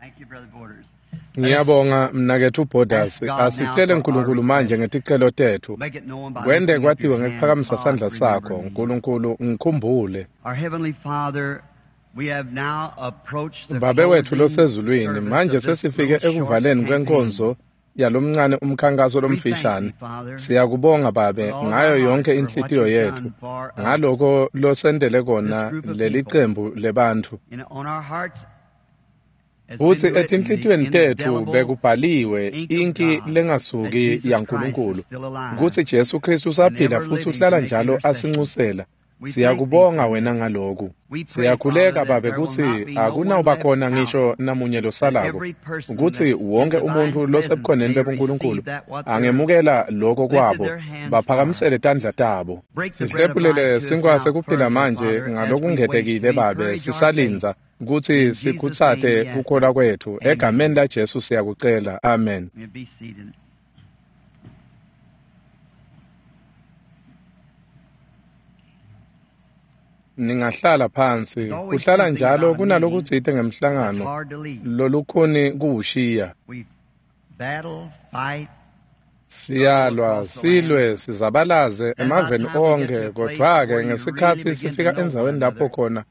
Thank you, Brother Borders. Ngiyabonga mnaketfu Borders. Ask God now Asicele for our uNkulunkulu manje request. ngeticelo tetfu. Make it known by Kwente lifting up your kwatiwe hand. ngekuphakamisa God, sandla remember sakho. me. Nkulunkulu ngikhumbule. Our Heavenly Father, we have now approached the Babe wetfu closing losezulwini, service manje of this sesifike little short ekuvaleni campaign. kwenkonzo yalomncane umkhankaso We thank lomfishane. thee, Father, Siyakubonga Babe with all ngayo our heart yonke for what inhlitiyo you've yetfu done for us, ngaloko losendele this kona group of leli people. cembu lebantfu. And on our hearts has been Futsi written the etinhlitiyweni tetfu indelible bekubhaliwe ink of inki God that lengasuki Jesus Christ is yaNkulunkulu still alive kutsi Jesu Kristu and usaphila ever futsi living to uhlala make njalo intercession. asinxusela. We thank thee Siyakubonga for wena this. ngaloku. We pray, Father, Siyakhuleka that Babe there will kutsi not be no one akunawuba left khona out, ngisho namunye that losalako, every person kutsi that's in wonke divine umuntfu presence losebukhoneni may bebuNkulunkulu receive that what they're angemukela loko lifted kwabo, their hands for. baphakamisele tandla tabo. Break the bread of life Sihlephulele to us sinkhwa now sekuphila further, manje Father, as we wait ngalokungetekile to Babe, encourage our faith. sisalindza kutsi In Jesus' name sikhutsate we ask it. kukholwa kwetfu. Amen. Egameni laJesu siyakucela. Amen. You may be seated. Ningahlala phansi. There's always Kuhlala something njalo about a meeting kunalokutsite that's ngemhlangano hard to leave. lolukhuni kuwushiya. We battle, fight, struggle Siyalwa, across the land. silwe, sizabalaze Then by the emaveni time we get to onke, a place kodwa-ke where you really ngesikhatsi begin to sifika know one endzaweni lapho another, khona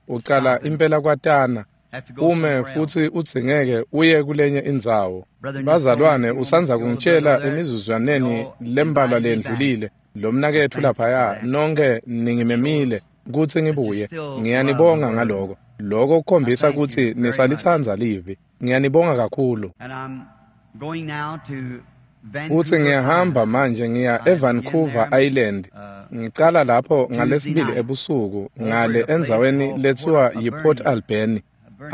ucala stop and impela kwatana, have to go ume somewhere else. futsi udzingeke uye kulenye indzawo. Brethren just told me a Bazalwane few moments usandza ago, the brother kungitshela over there, emizuzwaneni you lembalwa invited me back. lendlulile, lo I mnaketfu thank you for laphaya, that. nonke It ningimemile shows kutsi that you ngibuye. still love the Ngiyanibonga Word. ngaloko. Loko I kukhombisa thank you kutsi very much. nisalitsandza livi. Ngiyanibonga kakhulu. And I'm going now to Futsi Vancouver ngiyahamba Island. manje ngiya I begin eVancouver there Island. Ngicala lapho Tuesday ngalesibili night ebusuku over ngale at a place endzaweni called Port letsiwa yiPort Alberni. Alberni.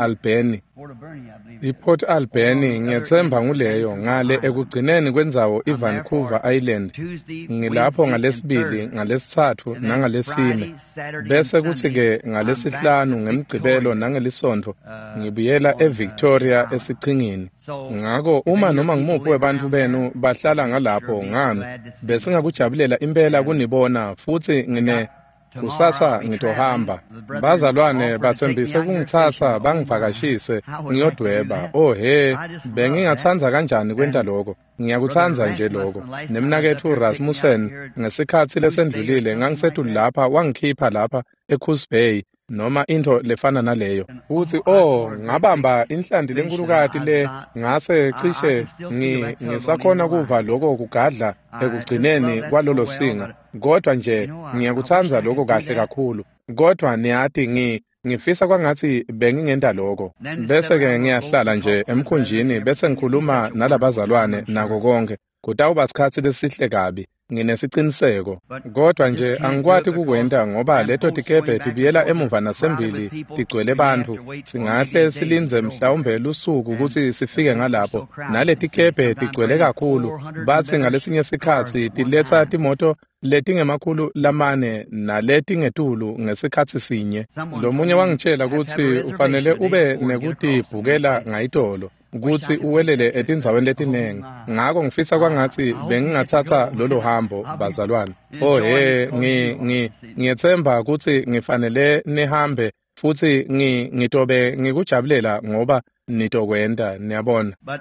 Alberni. Alberni. Port Alberni, I believe it is. IPort Over on Alberni the other end ngiyetsemba of nguleyo Vancouver ngale Island. ekugcineni kwendzawo I'm there for iVancouver Island. Tuesday, Ngilapho Wednesday, and ngalesibili, Thursday. ngalesitsatfu And then nangalesine. Friday, Saturday, and Bese kutsi Sunday, ke I'm back ngalesihlanu to ngemgcibelo Victoria nangelisonto ngibuyela on the eVictoria island. esichingini. So Ngako if uma any of noma your people ngumuphi live webantfu around there, benu bahlala we'd sure ngalapho be ngami, glad to see you. besingakujabulela impela And kunibona futsi I ngine got tomorrow I'll kusasa be traveling. ngitohamba. The brethren Bazalwane offered to take me batsembise out here fishing. kungitsatsa Oh my, bangivakashise I would like to do ngiyodweba. that. Oh he, I just love that. bengingatsandza kanjani kwenta And loko. Brother Ngiyakutsandza nje Rasmussen, loko. last time I was up Nemnaketfu here, picked me out Rasmussen here at ngesikhatsi Goose Bay or lesendlulile something like ngangisetulu that. lapha wangikhipha lapha eCoos Bay noma intfo lefana naleyo. And Futsi oh, I oh caught a great big ngabamba inhlanti fish, and lenkulukati I was le about, ngase I cishe can still feel that tug on the end ngisakhona of the kuva line. loko kugadla I just ekugcineni love that so kwalolo well, singa. but Kodwa nje you know, I wish ngiyakutsandza I loko could do kahle that. kakhulu. Kodwa niyati ngifisa kwangatsi bengingenta loko. Then to sit Bese ke around those boats ngiyahlala and nje talk to the brethren emkhunjini and bese everything, it'd be ngikhuluma such a wonderful time, nalabazalwane I'm nako sure. konke. Kutawuba sikhatsi lesihle kabi. Nginesiciniseko. But Kodwa I just nje can't do it angikwati because kukwenta ngoba them leto boats tikebhe going back and tibuyela forth are emuva crowded with nasembili people. tigcwele We may have bantfu. to wait for maybe Singahle a day to silindze get over mhlawumbe there. lusuku And kutsi the sifike boats are ngalapho. so crowded, Nale you see. tikebhe Sometimes tigcwele bringing kakhulu. 400 and Batsi better ngalesinye cars sikhatsi at one tiletsa time. timoto letingemakhulu lamane naletingetulu ngesikhatsi sinye. Someone told Lomunye me you wangitshela have to have a kutsi ufanele reservation the day ube before to get across to these nekutibhukela places. ngayitolo Wish I kutsi could book uwelele that trip. etindzaweni Oh letinengi. my. Ngako ngifisa kwangatsi I hope we get to bengingatsatsa go. lolo hambo I'll be bazalwane. Oh enjoying he, it because you are. You see. ngiyetsemba kutsi ngifanele nihambe futsi ngitobe ngikujabulela ngoba nitokwenta niyabona. But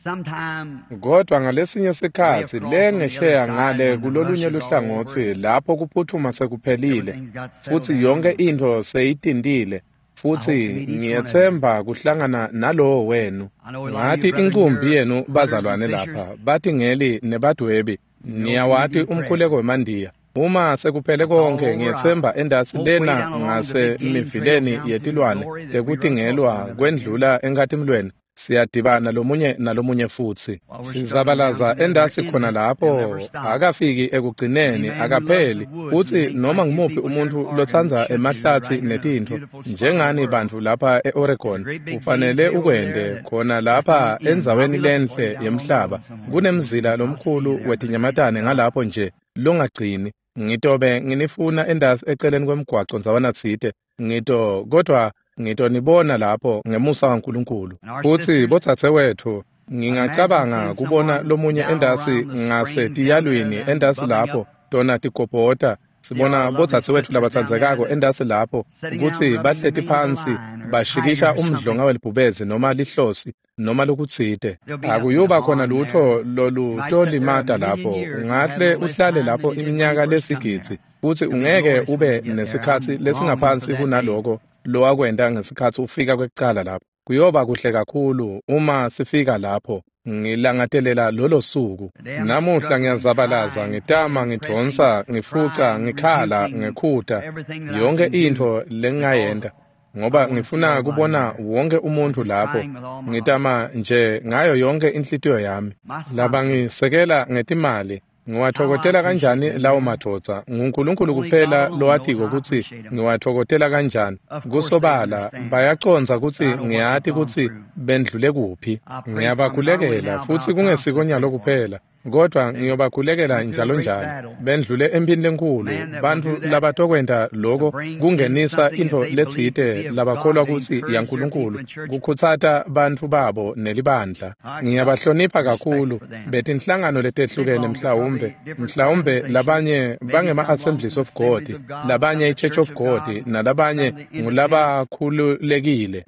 sometime Kodwa ngalesinye way sikhatsi across le on the other ngesheya side ngale when the rush kulolunye is all over luhlangotsi and lapho kuphuthuma sekuphelile everything's got settled futsi down, yonke and intfo seyitintile I hope to futsi meet each one of you. ngiyetsemba kuhlangana nalowo wenu. I know a lot of you Ngati brethren inkumbi here, yenu hunters and bazalwane fishers, lapha batingeli nebadwebi you know we niyawati do pray. umkhuleko wemandiya. Uma sekuphele It's all konke over. I ngiyetsemba endasi hope way lena down along the big game trail ngasemivileni down to yetilwane Glory that we run across one tekutingelwa another again kwendlula enkhatimulweni siyadibana lomunye nalomunye futsi. while we're struggling down Sizabalaza through there. They're endasi khona endless. They'll lapho never stop. akafiki Any ekugcineni man who loves the akapheli. woods and Futsi thinks noma like you ngumuphi people here in umuntfu Oregon lotsandza should do emahlatsi right here in the netintfo beautiful spot of the njengani world. bantfu lapha There's a eOregon great big game ufanele trail over there ukwente that khona there's no lapha end. I'll endzaweni be looking for you lenhle down along the yemhlaba road somewhere. kunemzila I'll see you lomkhulu there pretty soon. wetinyamatane ngalapho nje longagcini. Ngitobe nginifuna endasi eceleni kwemgwaco ndzawana tsite ngito kodwa ngitonibona lapho ngemusa waNkulunkulu. And our Futsi sisters, bodzadzewetfu I imagine ngingacabanga seeing kubona someone lomunye down endasi around the springs down there, ngasetiyalwini them endasi bubbling lapho up tona tigobhota Sibona bodzadzewetfu labatsandzekako entasi lapho kutsi bahleti phansi bashikisha umdlonga welibhubezi noma lihlosi noma lokutsite. Akuyuba khona lutho lolutolimata lapho. Ungahle uhlale lapho iminyaka lesigidzi futsi ungeke ube nesikhatsi lesingaphansi kunaloko lowakwenta ngesikhatsi ufika kwekucala lapho. Kuyoba kuhle kakhulu uma sifika lapho. Ngilangatelela lolo suku. Namuhla ngiyazabalaza, ngitama, ngidvonsa, ngifuca, ngikhala, ngekhuta yonke intfo lengingayenta, ngoba ngifuna kubona wonke umuntu lapho. Ngitama nje ngayo yonke inhlitiyo yami. Labangisekela ngetimali, ngiwathokotela kanjani lawo madvodza? NguNkulunkulu kuphela lowatiko kutsi ngiwathokotela kanjani. Kusobala bayacondza kutsi ngiyati kutsi bendlule kuphi. Ngiyabakhulekela futsi kungesikonyalo kuphela, kodvwa ngiyobakhulekela njalo njalo. Bendlule emphini lenkhulu, bantfu labatokwenta loko kungenisa intfo letsite labakholwa kutsi yaNkulunkulu, kukhutsata bantfu babo nelibandla. Ngiyabahlonipha kakhulu betinhlangano letehlukene, mhlawumbe labanye bangema-Assemblies of God, labanye i-Church of God, nalabanye ngulabakhululekile,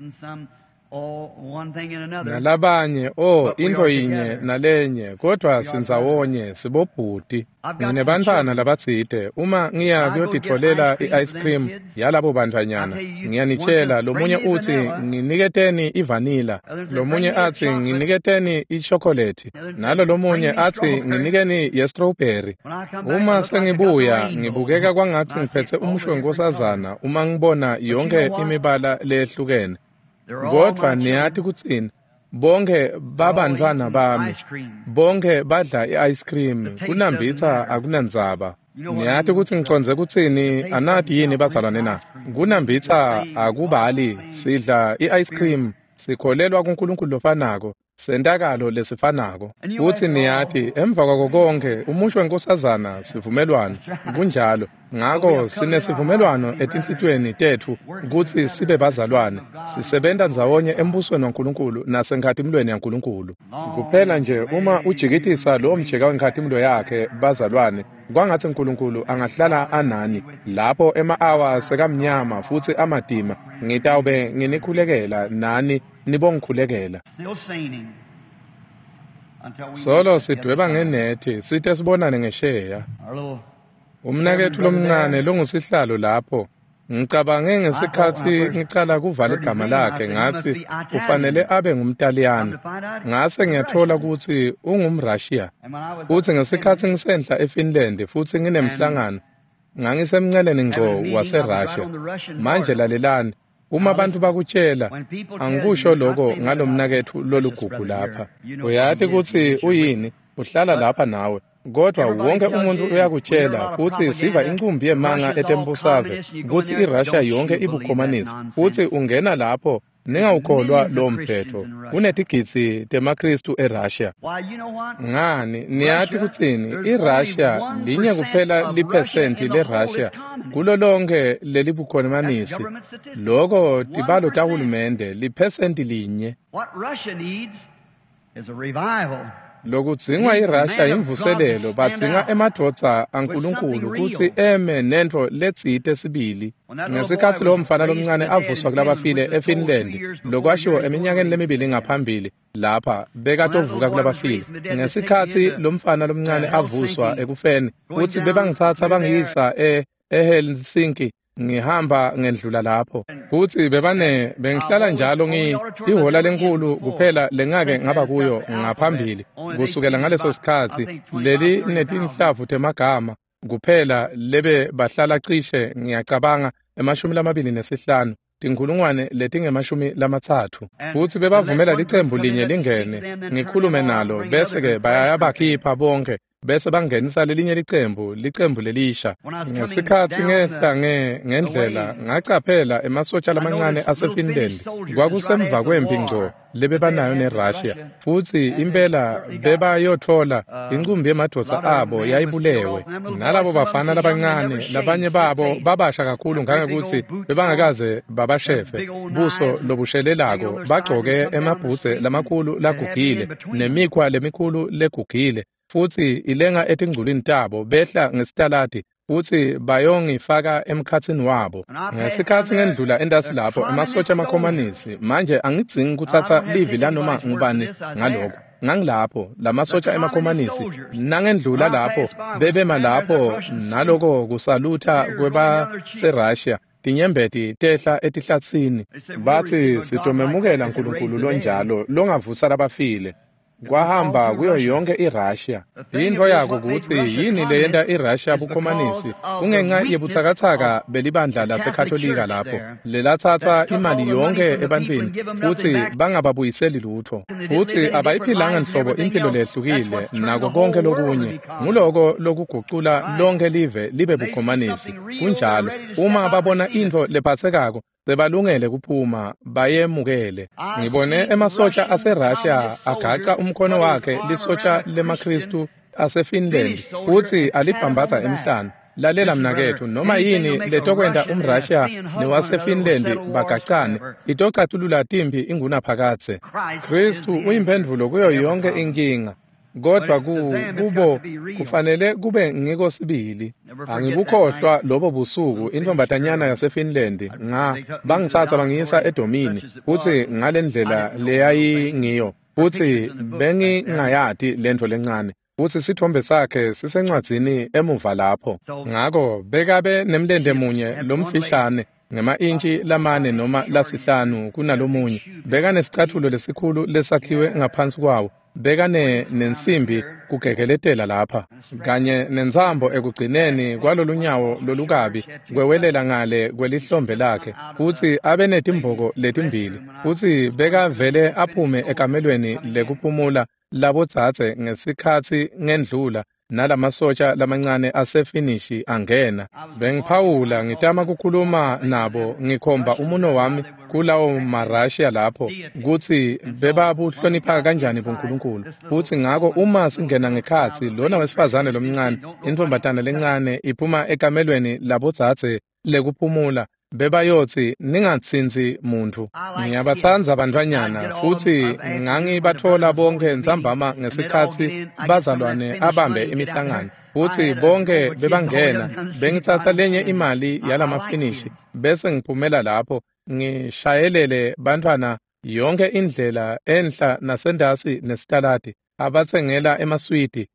nalabanye intfo yinye nalenye, kodvwa sindzawonye sibobhuti. Nginebantfwana labatsite, uma ngiya kuyotitfolela i-ice cream yalabo bantfwanyana, ngiyanitshela, lomunye utsi nginiketeni ivanila, lomunye atsi nginiketeni ishokolethi, nalo lomunye atsi nginikeni ye-strawberry. Uma sengibuya ngibukeka kwangatsi ngiphetse umusho wenkosazana uma ngibona yonke imibala leyehlukene. Kodvwa niyati kutsini? Bonke babantfwana bami, bonke badla i-ice cream, kunambitsa akunandzaba. Niyati kutsi ngicondze kutsini? Anati yini bazalwane na? Kunambitsa akubali, sidla i-ice cream, sikholelwa kuNkulunkulu lofanako, sentakalo lesifanako. Futsi niyati, emva kwako konkhe, umusho wenkosazana sivumelwano. Kunjalo. Ngako sinesivumelwano etinhlitiyweni tetfu kutsi sibe bazalwane, sisebenta ndzawonye embusweni waNkulunkulu nasenkhatimulweni yaNkulunkulu. Kuphela nje uma ujikitisa lowo mjeka wenkhatimulo yakhe, bazalwane, kwangatsi uNkulunkulu angahlala anani lapho ema-awa sekamnyama futsi amatima. Ngitawube nginikhulekela nani nibongikhulekela. Solo sidweba ngenethi site sibonane ngesheya. Umnaketfu lomncane longusihlalo lapho, ngicabange ngesikhatsi ngicala kuvala igama lakhe ngatsi ufanele abe ngumTaliyane. Ngase ngiyatfola kutsi ungumRussia. Futsi ngesikhatsi ngisenhla eFinland futsi nginemhlangano, ngangisemnceleni ngco waseRussia. Manje lalelani, uma bantfu bakutshela, angikusho lokho ngalomnaketfu lolugugu lapha. Uyati kutsi uyini, uhlala lapha nawe. Kodvwa wonke umuntu uyakutshela, futsi siva incumbi yemanga etembusave kutsi iRussia yonke ibukhomanisi, futsi ungena lapho ningawukholwa lowo mphetho. Kunetigidzi temaKhristu eRussia. Ngani, niyati kutsini? IRussia linye kuphela liphesenti leRussia kulo lonke lelibukhomanisi. Loko tibalo tahulumende liphesenti linye. Lokudzingwa iRussia imvuselelo, badzinga emadvodza aNkulunkulu kutsi eme nentfo letsite sibili. Ngesikhatsi lowo mfana lomncane avuswa kulabafile eFinland, lokwashiwo eminyakeni lemibili ngaphambili lapha bekatovuka kulabafile. Ngesikhatsi lo mfana lomncane avuswa ekufeni, futsi bebangitsatsa bangiyisa eHelsinki, ngihamba ngendlula lapho. Futsi bengihlala njalo ihhola lenkhulu kuphela lengake ngaba kuyo ngaphambili. Kusukela ngaleso sikhatsi leli netinhlavu temagama kuphela lebe bahlala cishe ngiyacabanga 25, 30,000. Futsi bebavumela licembu linye lingene, ngikhulume nalo, bese-ke bayabakhipha bonke, bese bangenisa lelinye licembu lelisha. Ngesikhatsi ngehla ngendlela, ngacaphela emasotja lamancane aseFinland. Kwakusemva kwempi ngco lebebanayo neRussia, futsi impela bebayotfola incumbi yemadvodza abo yayibulewe. Nalabo bafana labancane, labanye babo babasha kakhulu ngangekutsi bebangakaze babashefe, buso lobushelelako, bagcoke emabhudze lamakhulu lagugile nemikhwa lemikhulu legugile, futsi ilenga etingculwini tabo behla ngesitaladi futsi bayongifaka emkhatsini wabo. Ngesikhatsi ngendlula entasi lapho emasotja amakhomanisi, manje angidzingi kutsatsa livi lanoma ngubani ngaloko. Ngangilapho lamasotja emakhomanisi nangendlula lapho bebema lapho naloko kusalutha kwebaseRussia. Tinyembeti tehla etihlatsini. Bathi sitomemukela uNkulunkulu lonjalo longavusa labafile. Kwahamba kuyo yonke iRussia. Into yako kutsi yini leyenta iRussia bukhomanisi kungenxa yebutsakatsaka belibandla laseKatolika lapho lelatsatsa imali yonke ebantwini futsi bangababuyiseli lutho, futsi abayiphilanga nhlobo impilo lehlukile nako konke lokunye. Nguloko lokugucula lonke live libe bukhomanisi. Kunjalo, uma babona intfo lephatsekako sebalungele kuphuma bayemukele. Ngibone emasotja aseRussia agaca umkhono wakhe lisotja lemaKristu aseFinland futsi alibhambatha emhlane. Lalela mnaketfu, noma yini letokwenta umRussia newaseFinland bagacane itocatulula timpi ingunaphakadze. Kristu uyimphendvulo kuyo yonke inkinga, kodwa kubo kufanele kube ngiko sibili. Angibukhohlwa lobo busuku intombatanyana yaseFinland bangitsatsa bangiyisa edomini, futsi ngalendlela leyayingiyo, futsi bengingayati lentfo lencane, futsi sithombe sakhe sisencwadzini emuva lapho. Ngako bekabe nemlente munye lomfishane ngema-intshi 4 noma 5 kunalomunye. Bekanesicatfulo lesikhulu lesakhiwe ngaphansi kwawo, bekane nensimbi kugegeletela lapha kanye nentsambo ekugcineni kwalolunyawo lolukabi kwewelela ngale kwelihlombe lakhe, futsi abe netimboko letimbili, futsi bekavele aphume ekamelweni lekuphumula labodzadze ngesikhatsi ngendlula nalamasotja lamancane asefinishi angena. Bengiphawula ngitama kukhuluma nabo ngikhomba umuno wami kulawo maRussia lapho kutsi bebabuhlonipha kanjani buNkulunkulu. Futsi ngako uma singena ngekhatsi, lona wesifazane lomncane, intombatana lencane iphuma ekamelweni labodzadze lekuphumula, bebayotsi ningatsintsi muntfu. Ngiyabatsandza bantfwanyana, futsi ngangibatfola bonke ntsambama ngesikhatsi bazalwane abambe imihlangano, futsi bonke bebangena. Bengitsatsa lenye imali yalamafinishi bese ngiphumela lapho ngishayelele bantfwana yonke indlela enhla nasendasi nesitaladi, abatsengela emaswidi.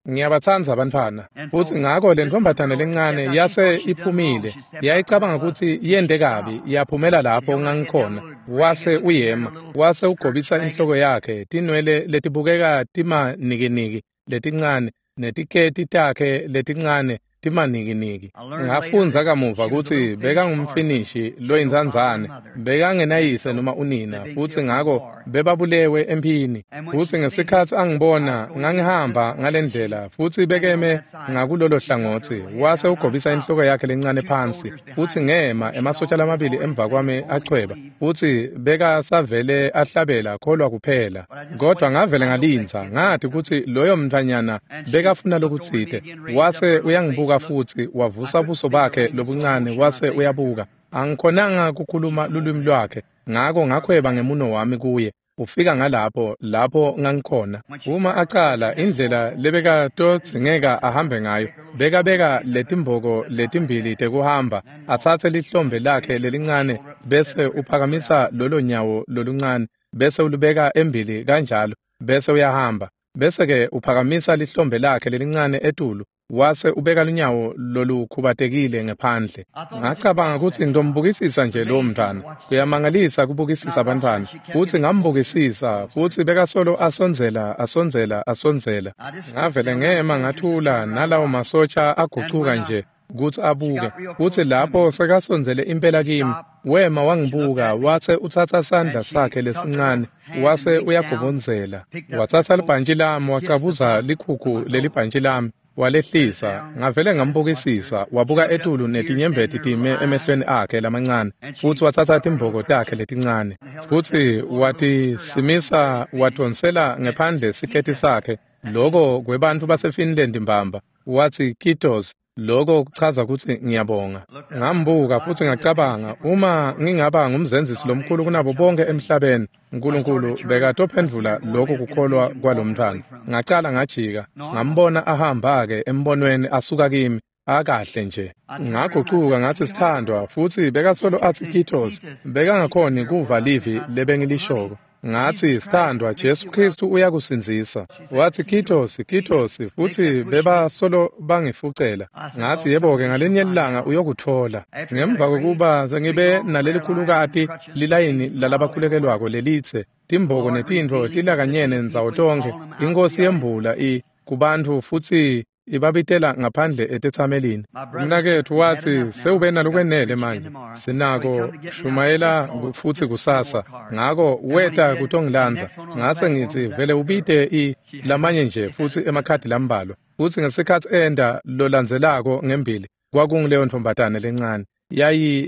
Ngiyabatsandza bantfwana. Futsi ngako le ntombatana lencane yase iphumile, yayicabanga kutsi yente kabi, yaphumela lapho ngangikhona. Wase uyema, wase ugobisa inhloko yakhe, tinwele letibukeka timanikiniki letincane netiketi takhe letincane timanikiniki. Ngafundza kamuva kutsi bekangumfinishi loyintsandzane, bekangenayise noma unina, futsi ngako bebabulewe emphini. Futsi ngesikhatsi angibona ngangihamba ngalendlela, futsi bekeme ngakulolo hlangotsi, wase ugobisa inhloko yakhe lencane phansi, futsi ngema emasotja lamabili emva kwami achweba, futsi bekasavele ahlabela kholwa kuphela. Kodwa ngavele ngalindza, ngathi kutsi loyo mntfwanyana bekafuna lokutsite. Wase uyangibuka futhi wavusa buso bakhe lobuncane, wase uyabuka. Angikhonanga kukhuluma lulwimi lwakhe, ngako ngakhweba ngemuno wami kuye. Ufika ngalapho lapho ngangikhona. Uma acala indlela lebekatodzingeka ahambe ngayo, bekabeka letimboko letimbili tekuhamba, atsatse lihlombe lakhe lelincane bese uphakamisa lolo nyawo loluncane, bese ulubeka embili kanjalo, bese uyahamba, bese-ke uphakamisa lihlombe lakhe lelincane etulu, wase ubeka lunyawo lolukhubatekile ngephandle. Ngacabanga kutsi ngitombukisisa nje lowo mntfwana. Kuyamangalisa kubukisisa abantwana. Futsi ngambukisisa, futsi bekasolo asondzela, asondzela, asondzela. Ngavele ngema ngathula, nalawo masotsha agucuka nje kutsi abuke. Futsi lapho sekasondzele impela kimi, wema wangibuka, wase utsatsa sandla sakhe lesincane, wase uyagobondzela. Watsatsa libhantji lami, wacabuza likhukhu lelibhantji lami, walehlisa. Ngavele ngambukisisa, wabuka etulu netinyembeti time emehlweni akhe lamancane, futsi watsatsa timboko takhe letincane, futsi watisimisa, wadvonsela ngephandle siketi sakhe, loko kwebantfu baseFinland mbamba. Watsi kitos, loko kuchaza kutsi ngiyabonga. Ngambuka futsi ngacabanga, uma ngingaba ngumzenzisi lomkhulu kunabo bonke emhlabeni, uNkulunkulu bekatophendvula lokho kukholwa kwalomntfwana. Ngacala ngajika, ngambona ahamba-ke embonweni asuka kimi. Akahle nje. Ngagucuka ngathi sithandwa futsi bekasolo atsi Kitos bekangakhoni kuva livi lebengilishoko. Ngathi sithandwa Jesu Kristu uyakusindzisa. Wathi Kitos Kitos futsi bebasolo bangifucela. Ngathi yebo-ke ngalinye ilanga uyokuthola. Ngemva kokuba sengibe nalelikhulukati lilayini lalabakhulekelwako lelitse timboko netintfo tilakanyene ndzawo tonkhe inkosi yembula kubantfu futsi ibabitela ngaphandle etetsamelini. Umnaketfu watsi sewube nalokwenele manje sinako shumayela futsi kusasa. Ngako weta kutongilandza. Ngase ngitsi vele ubite lamanye nje futsi emakhadi lambalwa. Futsi ngesikhatsi enda lolandzelako ngembili kwakunguleyo ntombazane lencane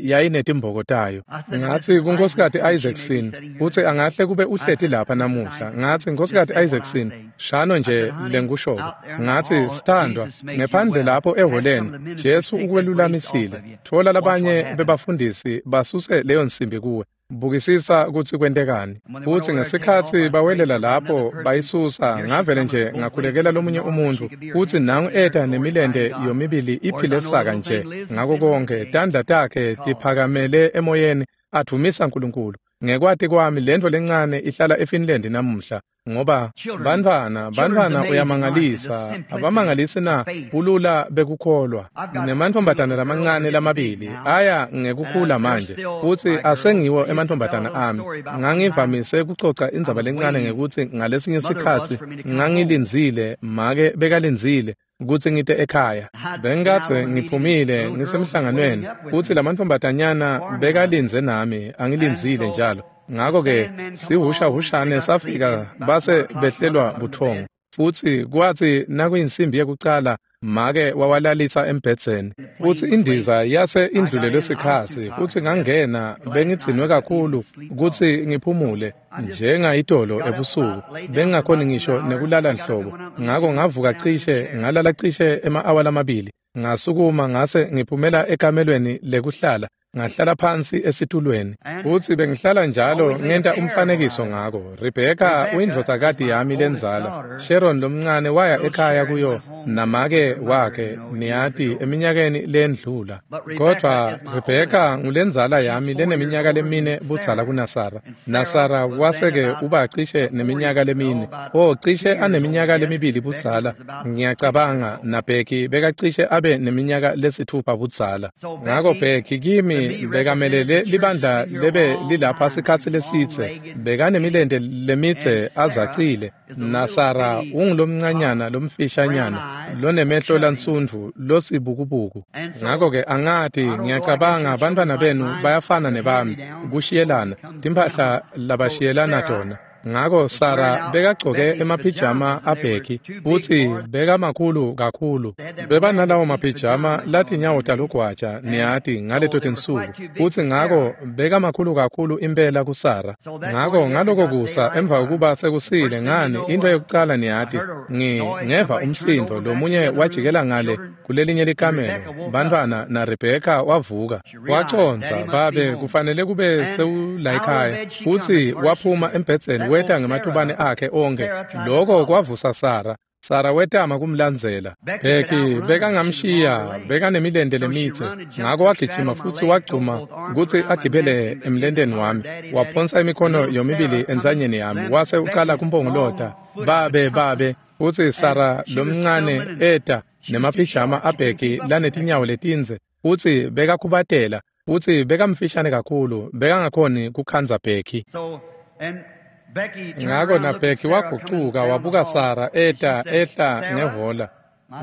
yayinetimboko tayo. Ngathi kuNkosikazi Isaacson utsi angahle kube uhleti lapha namuhla. Ngathi Nkosikazi Isaacson shano nje lengikushoko. Ngathi sithandwa ngephandle lapho eholeni Jesu ukwelulamisile. Thola labanye bebafundisi basuse leyo nsimbi kuwe. Bukisisa kutsi kwentekani. Futsi ngesikhatsi bawelela lapho bayisusa ngavele nje ngakhulekela lomunye umuntu futsi nangu eta nemilente yomibili iphile saka nje ngako konke tandla takhe tiphakamele emoyeni advumisa uNkulunkulu. Ngekwati kwami lento lencane ihlala eFinland namuhla ngoba bantfwana uyamangalisa abamangalisi na bulula bekukholwa. Nginemantfombatana lamancane lamabili aya ngekukhula manje futsi asengiwo emantfombatana ami. Ngangivamise kucoca indzaba lencane ngekutsi ngalesinye sikhatsi ngangilindzile make bekalindzile kutsi ngite ekhaya. Bengikadze ngiphumile ngisemhlanganweni futsi lamantfombatanyana bekalindze nami angilindzile njalo. Ngako-ke sihushahushane safika base behlelwa buthongo futsi kwatsi nakuyinsimbi yekucala make wawalalisa embhedzeni futsi indiza yase indlulelwe sikhatsi futsi ngangena bengidzinwe kakhulu kutsi ngiphumule njengayitolo ebusuku bengingakhoni ngisho nekulala nhlobo. Ngako ngavuka cishe ngalala cishe ema-awa lamabili ngasukuma ngase ngiphumela ekamelweni lekuhlala ngahlala phansi esitulweni futsi bengihlala njalo ngenta umfanekiso ngako. Rebecca uyindvodzakati yami lenzala. Sharon lomncane waya ekhaya kuyo namake wakhe niyati eminyakeni lendlula. Kodvwa Rebecca ngulenzala yami leneminyaka lemine budzala kunaSara. NaSara waseke uba cishe neminyaka lemine. Cishe aneminyaka lemibili budzala. Ngiyacabanga naBecky bekacishe abe neminyaka lesithupha budzala. Ngako Becky kimi bekamelele libandla lebe lilapha sikhatsi lesitse bekanemilente lemitse azacile. NaSara ungulomncanyana lomfishanyana lonemehlo lansundvu losibukubuku. Ngako-ke angati ngiyacabanga bantfwana benu bayafana nebami kushiyelana timphahla labashiyelana tona. Ngako Sara bekagcoke emapijama aBecky futsi bekamakhulu kakhulu. Bebanalawo mapijama latinyawo talugwaja niyati ngaleto tinsuku futsi ngako bekamakhulu kakhulu impela kuSara. Ngako ngaloko kusa emva kokuba sekusile ngani into yokucala niyati ngeva umsindo lomunye wajikela ngale kulelinye likamelo bantfwana na Rebecca wavuka waconza babe kufanele kube sewula ekhaya futsi waphuma embhedzeni weta ngematubane akhe onke. Lokho kwavusa Sara. Sara wetama kumlandzela. Becky bekangamshiya bekanemilente lemitse ngako wagijima futsi wagcuma kutsi agibele emlenteni wami waphonsa imikhono yomibili entsanyeni yami wase ucala kumpongolota babe babe. Futsi Sara lomncane eta nemapijama aBecky lanetinyawo letindze futsi bekakhubatela futsi bekamfishane kakhulu bekangakhoni kukhandza Becky. Ngako naBecky wagucuka wabuka Sara eta ehla ngehola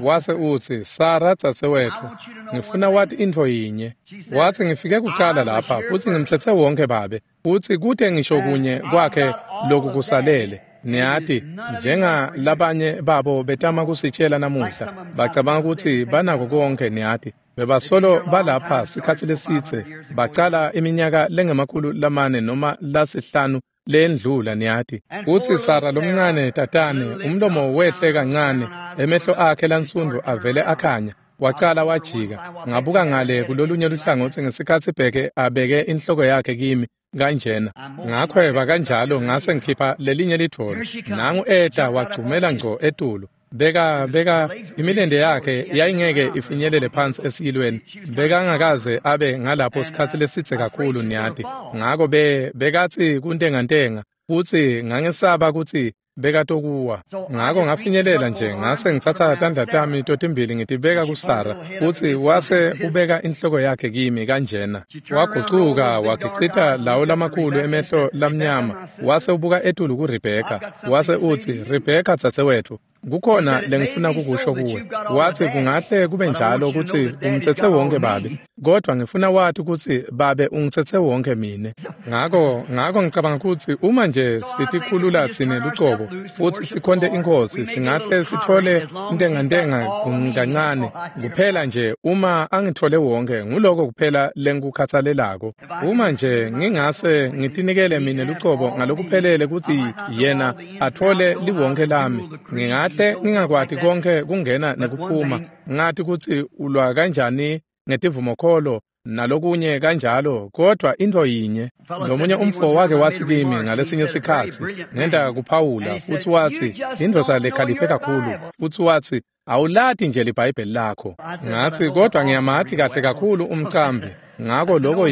wase utsi Sara dzadzewetfu ngifuna wati intfo yinye. Watsi ngifike kucala lapha futsi ngimtsetсе wonke babe futsi kute ngisho kunye kwakhe loku kusalele. Niyati njengalabanye babo betama kusitshela namuhla bacabanga kutsi banako konke niyati bebasolo balapha sikhatsi lesitse bacala iminyaka lengama-400 noma lasihlanu lendlula niyati. Futsi Sara lomncane tatane umlomo wehle kancane emehlo akhe lansundu avele akhanya wacala wajika. Ngabuka ngale kulolunye luhlangotsi ngesikhatsi Bheke abeke inhloko yakhe kimi kanjena. Ngakhweba kanjalo ngase ngikhipha lelinye lidvolo. Nangu eta wagcumela ngco etulu. Beka imilente yakhe yayingeke ifinyelele phansi esiyilweni. Bekangakaze abe ngalapho sikhatsi lesitse kakhulu niyati. Ngako bekathi kuntengantenga futsi ngangesaba kutsi bekatokuwa. Ngako ngafinyelela nje ngase ngitsatsa tandla tami totimbili ngitibeka kuSara futsi wase ubeka inhloko yakhe kimi kanjena. Wagucuka wagicita lawo lamakhulu emehlo lamnyama wase ubuka etulu kuRebheka wase utsi, "Rebheka dzadzewetfu, kukhona lengifuna kukusho kuwe." Wathi, "Kungahle kube njalo kutsi umtsetse wonke babe, kodwa ngifuna wati kutsi babe ungitsetse wonke mine." Ngako ngicabanga kutsi uma nje sitikhulula tsine lucobo futsi sikhonte iNkhosi, singahle sitfole intengantenga kancane kuphela nje uma angitfole wonke. Nguloko kuphela lengikukhatsalelako. Uma nje ngingase ngitinikele mine lucobo ngalokuphelele kutsi yena atfole liwonke lami, ngingahle ngingakwati konke kungena nekuphuma, ngati kutsi ulwa kanjani ngetivumokholo nalokunye kanjalo, kodwa into yinye. Lomunye umfo wake wathi kimi ngalesinye sikhatsi, ngenta kuphawula, futsi wathi, "Indvodza lekhaliphe kakhulu," futsi wathi, "Awulati nje liBhayibheli lakho." Ngathi, "Kodwa ngiyamati kahle kakhulu umcambi." Ngako lokho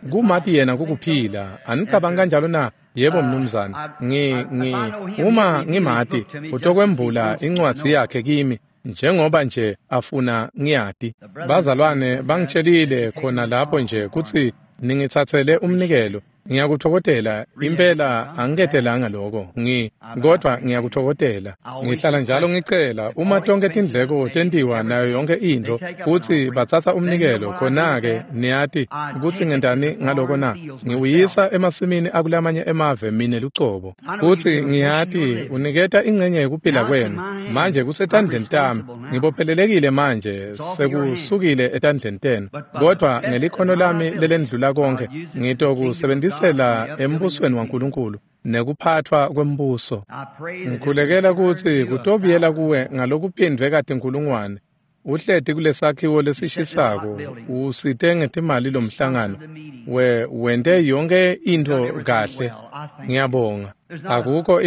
kumati yena kukuphila. Anicabangi kanjalo na? Yebo mnumzane. Uma ngimati, utokwembula incwadzi yakhe kimi njengoba nje afuna ngiyati. Bazalwane bangitshelile khona lapho nje kutsi ningitsatsele umnikelo. Ngiyakuthokozela impela, angiketelanga lokho kodwa ngiyakuthokozela. Ngihlala njalo ngicela uma tonke tindleko tentiwa nayo yonke intfo kutsi batsatsa umnikelo, khona-ke niyati kutsi ngentani ngaloko na? Ngiwuyisa emasimini akulamanye emave mine lucobo. Kutsi ngiyati uniketa ingcenye yekuphila kwenu. Manje kusetandleni tami, ngibophelelekile manje, sekusukile etandleni tenu, kodwa ngelikhono lami lelendlula konke ngitokusebenzisa embusweni waNkulunkulu nekuphathwa kwembuso. Ngikhulekela kutsi kutobuyela kuwe ngalokuphindvwe katinkhulungwane. Uhleti kulesakhiwo lesishisako, usite ngetimali lomhlangano, wente yonke intfo kahle. Ngiyabonga. Akukho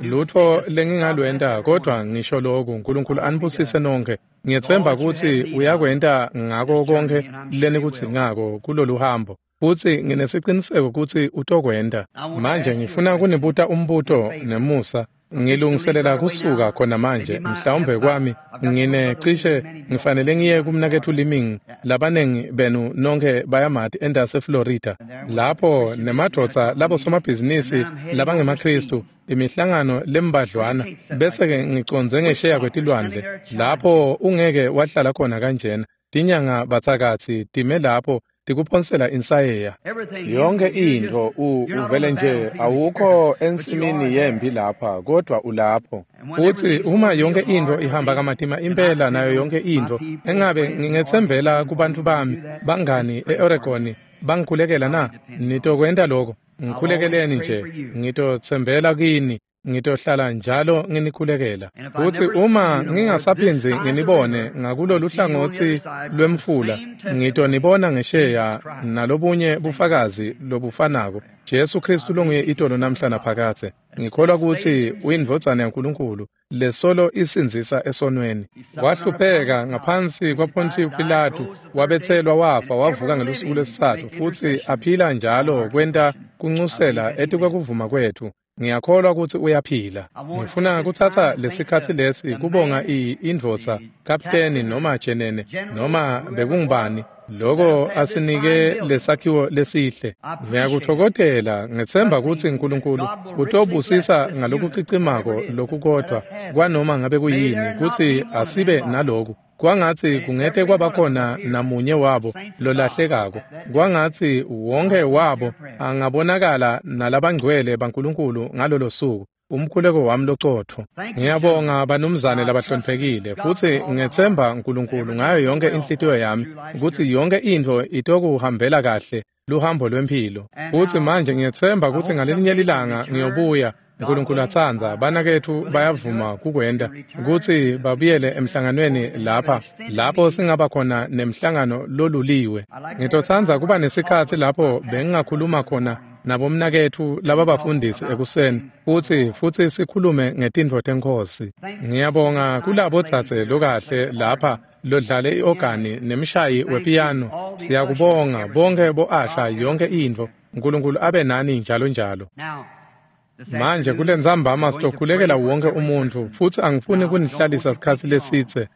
lutfo lengingalwenta, kodwa ngisho lokhu, uNkulunkulu anibusise nonke. Ngiyetsemba kutsi uyakwenta ngako konke lenikudzingako kulolu hambo, futsi nginesiciniseko kutsi utokwenta. Manje ngifuna kunibuta umbuto nemusa. Ngilungiselela kusuka khona manje, mhlawumbe kwami nginecishe ngifanele ngiye kumnaketfu Liming. Labanengi benu nonke bayamati endase Florida, lapho nemadvodza labo somabhizinisi labangemaKristu, imihlangano lembadlwana, bese-ke ngicondze ngesheya kwetilwandle lapho ungeke wahlala khona kanjena. Tinyanga batsakatsi time lapho tikuphonsela insayeya. Yonke intfo uvele nje awukho ensimini yempi lapha, kodwa ulapho. Futsi uma yonke intfo ihamba kamatima impela nayo yonke intfo, engabe ngingetsembela kubantfu bami bangani e-Oregon bangikhulekela na? Nitokwenta lokho? Ngikhulekeleni nje, ngitotsembela kini. Ngitohlala njalo nginikhulekela. Futsi uma ngingasaphindzi nginibone ngakulolu hlangotsi lwemfula, ngitonibona ngesheya nalobunye bufakazi lobufanako. Jesu Kristu longuye itolo namhla naphakadze. Ngikholwa kutsi uyindvodzana yaNkulunkulu lesolo isindzisa esonweni. Wahlupheka ngaphansi kwaPontius Pilatu, wabetselwa, wafa, wavuka ngelusuku lwesitsatfu, futsi aphila njalo kwenta kuncusela etikwekuvuma kwetfu. Ngiyakholwa kutsi uyaphila. Ngifuna kutsatsa lesikhatsi lesi kubonga indvodza, kapteni noma jenene noma bekungubani, loko asinike lesakhiwo lesihle. Ngiyakuthokozela, ngetsemba kutsi uNkulunkulu utobusisa ngalokucicimako lokukodwa kwanoma ngabe kuyini kutsi asibe naloku. Kwangatsi kungete kwabakhona namunye wabo lolahlekako. Kwangatsi wonke wabo angabonakala nalabangcwele baNkulunkulu ngalolo suku. Umkhuleko wami locotfo. Ngiyabonga banumzane labahloniphekile, futsi ngetsemba uNkulunkulu ngayo yonke inhlitiyo yami kutsi yonke intfo itokuhambela kahle luhambo lwemphilo. Futsi manje ngiyetsemba kutsi ngalelinye lilanga ngiyobuya, uNkulunkulu atsandza, banaketfu bayavuma kukwenta kutsi babuyele emhlanganweni lapha, lapho singaba khona nemhlangano loluliwe. Ngitotsandza kuba nesikhatsi lapho bengingakhuluma khona nabomnaketfu lababafundisi ekuseni futsi sikhulume ngetintfo teNkhosi. Ngiyabonga kulabo dzadze lokahle lapha lodlale i-ogani nemshayi wepiyano. Siyakubonga bonke bo-asha yonke intfo. uNkulunkulu abe nani njalo njalo. Manje kulentsambama sitokhulekela wonke umuntfu futsi angifuni kunihlalisa sikhatsi lesidze.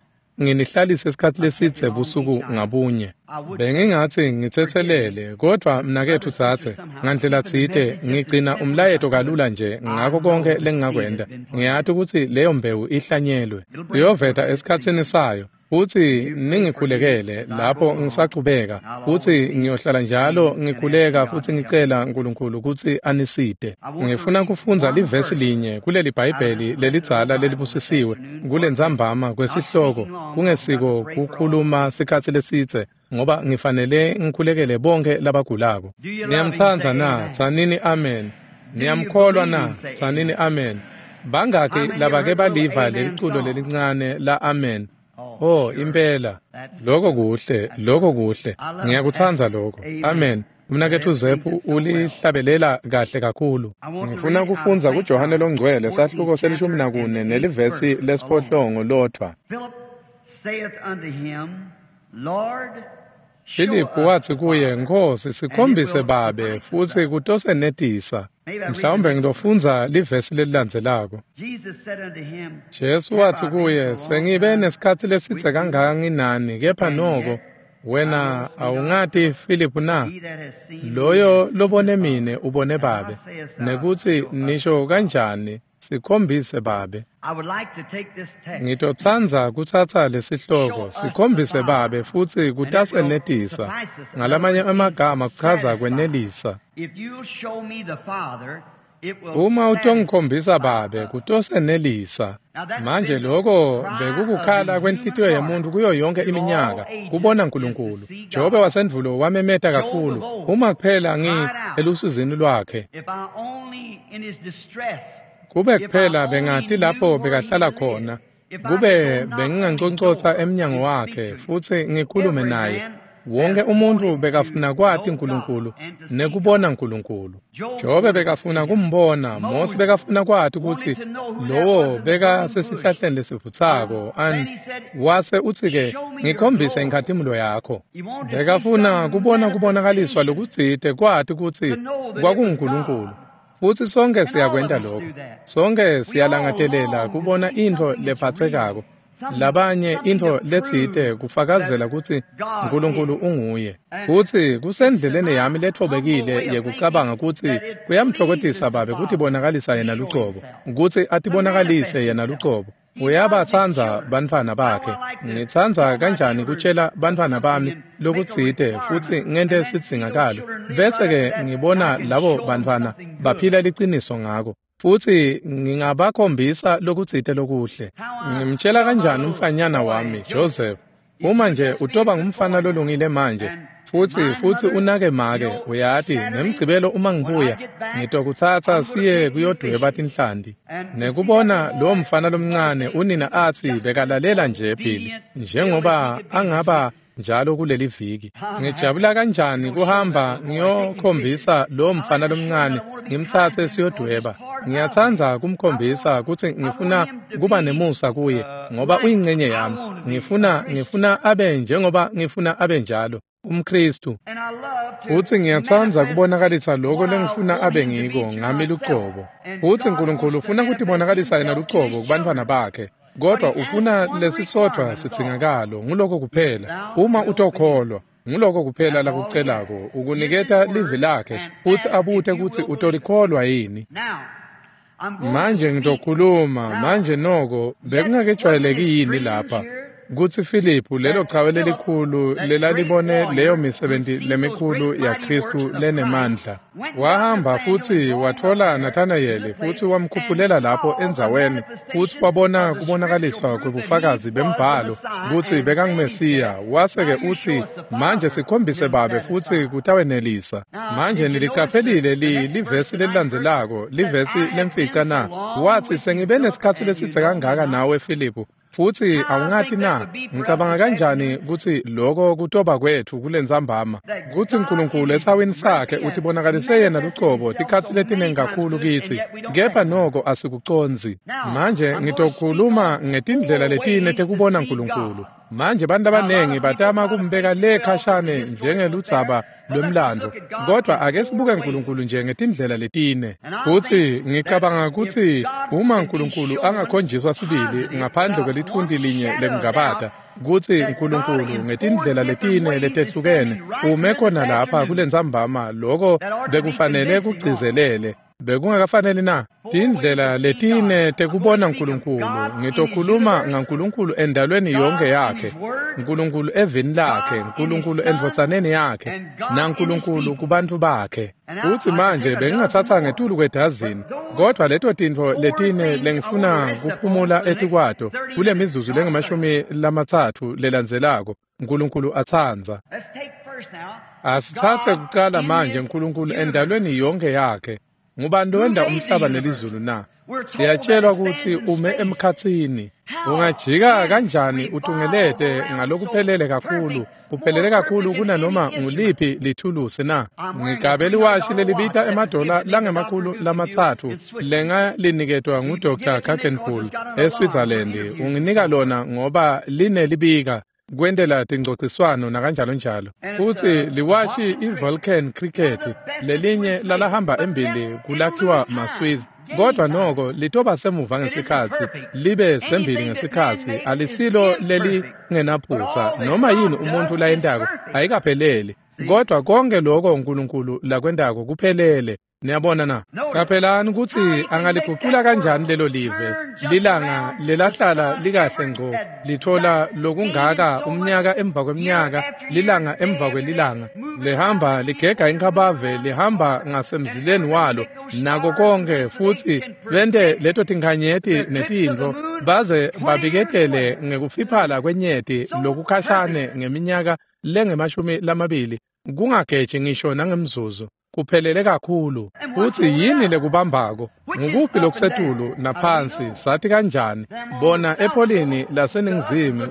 Nginihlalise isikhatsi lesidze busuku ngabunye. Bengingathi ngitsetselele, kodvwa mnaketfu dzadze, ngandlela tsite ngigcina umlayeto kalula nje ngako konke lengingakwenta. Ngiyati kutsi leyo mbewu ihlanyelwe. Iyoveta esikhatsini sayo. Futsi ningikhulekele lapho ngisachubeka, futsi ngiyohlala njalo ngikhuleka futsi ngicela uNkulunkulu kutsi anisite. Ngifuna kufundza livesi linye kuleli Bhayibheli lelidzala lelibusisiwe kulentsambama kwesihloko kungesiko kukhuluma sikhatsi lesidze ngoba ngifanele ngikhulekele bonke labagulako. Niyamtsandza na? Tsanini amen. Niyamkholwa na? Tsanini amen. Bangaki labake baliva leliculo lelincane la amen? Oh, impela. Lokho kuhle, lokho kuhle. Ngiyakutsandza lokho. Amen. Umnaketfu Zephu ulihlabelela kahle kakhulu. Ngifuna kufundza kuJohane Longcwele sahluko se-14 nelivesi lesiphohlongo lodvwa. Filiphu watsi kuye, Nkhosi, sikhombise Babe futsi kutosenetisa. Mhlawumbe ngitofundza livesi lelilandzelako. Jesu watsi kuye, sengibe nesikhatsi lesidze kangaka nginani, kepha noko wena awungati Filiphu na? Loyo lobone mine ubone Babe. Nekutsi nisho kanjani sikhombise Babe? Ngitotsandza kutsatsa lesihloko sikhombise Babe futsi kutasenetisa. Ngalamanye emagama kuchaza kwenelisa. Uma utongikhombisa Babe kutosenelisa. Manje lokho bekukukhala kwenhlitiyo yemuntu kuyo yonke iminyaka kubona uNkulunkulu. Jobe wasendvulo wamemeta kakhulu uma kuphela ngi elusizini lwakhe. Kube kuphela bengati lapho bekahlala khona, kube benginganconcotsa emnyango wakhe futsi ngikhulume naye. Wonke umuntu bekafuna kwati uNkulunkulu nekubona uNkulunkulu. Jobe bekafuna kumbona, Mose bekafuna kwati kutsi lowo beka sesihlahleni lesivutsako wase utsi-ke ngikhombise inkhatimulo yakho. Bekafuna kubona kubonakaliswa lokutsite kwati kutsi kwakunguNkulunkulu. Futsi sonke siyakwenta lokho. Sonke siyalangatelela kubona intfo lephatsekako. Labanye intfo letsite kufakazela kutsi uNkulunkulu unguye. Futsi kusendleleni yami letfobekile yekucabanga kutsi kuyamtfokotisa Babe kutibonakalisa yena lucobo, kutsi atibonakalise yena lucobo. Uyabatsandza bantfwana bakhe. Ngitsandza kanjani kutshela bantfwana bami lokutsite futsi ngente sidzingakalo, bese-ke ngibona labo bantfwana baphila liciniso ngako. Futsi ngingabakhombisa lokutsite lokuhle. Ngimtshela kanjani umfanyana wami Joseph, uma nje utoba ngumfana lolungile manje futsi unake make, uyati ngemgcibelo uma ngibuya ngitokutsatsa siye kuyodweba tinhlanti. Nekubona lowo mfana lomncane unina atsi bekalalela nje Billy njengoba angaba njalo kuleli viki. Ngijabula kanjani kuhamba ngiyokhombisa lowo mfana lomncane ngimtsatse siyodweba. Ngiyatsandza kumkhombisa kutsi ngifuna kuba nemusa kuye ngoba uyingcenye yami. Ngifuna abe njengoba ngifuna abe njalo umKristu. Futsi ngiyatsandza kubonakalisa lokho lengifuna abe ngiko ngami lucobo. Futsi uNkulunkulu ufuna kutibonakalisa yena lucobo kubantfwana bakhe. Kodwa ufuna lesisodvwa sidzingakalo, nguloko kuphela. Uma utokholwa, nguloko kuphela lakucelako, ukuniketa livi lakhe futsi abute kutsi utolikholwa yini. Manje ngitokhuluma, manje noko bekungakejwayeleki yini lapha kutsi Filiphu lelo chawe lelikhulu lelalibone leyo misebenti lemikhulu yaKhristu lenemandla wahamba futsi watfola Nathanayeli futsi wamkhuphulela lapho endzaweni futsi wabona kubonakaliswa kwebufakazi bembhalo kutsi bekanguMesiya. Wase-ke utsi manje sikhombise Babe futsi kutawenelisa. Manje nilicaphelile livesi lelilandzelako, livesi lemfica na? Watsi sengibe nesikhatsi lesidze kangaka nawe Filiphu, Futsi awungati na, ngicabanga kanjani kutsi loko kutoba kwetfu kulentsambama, kutsi Nkulunkulu esawini sakhe utibonakalise yena lucobo tikhatsi letinengi kakhulu kitsi, kepha noko asikucondzi. Manje ngitokhuluma ngetindlela letine tekubona Nkulunkulu. Manje bantu abanengi batama kumbeka le khashane njengeludzaba lwemlando, kodwa ake sibuke Nkulunkulu nje ngetindlela letine. Futsi ngicabanga kutsi uma Nkulunkulu angakhonjiswa sibili ngaphandle kwelithunti linye lekungabata, kutsi Nkulunkulu ngetindlela letine letehlukene ume khona lapha kulentsambama, loko bekufanele kugcizelele. Bekungakafaneli na? Tindlela letine tekubona Nkulunkulu. Ngitokhuluma ngaNkulunkulu endalweni yonke yakhe, Nkulunkulu evini lakhe, Nkulunkulu endvodzaneni yakhe, naNkulunkulu kubantfu bakhe. Futsi manje bengingatsatsa ngetulu kwedazini, kodvwa leto tintfo letine lengifuna kuphumula etikwato kule mizuzu lengamashumi-30 lelandzelako, Nkulunkulu atsandza. Asitsatse kucala manje Nkulunkulu endalweni yonke yakhe. Ngubani lowenta umhlaba nelizulu na? Siyatshelwa kutsi ume emkhatsini. Ungajika kanjani utungelete ngalokuphelele kakhulu, uphelele kakhulu kunanoma nguliphi lithulusi na? Ngigabe liwashi lelibita emadola langama-300 lengaliniketwa nguDr. Kakenpool eSwitzerland. Unginika lona ngoba linelibika kwentela tingcociswano nakanjalo njalo. Futsi liwashi iVulcan Cricket lelinye lalahamba embili kulakhiwa maSwiss, kodwa noko litoba semuva ngesikhatsi, libe sembili ngesikhatsi, alisilo lelingenaphutsa. Noma yini umuntu layentako ayikapheleli, kodwa konke lokho Nkulunkulu lakwentako kuphelele. Niyabona na? Qaphelani kutsi angaligucula kanjani lelo live, lilanga lelahlala likahle ngco, lithola lokungaka umnyaka emva kweminyaka, lilanga emva kwelilanga, lihamba ligega inkabave, lihamba ngasemzileni walo, nako konke, futsi bente leto tinkhanyeti netintfo, baze babiketele ngekufiphala kwenyeti lokukhashane ngeminyaka lengemashumi-20, kungageji ngisho nangemzuzu. Kuphelele kakhulu. Futsi yini lekubambako? Ngukuphi lokusetulu naphansi? Sathi kanjani? Bona epholini laseningizimu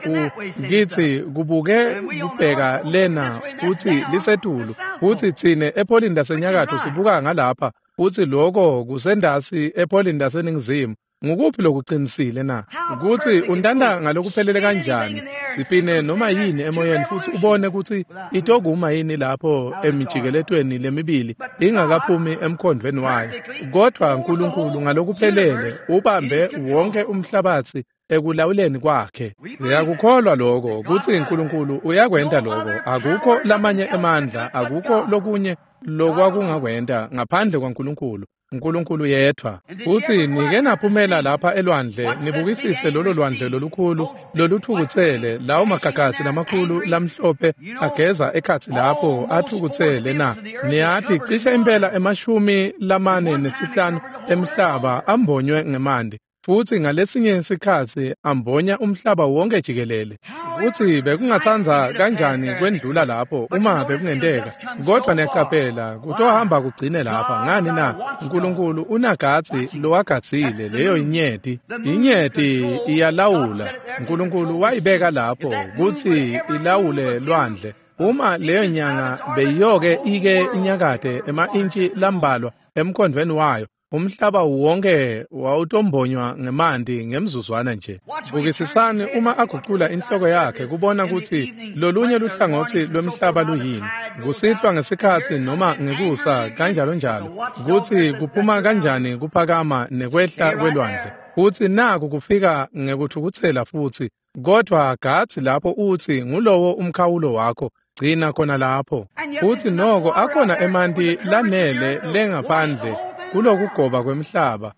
kithi kubuke kubheka lena kutsi lisetulu, futsi tsine epholini lasenyakatfo sibuka ngalapha, futsi loko kusendasi epholini laseningizimu. Ngukuphi lokuqinisile na? Kutsi untanta ngalokuphelele kanjani? Sipine noma yini emoyeni futsi ubone kutsi itokuma yini lapho emijikeletweni lemibili ingakaphumi emkhondvweni wayo. Kodwa Nkulunkulu ngalokuphelele ubambe wonke umhlabatsi ekulawuleni kwakhe. Ngiyakukholwa lokho kutsi Nkulunkulu uyakwenta lokho. Akukho lamanye emandla, akukho lokunye lokwakungakwenta ngaphandle kwaNkulunkulu. Nkulunkulu yedvwa. Futsi nike naphumela lapha elwandle, nibukisise lolo lwandle lolukhulu lolutfukutsele, lawo magagasi lamakhulu lamhlophe ageza ekhatsi lapho atfukutsele na? Niyati cishe impela 45 emhlaba ambonywe ngemanti, futsi ngalesinye sikhatsi ambonya umhlaba wonke jikelele. Kutsi bekungatsandza kanjani kwendlula lapho uma bekungenteka, kodvwa niyaqaphela kutohamba kugcine lapha. Ngani na? Nkulunkulu unagatsi lowagadzile leyo inyeti. Inyeti iyalawula. Nkulunkulu wayibeka lapho kutsi ilawule lwandle. Uma leyo nyanga beyiyoke ike inyakate ema-intshi lambalwa emkhondvweni wayo, umhlaba wonke wawutombonywa ngemanti ngemzuzwana nje. Bukisisani uma agucula inhloko yakhe kubona kutsi lolunye luhlangotsi lwemhlaba luyini, kusihlwa ngesikhatsi noma ngekusa kanjalo njalo, kutsi kuphuma kanjani kuphakama nekwehla kwelwandle. Futsi naku kufika ngekuthukutsela futsi, kodvwa gatsi lapho utsi ngulowo umkhawulo wakho, gcina khona lapho. Futsi noko akhona emanti lanele lengaphandle kulokugoba kwemhlaba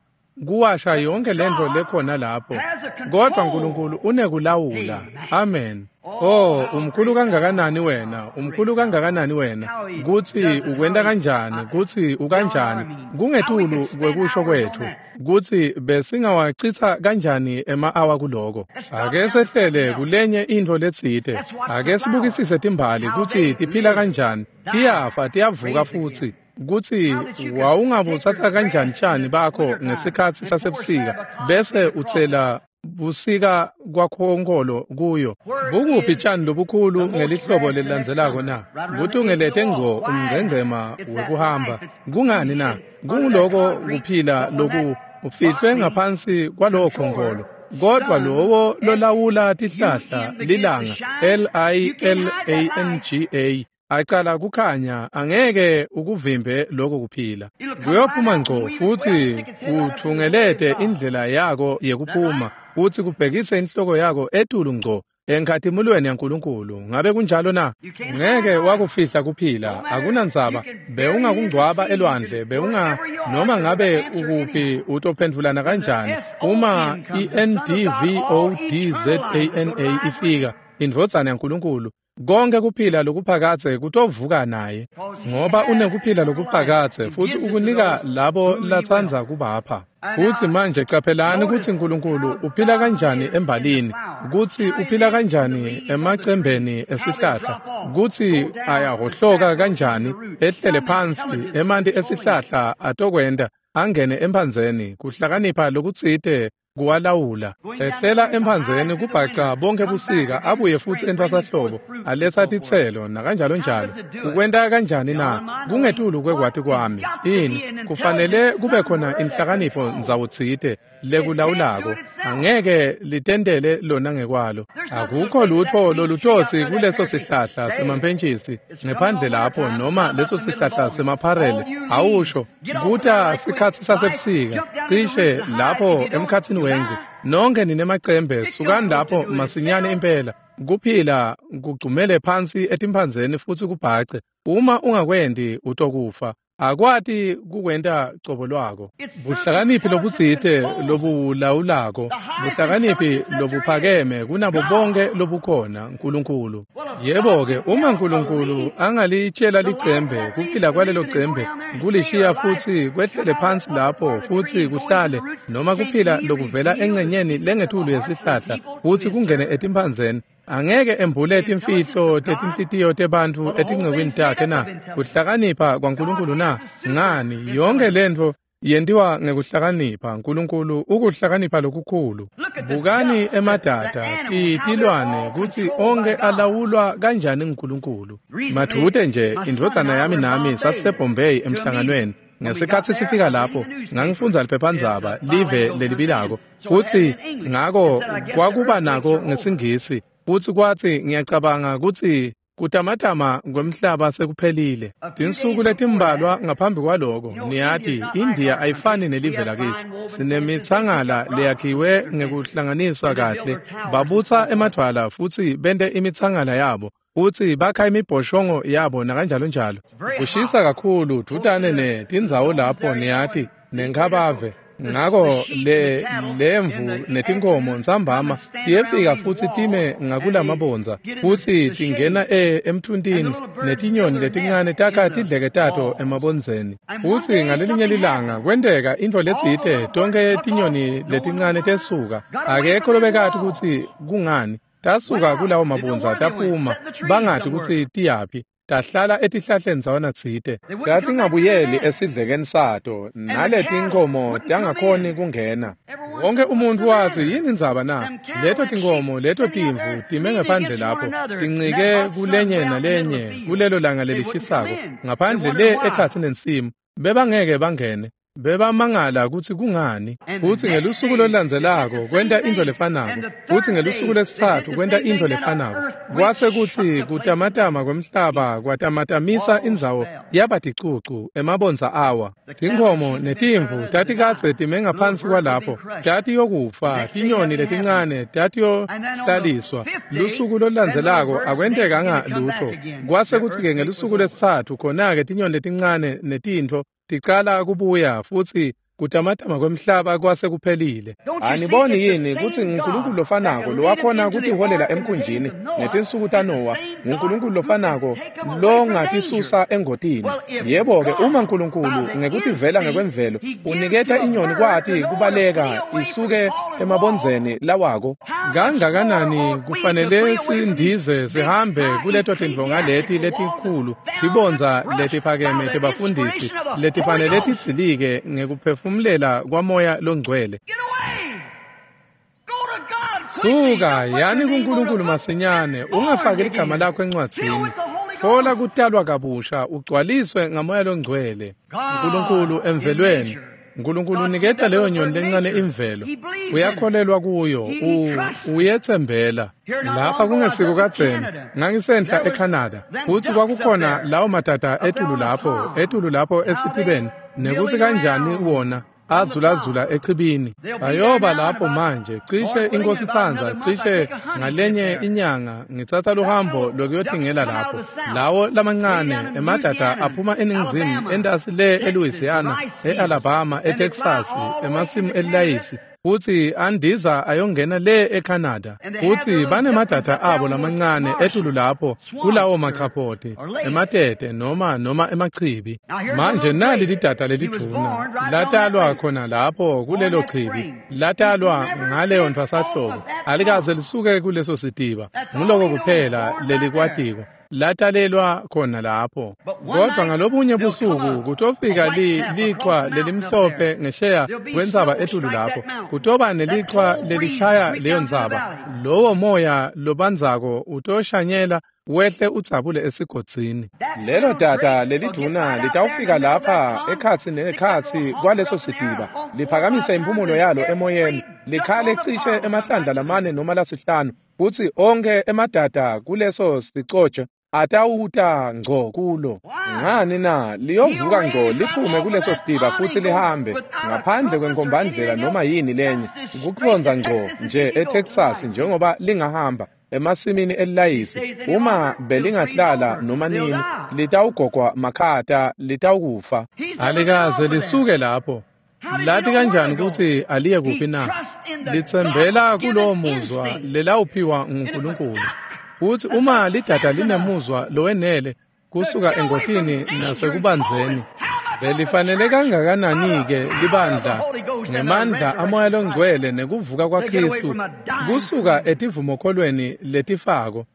kuwasha yonke lento lekhona lapho, kodwa Nkulunkulu unekulawula. Amen. Oh, umkhulu kangakanani wena, umkhulu kangakanani wena, kutsi ukwenta kanjani, kutsi ukanjani, kungetulu kwekusho kwetfu, kutsi besingawacitsa kanjani ema-awa kuloko. Ake sehlele kulenye intfo letsite, ake sibukisise timbali kutsi tiphila kanjani, tiyafa, tiyavuka futsi. Kutsi wawungabutsatsa kanjani tjani bakho ngesikhatsi sasebusika bese utsela busika kwakhonkolo kuyo. Bukuphi tshani lobukhulu ngelihlobo lelilandzelako na? Butungelete ngco umngcengcema wekuhamba. Kungani na? Kunguloko kuphila loku ufihlwe ngaphansi kwalowo khonkolo. Kodwa lowo lolawula tihlahla lilanga L-I-L-A-N-G-A acala kukhanya angeke ukuvimbe lokho kuphila. Kuyophuma ngco futhi kuthungelete indlela yako yekuphuma futhi kubhekise inhloko yako etulu ngco enkhatimulweni yaNkulunkulu. Ngabe kunjalo na? Ngeke wakufihla kuphila, akunandzaba. Bewungakungcwaba elwandle, bewunga noma ngabe ukuphi utophendvulana kanjani. Uma iNDVODZANA ifika, indvodzana yaNkulunkulu, konke kuphila lokuphakadze kutovuka naye, ngoba unekuphila lokuphakadze futhi ukunika labo latsandza kubapha. Futhi manje caphelani kutsi Nkulunkulu uphila kanjani embalini, kutsi uphila kanjani emacembeni esihlahla, kutsi ayahhohloka kanjani ehlele phansi emanti esihlahla atokwenta angene emphandzeni, kuhlakanipha lokutsite kuwalawula. Ehlela emphandzeni kubhaca bonke busika, abuye futsi entfwasahlobo aletsa titselo nakanjalo njalo. Ukwenta kanjani na? Kungetulu kwekwati kwami. Ini kufanele kube khona inhlakanipho ndzawotsite lekulawulako, angeke litentele lona ngekwalo. Akukho lutho lolutotsi kuleso sihlahla semampentjisi ngephandle lapho, noma leso sihlahla semapharele. Awusho kuta sikhatsi sasebusika cishe lapho emkhatsini wendlu. Nonke ninemacembe, sukani lapho masinyane impela. Kuphila kugcumele phansi etimphandzeni futhi kubhace. Uma ungakwendi utokufa. Akwati kukwenta cobo lwako. Buhlakaniphi lobutsite lobulawulako, buhlakaniphi lobuphakeme kunabo bonke lobukhona, Nkulunkulu. Yebo-ke, uma Nkulunkulu angalitshela licembe kuphila kwalelo cembe kulishiya futsi kwehlele phansi lapho futsi kuhlale, noma kuphila lokuvela engcenyeni lengetulu yesihlahla futsi kungene etimphandzeni, angeke embule timfihlo tetinhlitiyo tebantfu etincekwini takhe na? Kuhlakanipha kwaNkulunkulu na? Ngani, yonke lentfo yentiwa ngekuhlakanipha. Nkulunkulu ukuhlakanipha lokukhulu. Bukani emadada, tilwane, kutsi onke alawulwa kanjani nguNkulunkulu. Madvute nje indvodzana yami nami sasiseBombay emhlanganweni. Ngesikhatsi sifika lapho, ngangifundza liphephandzaba live lelibilako, futsi ngako kwakuba nako ngesiNgisi. Futsi kwatsi ngiyacabanga kutsi kutamatama kwemhlaba sekuphelile. Tinsuku letimbalwa ngaphambi kwaloko, niyati, India ayifani nelive lakitsi. Sinemitsangala leyakhiwe ngekuhlanganiswa kahle. Babutsa emadvwala futsi bente imitsangala yabo, futsi bakha imibhoshongo yabo nakanjalo njalo. Kushisa kakhulu dvutane netindzawo lapho, niyati, nenkhabave. Ngako lemvu netinkomo ntsambama tiyefika futsi time ngakulamabondza, futsi tingena emtfuntini, netinyoni letincane takha tidleke tato emabondzeni. Futsi ngalelinye lilanga kwenteka intfo letsite, tonke tinyoni letincane tesuka. Akekho lobekati kutsi kungani. Tasuka kulawo mabondza taphuma, bangati kutsi tiyaphi. Tahlala etihlahleni ndzawana tsite, tatingabuyeli esidlekeni sato, naletinkomo tangakhoni kungena. Wonke umuntfu watsi, yini indzaba na? Leto tinkomo, leto timvu time ngaphandle lapho, tincike kulenye nalenye kulelo langa lelishisako, ngaphandle le ekhatsi nensimu. Bebangeke bangene. Bebamangala kutsi kungani. Futsi ngelusuku lolulandzelako kwenta intfo lefanako, futsi ngelusuku lwesitsatfu kwenta intfo lefanako. Kwase kutsi kutamatama kwemhlaba kwatamatamisa indzawo yaba ticucu, emabondza awa. Tinkhomo netimvu tatikadze time ngaphansi kwalapho, tatiyokufa. Tinyoni letincane tatiyohlaliswa. Lusuku lolulandzelako akwentekanga lutfo. Kwase kutsi-ke ngelusuku lwesitsatfu khona-ke tinyoni letincane netintfo ticala kubuya, futsi kutamatama kwemhlaba kwase kuphelile. Aniboni yini kutsi nguNkulunkulu lofanako lowakhona kutiholela emkhunjini ngetinsuku taNowa, nguNkulunkulu lofanako longatisusa engotini? Yebo-ke, uma Nkulunkulu ngekutivela ngekwemvelo uniketa inyoni kwati kubaleka isuke emabondzeni lawako, kangakanani kufanele sindize sihambe kuleto tindvonga leti letikhulu, tibondza letiphakeme tebafundisi letifanele tidzilike ngekuphefumulela kwaMoya loNgcwele. Suka yani kuNkulunkulu masinyane, ungafaki ligama lakho encwadzini. Thola kutalwa kabusha, ugcwaliswe ngaMoya loNgcwele. Nkulunkulu emvelweni. Nkulunkulu uniketa leyo nyoni lencane imvelo. Uyakholelwa kuyo, uyethembela. Lapha kungesiko kadzeni, ngangisenhla eCanada, futsi kwakukhona lawo madada etulu lapho esitibeni, nekutsi kanjani wona azulazula echibini. Bayoba lapho manje, cishe inkosi itsandza, cishe ngalenye inyanga ngitsatsa luhambo lokuyotingela lapho. Lawo lamancane emadada aphuma eningizimu, entasi le eLouisiana, eAlabama, eTexas, emasimu elayisi, futsi andiza ayongena le eCanada. Futsi banemadada abo lamancane etulu lapho kulawo machaphoti, ematete noma emachibi. Manje nali lidada lelidvuna latalwa khona lapho kulelo chibi, latalwa ngaleyo ntfwasahlobo, alikaze lisuke kuleso sitiba. Nguloko kuphela lelikwatiko, latalelwa khona lapho. Kodwa ngalobunye busuku kutofika lichwa lelimhlophe ngesheya kwentsaba etulu lapho, kutoba nelichwa lelishaya leyo ntsaba. Lowo moya lobandzako utoshanyela wehle udzabule esigodzini. Lelo dada lelidvuna litawufika lapha ekhatsi nekhatsi kwaleso sitiba, liphakamise impumulo yalo emoyeni, likhale cishe emahlandla lamane noma lasihlanu, futsi onkhe emadada kuleso sicotsho atawuta ngco kulo. Ngani na? Liyovuka ngco liphume kuleso sitiba futsi lihambe ngaphandle kwenkombandlela noma yini lenye, kucondza ngco nje eTexas njengoba lingahamba emasimini elayisi. Uma belingahlala noma nini, litawugogwa makhata, litawukufa. Alikaze lisuke lapho. Lati kanjani kutsi aliye kuphi na? Litsembela kulowo muzwa lelawuphiwa nguNkulunkulu. Futsi uma lidada linemuzwa lowenele kusuka engotini nasekubandzeni, belifanele kangakanani-ke libandla ngemandla aMoya loNgcwele nekuvuka kwaKhristu kusuka etivumokholweni letifako.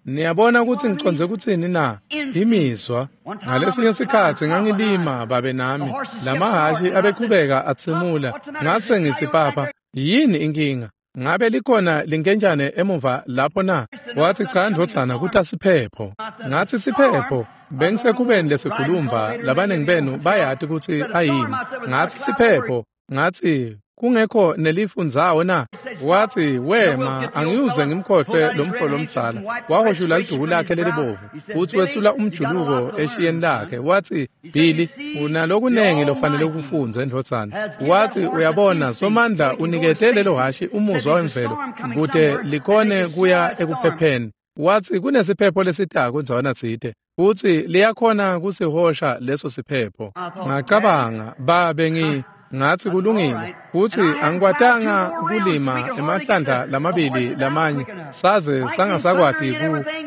Niyabona kutsi ngicondze kutsini na? Imizwa. Ngalesinye sikhatsi ngangilima babe nami, lamahhashi abechubeka atsimula. Ngase ngitsi, "Papa, yini inkinga? Ngabe likhona linkentshane emuva lapho na?" Wathi, "Cha ndvodzana, kutasiphepho." Ngathi, "Siphepho?" Bengisekhubeni lesikhulumba, labaningi benu bayati kutsi ayini. Ngathi, "Siphepho." Ngathi, "Kungekho nelifundzawo na?" Wathi, "Wema, angiyuze ngimkhohlwe lo mfo lomdzala." Wahoshula liduku lakhe lelibovu, futsi wesula umjuluko eshiyeni lakhe. Wathi, "Billy, unalokunengi lofanele ukufundze ndvodzana." Wathi, "Uyabona, Somandla unikete lelo hhashi umuzwa wemvelo kute likhone kuya ekuphepheni." Wathi, "Kunesiphepho lesitako ndzawana tsite, futsi liyakhona kusihosha leso siphepho." Ngacabanga, babe ngathi kulungile, futsi angikwatanga kulima emahlandla lamabili lamanye, saze sangasakwati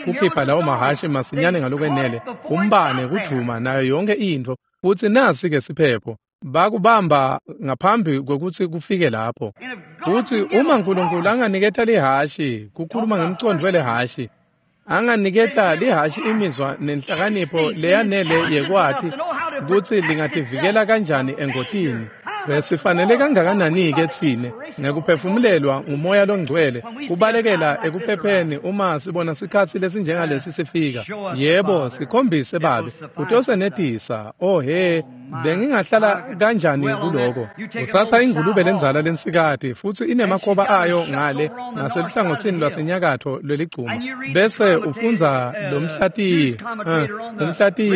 kukhipha lawo mahhashi masinyane ngalokwenele, umbane kudvuma nayo yonke intfo, futsi nasi-ke siphepho. Bakubamba ngaphambi kwekutsi kufike lapho. Futsi uma Nkulunkulu anganiketa lihhashi, kukhuluma ngemcondvo welihhashi, anganiketa lihhashi imizwa nenhlakanipho leyanele yekwati kutsi lingativikela kanjani engotini, besifanele kangakanani-ke tsine ngekuphefumulelwa nguMoya loNgcwele kubalekela ekuphepheni uma sibona sikhatsi lesinjengalesi sifika. Yebo, sikhombise Babe, kutosenetisa. Oh he, bengingahlala kanjani kuloko? Utsatsa ingulube lendzala lensikati futsi inemakhoba ayo ngale ngaseluhlangotsini lwasenyakatfo lweligcuma, bese ufundza lo umhlatiyi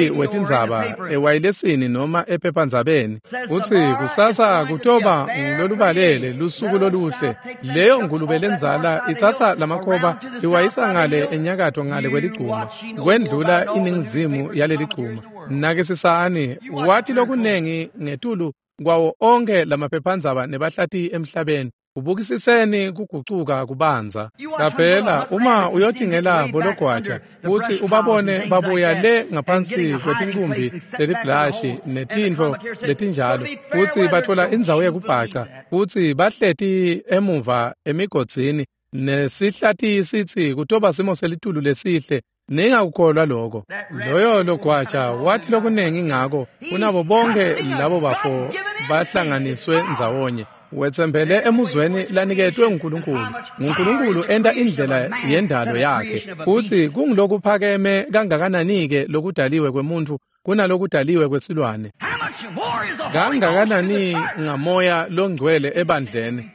wetindzaba ewayilesini noma ephephandzabeni, utsi kusasa kutoba ngulolubalele lusuku loluhle. Leyo ngulube lendzala itsatsa lamakhoba iwayisa ngale enyakatfo ngale kweligcuma, kwendlula iningizimu yaleligcuma. Nakisisani, wati lokunengi ngetulu kwawo onke lamaphephandzaba nebahlatiyi emhlabeni. Ubukisiseni kugucuka kubanza. Qaphela uma uyotingela bologwaja kutsi ubabone babuya le ngaphansi kwetinkumbi teliblashi netintfo letinjalo, kutsi batfola indzawo yekubhaca, kutsi bahleti emuva emigodzini nesihlati sitsi kutoba simo selitulu lesihle. Ningakukholwa lokho. Loyo logwaja wathi lokunengi ngako kunabo bonke labo bafo bahlanganiswe ndzawonye. Wetsembele emuzweni laniketwe nguNkulunkulu. NguNkulunkulu enta indlela yendalo yakhe. Futsi kungulokuphakeme kangakanani-ke lokudaliwe kwemuntfu kunalokudaliwe kwesilwane. Kangakanani ngamoya longcwele ebandleni.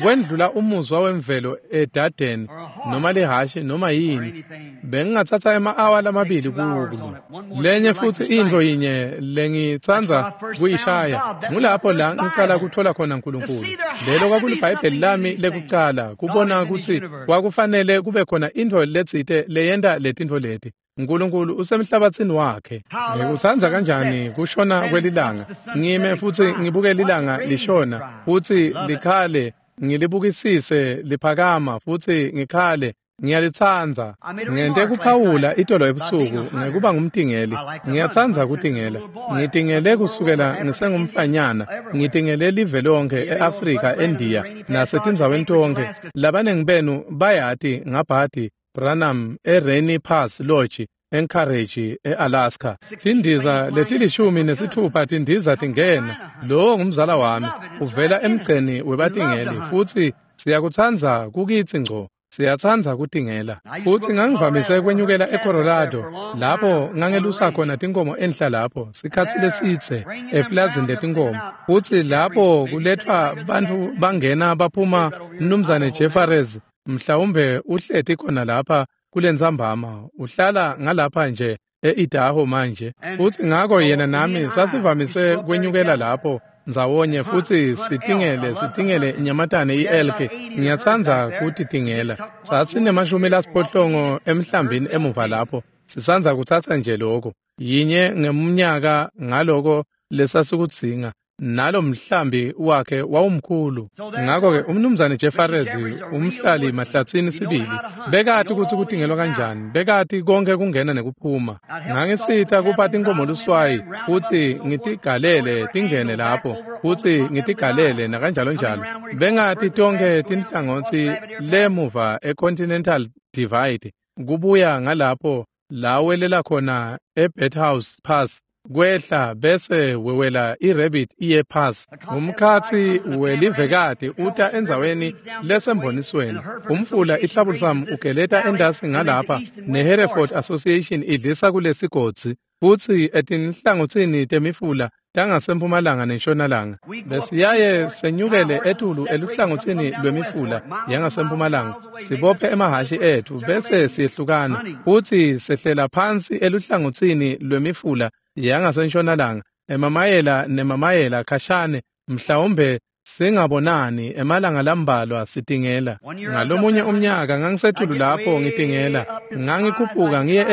Kwendlula umuzwa wemvelo edadeni noma lihashi noma yini. Bengingatsatsa ema-awa lamabili kulo. Lenye futsi intfo yinye lengitsandza kuyishaya ngulapho la ngicala kutfola khona uNkulunkulu. Lelo kwakulibhayibheli lami lekucala kubona kutsi kwakufanele kube khona intfo letsite leyenta letintfo leti. uNkulunkulu usemhlabatsini wakhe. Ngikutsandza kanjani kushona kwelilanga. Ngime futsi ngibuke lilanga lishona futsi likhale, ngilibukisise liphakama futsi ngikhale. Ngiyalitsandza. Ngente kuphawula itolo ebusuku ngekuba ngumtingeli. Ngiyatsandza kutingela. Ngitingele kusukela ngisengumfanyana. Ngitingele live lonke e-Afrika, eNdiya nasetindzaweni tonke. Labanengi benu bayati ngabhadi Branham eRainy Pass Lodge Anchorage eAlaska. Tindiza letilishumi nesithupha tindiza tingena. Lowo ngumzala wami uvela emgceni webatingeli futsi siyakutsandza kukitsi ngco. Siyatsandza kutingela. Futsi ngangivamise kwenyukela eColorado lapho ngangelusa khona tinkomo enhla lapho sikhatsi lesitse eplazini letinkomo. Futsi lapho kuletfwa bantfu bangena baphuma. Mnumzane Jeffries mhlawumbe uhleti khona lapha kulentsambama, uhlala ngalapha nje e-Idaho manje. Futsi ngako yena nami sasivamise kwenyukela lapho ndzawonye futsi sitingele inyamatane i-elk. Ngiyatsandza kutitingela. Sasinemashumi lasiphohlongo emhlambini emuva lapho. Sisandza kutsatsa nje lokho yinye ngemnyaka ngaloko lesasikudzinga. Nalo mhlambi wakhe wawumkhulu. Ngakho-ke umnumzane Jeffries umhlali mahlatsini sibili bekati kutsi kutingelwa kanjani, bekati konke kungena nekuphuma. Ngangisita kupha tinkomo luswayi futsi ngitigalele tingene lapho futsi ngitigalele nakanjalo njalo. Bengati tonkhe tinhlangotsi lemuva eContinental Divide kubuya ngalapho lawelela khona eBethouse Pass kwehla bese wewela iRabbit iye Pass. Umkhatsi welivekati uta endzaweni lesembonisweni. Umfula iTroublesome ugeleta endasi ngalapha neHereford Association idlisa kulesigodzi futsi etinhlangotsini temifula tangasempumalanga nentshonalanga. Besiyaye senyukele etulu eluhlangotsini lwemifula yangasempumalanga sibophe emahhashi etfu bese siyehlukana futsi sehlela phansi eluhlangotsini lwemifula yangasentshonalanga emamayela nemamayela khashane, mhlawumbe singabonani emalanga lambalwa sitingela. Ngalomunye umnyaka ngangisetulu lapho ngitingela, ngangikhuphuka ngiye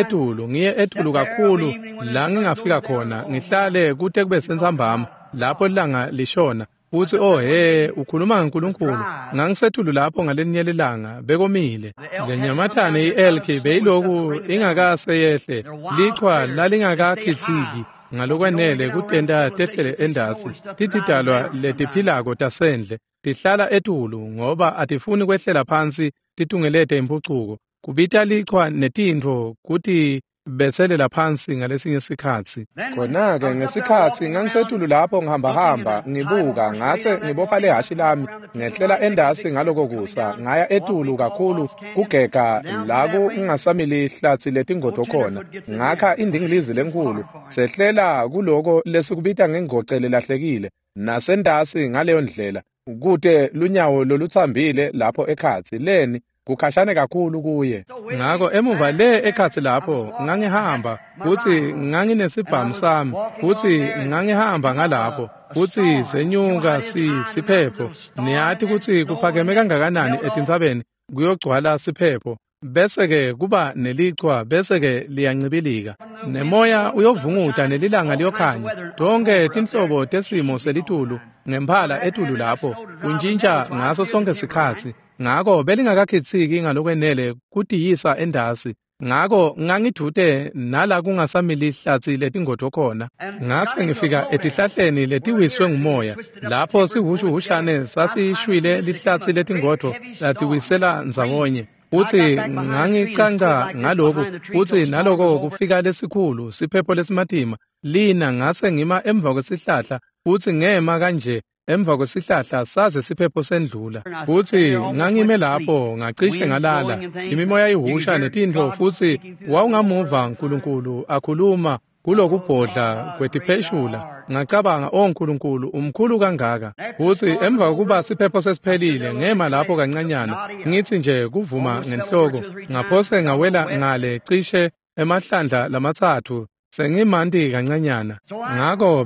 etulu kakhulu la ngingafika khona ngihlale kute kube sentsambama lapho ilanga lishona. Futsi oh he, ukhuluma ngaNkulunkulu. Ngangisetulu lapho ngalenye lilanga bekomile. Lenyamatane i-elk beyiloku ingakase yehle, lichwa lalingakakhitsiki ngalokwanele kutenta tehlele endasi. Titidalwa letiphilako tasendle tihlala etulu ngoba atifuni kwehlela phansi titungelete imphucuko. Kubita lichwa netintfo kuti betselela phansi ngalesinye sikhatsi. Khona-ke ngesikhatsi ngangisetulu lapho ngihambahamba ngibuka ngase ngibopha lehhashi lami ngehlela endasi ngaloko kusa ngaya etulu kakhulu kugega la kungasamili hlatsi letingodo khona. Ngakha indingilizi lenkulu sehlela kuloko lesikubita ngengoce lelahlekile nasendasi ngaleyo ndlela kute lunyawo lolutsambile lapho ekhatsi leni kukhashane kakhulu kuye. Ngako emuva le ekhatsi lapho ngangihamba futsi nganginesibhamu sami futsi ngangihamba ngalapho futsi senyuka siphepho. Niyati kutsi kuphakeme kangakanani etintsabeni kuyogcwala siphepho bese-ke kuba nelichwa bese-ke liyancibilika nemoya uyovunguta nelilanga liyokhanya. Tonke tinhlobo tesimo selitulu ngemphala etulu lapho kuntjintja ngaso sonke sikhatsi. Ngako belingakakhitsiki ngalokwenele kutiyisa endasi. Ngako ngangidvute nala kungasamili ihlatsi letingodo khona. Ngase ngifika etihlahleni letiwiswe ngumoya lapho sihushuhushane sasishwile lihlatsi letingodo latiwisela ndzawonye. Futsi ngangicanca ngaloku futsi naloko kufika lesikhulu siphepho lesimatima lina. Ngase ngima emva kwesihlahla futsi ngema kanje emva kwesihlahla saze siphepho sendlula. Futsi ngangime lapho ngacishe ngalala, imimoya ihusha netintfo, futsi wawungamuva Nkulunkulu akhuluma kulokubhodla kwetipheshula. Ngacabanga, "O Nkulunkulu, umkhulu kangaka." Futsi emva kokuba siphepho sesiphelile, ngema lapho kancanyana, ngitsi nje kuvuma ngenhloko, ngaphose ngawela ngale cishe emahlandla lamatsatfu, sengimanti kancanyana. Ngako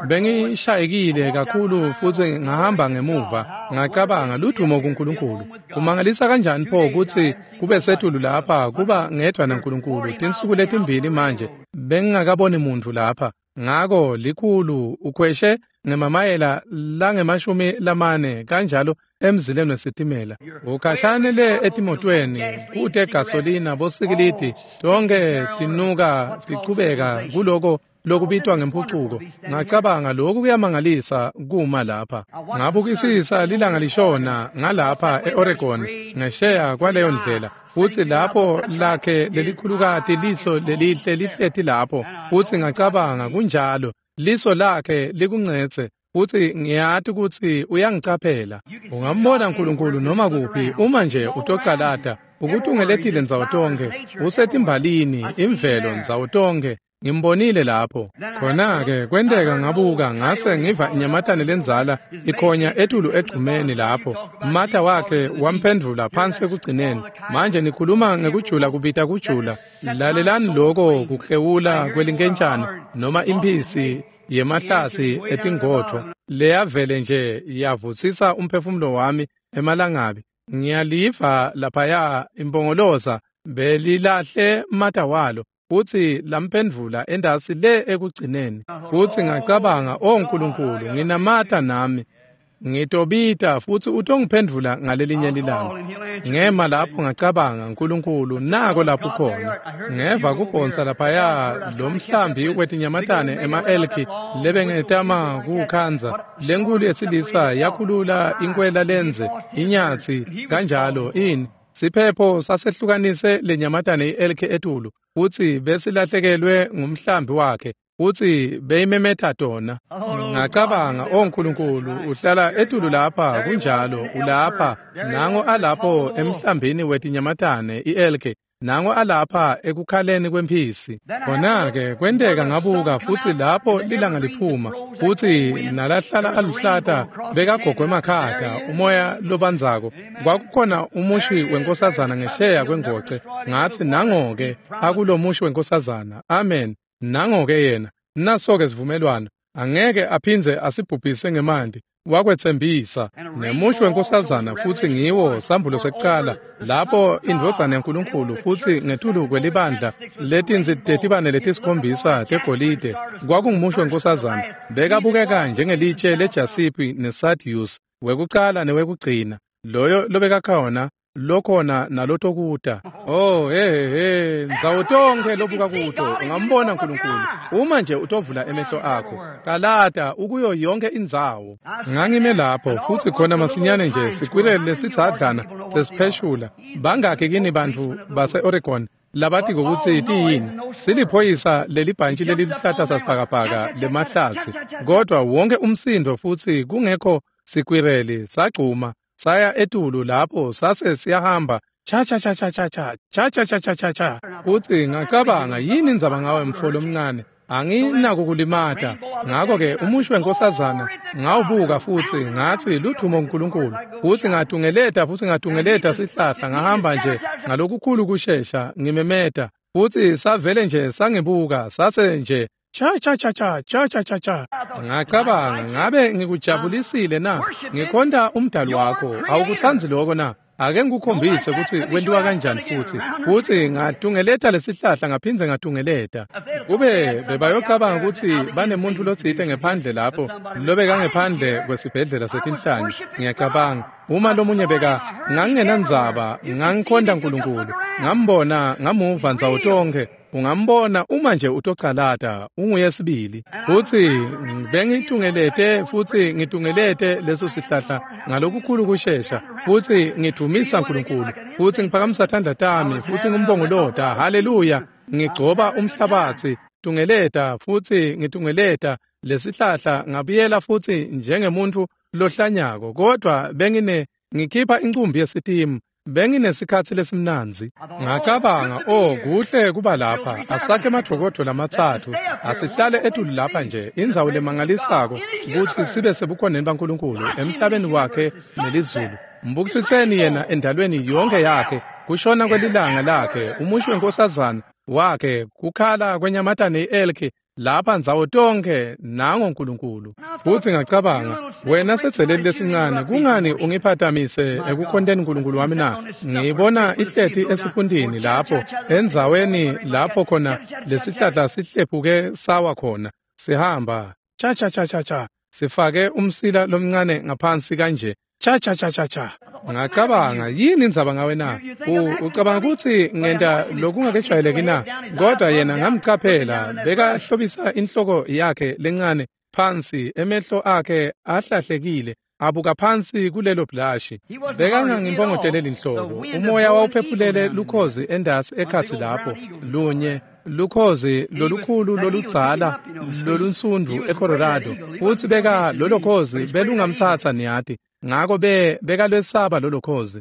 bengishayekile kakhulu futsi ngahamba ngemuva. Ngacabanga, "Ludumo kuNkulunkulu. Kumangalisa kanjani pho kutsi kube setulu lapha kuba ngedvwa naNkulunkulu tinsuku letimbili manje bengingakaboni muntfu lapha." Ngako likhulu ukhweshe ngemamayela lange-40 kanjalo emzileni wesitimela. Ukhashane le etimotweni kute gasolina, bosikilidi tonke tinuka tichubeka kuloko lokubitwa ngemphucuko. Ngacabanga, "Lokhu kuyamangalisa kuma lapha." Ngabukisisa lilanga lishona ngalapha e-Oregon ngesheya kwaleyo ndlela, futsi lapho lakhe lelikhulukati liso lelihle lihleti lapho, futsi ngacabanga, "Kunjalo, liso lakhe likuncetse, futsi ngiyati kutsi uyangicaphela." Ungambona Nkulunkulu noma kuphi uma nje utocalata. Ukutungeletile ndzawo tonkhe, usetimbalini, imvelo ndzawo tonkhe. Ngimbonile lapho. Khona-ke kwenteka ngabuka ngase ngiva inyamatane lendzala ikhonya etulu egcumeni lapho. Mata wakhe wamphendvula phansi ekugcineni. Manje nikhuluma ngekujula kubita kujula. Lalelani loko kuklewula kwelinkentshane noma imphisi yemahlatsi etingodvo leyavele nje yavutsisa umphefumulo wami emalangabi. Ngiyaliva laphaya impongoloza belilahle mata walo, futsi lamphendvula endasi le ekugcineni. Futsi ngacabanga, "O Nkulunkulu, nginamata nami. Ngitobita futsi utongiphendvula ngalelinye lilanga." Ngema lapho ngacabanga, "Nkulunkulu, nako lapho khona." Ngeva kubhonsa laphaya lo mhlambi wetinyamatane ema-elki lebengetama kuwukhandza. Lenkulu yesilisa yakhulula inkwela lenze, inyatsi kanjalo ini. Siphepho sasehlukanise lenyamatane i-elki etulu, futsi besilahlekelwe ngumhlambi wakhe, futsi beyimemeta tona. Ngacabanga, "O Nkulunkulu, uhlala etulu lapha, kunjalo, ulapha, nango alapho emhlambini wetinyamatane i-elki, nango alapha ekukhaleni kwemphisi." Khona-ke kwenteka ngabuka, futsi lapho lilanga liphuma, futsi nalahlala aluhlata bekagogwe emakhata, umoya lobandzako. Kwakukhona umushi wenkosazana ngesheya kwengoce. Ngatsi, "Nango-ke akulomushi wenkosazana. Amen. Nango-ke yena. Naso-ke sivumelwano. Angeke aphindze asibhubhise ngemanti. Wakwetsembisa." Nemushi wenkosazana futsi ngiwo sambulo sekucala lapho indvodzana yaNkulunkulu futsi ngetulu kwelibandla letinsi tetibane letisikhombisa tegolide kwakungumusho wenkosazana. Bekabukeka njengelitshe lejasipi nesadius, wekucala newekugcina, loyo lobekakhona, lokhona nalotokuta. Oh, he, ndzawo tonkhe lobuka kuto ungambona Nkulunkulu uma nje utovula emehlo akho. Calata ukuyo yonke indzawo. Ngangime lapho futsi khona masinyane nje sikwirele lesitsadlana sesipheshula. Bangakhi kini bantfu base-Oregon labati kutsi tiyini? Siliphoyisa lelibhantshi leliluhlata sasibhakabhaka lemahlatsi, kodwa wonke umsindo futsi kungekho sikwireli sagcuma saya etulu lapho sase siyahamba cha cha cha cha cha cha cha cha cha cha cha cha. Futsi ngacabanga, "Yini indzaba ngawe mfo lomncane? Anginako kulimata." Ngako-ke umushi wenkosazana ngawubuka futsi ngatsi, "Ludvumo kuNkulunkulu." Futsi ngatungeleta futsi ngatungeleta sihlahla, ngahamba nje ngalokukhulu kushesha ngimemeta, futsi savele nje sangibuka sase nje cha cha cha cha cha cha cha cha. Ngacabanga, "Ngabe ngikujabulisile na? Ngikhonta umdali wakho. Awukutsandzi lokho na? Ake ngikukhombise kutsi kwentiwa kanjani." Futsi ngatungeleta lesihlahla ngaphindze ngatungeleta. Kube bebayocabanga kutsi banemuntu lotsite ngephandle lapho lobekangephandle kwesibhedlela setinhlanyi. Ngiyacabanga uma lomunye beka ngangingenandzaba, ngangikhonta Nkulunkulu, ngambona, ngamuva ndzawo tonkhe. Ungambona uma nje utocalata, unguye sibili. Futsi bengitungelete futsi ngitungelete leso sihlahla ngalokukhulu kushesha, futsi ngidvumisa Nkulunkulu, futsi ngiphakamisa tandla tami futsi ngimbongolota, haleluya, ngigcoba umhlabatsi, tungeleta futsi ngitungeleta. Lesihlahla ngabuyela futhi njengemuntu lohlanyako, kodwa ngikhipha incumbi yesitimu. Benginesikhathi lesimnandzi. Ngacabanga, oh, kuhle kuba lapha. Asakhe emadokodvo lamatsatfu. Asihlale etulu lapha nje, indzawo lemangalisako kutsi sibe sebukhoneni baNkulunkulu emhlabeni wakhe nelizulu. Mbukisiseni yena endalweni yonke yakhe, kushona kwelilanga lakhe, umusho wenkosazana wakhe, kukhala kwenyamatane i-elki lapha ndzawo tonke, nango Nkulunkulu. Futhi ngacabanga, wena sedzeleli lesincane, kungani ungiphatamise ekukhonteni uNkulunkulu wami na? Ngiyibona ihleti esiphundini lapho, endzaweni lapho khona lesihlahla sihlephuke sawa khona, sihamba cha cha cha cha cha, sifake umsila lomncane ngaphansi kanje, cha cha cha cha cha. Ngacabanga, yini indzaba ngawe na? Ucabanga ukuthi ngenta lokungakejwayeleki na? Kodwa yena ngamcaphela, bekahlobisa inhloko yakhe lencane phansi, emehlo akhe ahlahlekile, abuka phansi kulelo blashi. Bekangangimpongoteleli inhloko. Umoya wawuphephulele lukhozi endasi ekhatsi lapho, lunye lukhozi lolukhulu loludzala lolunsundu eColorado. Futhi beka lolo khozi belungamtsatsa niyati. Ngako bekalwesaba lolo khozi.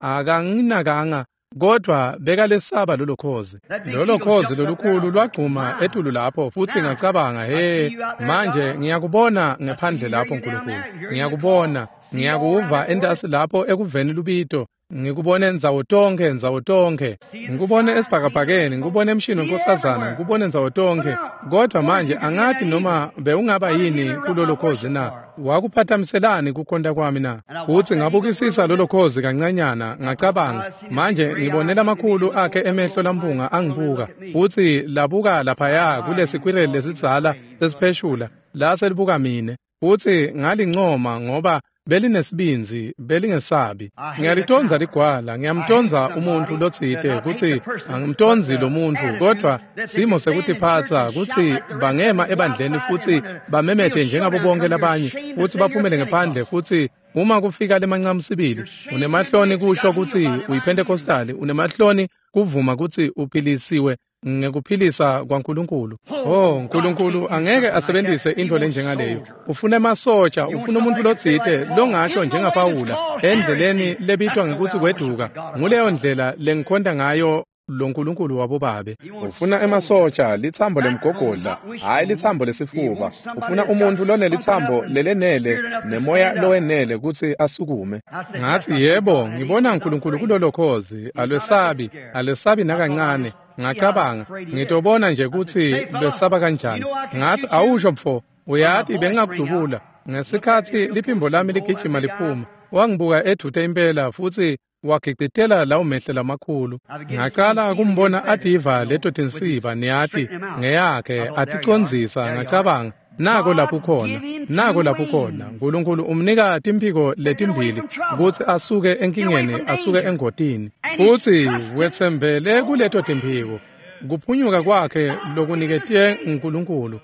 Akanginakanga, kodwa bekalesaba lolo khozi. Lolo khozi lolukhulu lwagcuma etulu lapho, futhi ngacabanga, he, manje ngiyakubona ngephandle lapho Nkulunkulu. Ngiyakubona, ngiyakuva entasi lapho ekuveni lubito. Ngikubone ndzawo tonke, ndzawo tonke. Ngikubone esibhakabhakeni, ngikubone emshini wenkosazana, ngikubone ndzawo tonke. Kodwa manje angati noma bewungaba yini kulolo khozi na? Wakuphathamiselani kukhonta kwami na? Futhi ngabukisisa lolo khozi kancanyana, ngacabanga, manje ngibone lamakhulu akhe emehlo lampunga angibuka. Futhi labuka laphaya kulesikwireli lesidzala sesipheshula, lase libuka mine. Futhi ngalincoma ngoba belinesibindzi, belingesabi. Ngiyalitonza ligwala, ngiyamtonza umuntu lotsite kutsi angimtonzi lo muntu, kodwa simo sekutiphatsa kutsi bangema ebandleni futhi bamemete njengabo bonke labanye, futhi baphumele ngephandle, futhi uma kufika lemancamu sibili, unemahloni kusho kutsi uyiPentecostali, unemahloni kuvuma kutsi uphilisiwe ngekuphilisa kwaNkulunkulu. Oh, Nkulunkulu angeke asebenzise intfo lenjengaleyo. Ufuna emasotsha, ufuna umuntu lotsite longasho njengaPawula endleleni lebitwa ngekutsi kweduka. Nguleyo ndlela lengikhonta ngayo lo Nkulunkulu wabobabe. Ufuna emasotsha, litsambo lemgogodla, hhayi litsambo lesifuba. Ufuna umuntu lonelitsambo lelenele nemoya lowenele kutsi asukume. Ngathi, yebo, ngibona uNkulunkulu kulolo khozi, alwesabi, alwesabi nakancane. Ngacabanga, ngitobona nje kutsi lwesaba kanjani. Ngathi, awusho mfo, uyati bengingakudubula. Ngesikhatsi liphimbo lami ligijima liphuma, wangibuka edvute impela futhi wagicitela lawo mehlo lamakhulu. Ngacala kumbona ativa leto tinsiba, niyati, ngeyakhe aticondzisa. Ngacabanga, nako lapho khona, nako lapho khona. Nkulunkulu umnika timphiko letimbili kutsi asuke enkingeni, asuke engotini. Futhi wetsembele kuleto timphiko. Kuphunyuka kwakhe lokuniketwe uNkulunkulu.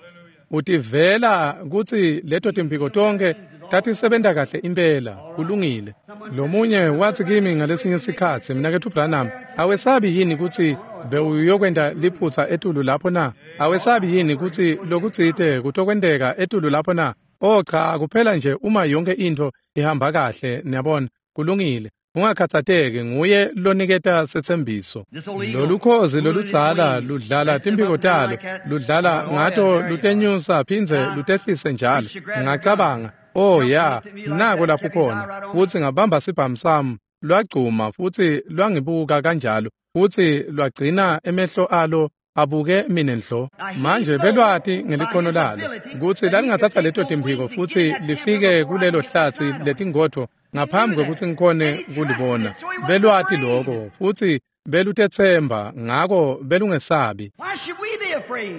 Utivela kutsi leto timphiko tonke tatisebenta kahle impela, kulungile. Lomunye wathi kimi ngalesinye sikhatsi, Mnaketfu Branham, awesabi yini kutsi bewuyokwenta liphutsa etulu lapho na? Awesabi yini kutsi lokutsite kutokwenteka etulu lapho na? Oh cha, kuphela nje uma yonke intfo ihamba kahle, niyabona, kulungile. Ungakhatsateki, nguye loniketa setsembiso. Lolukhozi loludzala ludlala timphiko talo, ludlala ngato, lutenyusa phindze lutehlise njalo. Ngacabanga, oh ya, nako lapho khona. Futhi ngabamba sibhamu sami, lwagcuma futhi lwangibuka kanjalo, futhi lwagcina emehlo alo abuke mina nhlo. Manje belwati ngelikhono lalo kutsi lalingatsatsa leto timphiko futhi lifike kulelo hlatsi letingodvo ngaphambi kwekutsi ngikhone kulibona. Belwati lokho futhi belutetsemba, ngako belungesabi.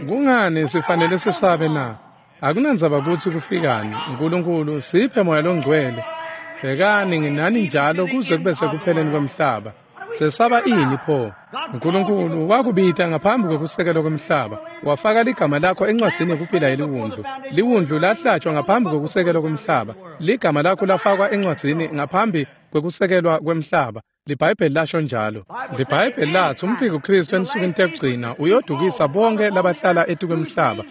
Kungani sifanele sisabe na? Akunandzaba kutsi kufikani. Nkulunkulu siphe moya longcwele. Bhekani, nginani njalo kuze kube sekupheleni kwemhlaba. Sesaba ini pho? Nkulunkulu wakubita ngaphambi kwekusekelwa kwemhlaba, wafaka ligama lakho encwadzini yekuphila yeliwundlu. Liwundlu lahlatshwa ngaphambi kwekusekelwa kwemhlaba. Ligama lakho lafakwa encwadzini ngaphambi kwekusekelwa kwemhlaba. LiBhayibheli lasho njalo. LiBhayibheli lathi umphiko Kristu ensukwini tekugcina uyodukisa bonke labahlala etikwemhlaba.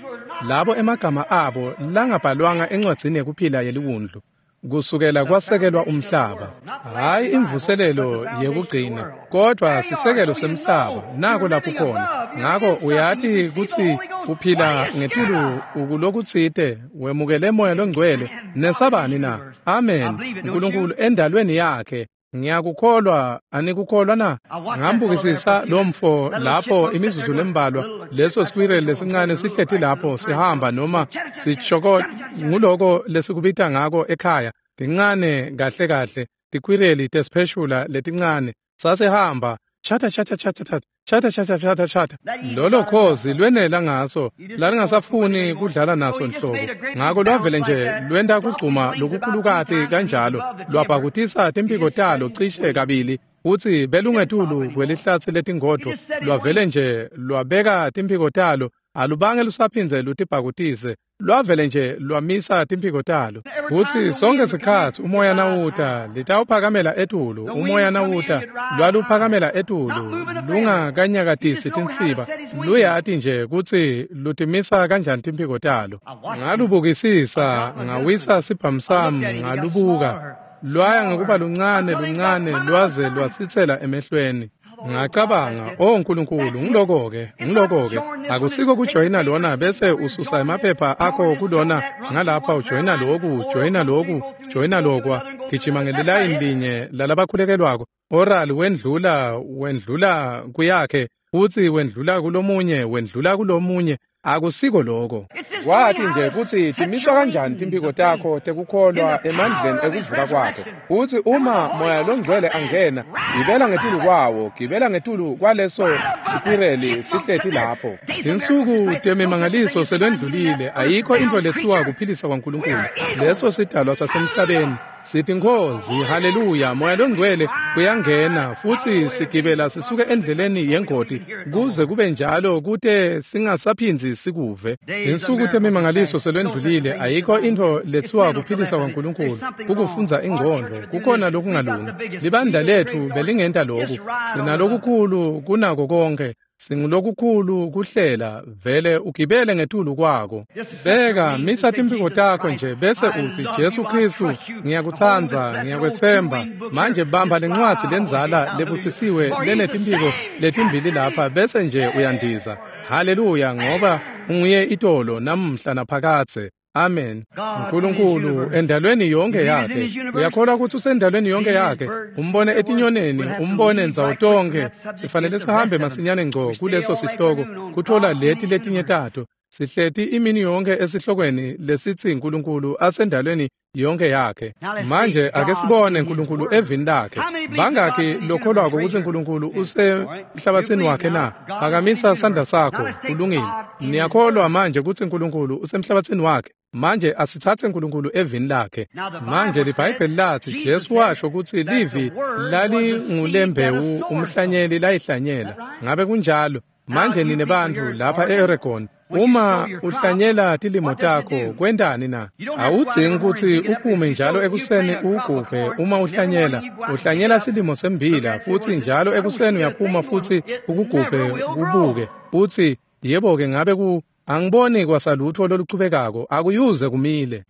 Labo emagama abo langabhalwanga encwadzini yekuphila yeliwundlu kusukela kwasekelwa umhlaba. Hhayi imvuselelo yekugcina, kodwa sisekelo semhlaba, nako lapho khona. Ngako uyati kutsi uphila ngetulu ukulokutsite, wemukele Moya Longcwele, nesabani na? Amen. Nkulunkulu endalweni yakhe. Ngiyakukholwa, anikukholwa na? Ngambukisisa lomfo lapho imizuzu lembalwa, leso squirrel lesincane sihleti lapho sihamba noma sichoko, nguloko lesikubita ngako ekhaya, tincane kahle kahle, tikwireli tesipheshula letincane, sasihamba, chata chata chata chata chata chata chata chata. Lolo khozi lwenela ngaso, lalingasafuni kudlala naso nhlobo. Ngako lwavele nje lwenta kugcuma lokukhulukati kanjalo, lwabhakutisa timphiko talo cishe kabili, futsi belungetulu kwelihlatsi letingodvo, lwavele nje lwabeka timphiko talo, alubange lusaphindze lutibhakutise, lwavele nje lwamisa timphiko talo. Kutsi sonke sikhatsi umoya nawuta litawuphakamela etulu, umoya nawuta lwaluphakamela etulu, lungakanyakatisi tinsiba, luyati nje kutsi lutimisa kanjani timphiko talo. Ngalubukisisa, ngawisa sibhamu sami, ngalubuka, lwaya ngekuba luncane luncane lwaze lwasitsela emehlweni. Ngacabanga, oh Nkulunkulu, ngiloko-ke, ngiloko-ke. Akusiko kujoyina lona bese ususa emaphepha akho kulona, ngalapha ujoyina loku, joyina loku, joyina lokwa, gijima ngelilayini linye lalabakhulekelwako. Oral wendlula, wendlula kuyakhe, futsi wendlula kulomunye, wendlula kulomunye. Akusiko loko. Kwati nje kutsi timiswa kanjani timphiko takho tekukholwa emandleni ekuvuka kwakhe. Futsi uma Moya Longcwele angena, gibela ngetulu kwawo, gibela ngetulu kwaleso sikwireli sihleti lapho. Tinsuku temimangaliso selwendlulile, ayikho intfo letsiwa kuphilisa kwaNkulunkulu. Leso sidalwa sasemhlabeni. Sithi Nkhosi, haleluya, Moya Longcwele uyangena futsi sigibela sisuke endleleni yengoti kuze kube njalo kute singasaphindzi sikuve. Tinsuku temimangaliso selwendlulile, ayikho intfo letsiwa kuphilisa kwaNkulunkulu, kukufundza ingcondvo, kukhona lokungalungi. Libandla letfu belingenta loku, sinalokukhulu kunako konke. Singulokukhulu kuhlela, vele ugibele ngetulu kwako. Beka, misa timphiko takho nje bese utsi Jesu Khristu, ngiyakutsandza, ngiyakwetsemba. Manje bamba lencwadzi lendzala lebusisiwe lenetimphiko letimbili lapha bese nje uyandiza. Haleluya, ngoba unguye itolo namuhla naphakadze. Amen. Nkulunkulu endalweni yonke yakhe. Uyakholwa kutsi usendalweni yonke yakhe. Umbone etinyoneni, umbone ndzawo tonke. Sifanele sihambe masinyane ngco kuleso sihloko kutfola leti letinye tato. Sihleti imini yonke esihlokweni lesitsi Nkulunkulu asendalweni yonke yakhe. Manje ake sibone Nkulunkulu evini lakhe. Bangaki lokholwako kutsi Nkulunkulu usemhlabatsini wakhe na? Phakamisa sandla sakho, kulungile. Niyakholwa manje kutsi Nkulunkulu usemhlabatsini wakhe. Manje asitsatse Nkulunkulu evini lakhe. Manje liBhayibheli latsi Jesu washo kutsi livi lalingulembewu umhlanyeli layihlanyela. Ngabe kunjalo? Manje nine bantfu lapha e-Oregon, uma uhlanyela tilimo takho kwentani na? Awudzingi kutsi uphume njalo ekuseni uwugubhe uma uhlanyela. Uhlanyela silimo sembila futsi njalo ekuseni uyaphuma futsi ukugubhe kubuke. Utsi, yebo-ke ngabe angiboni kwasalutfo loluchubekako, akuyuze kumile.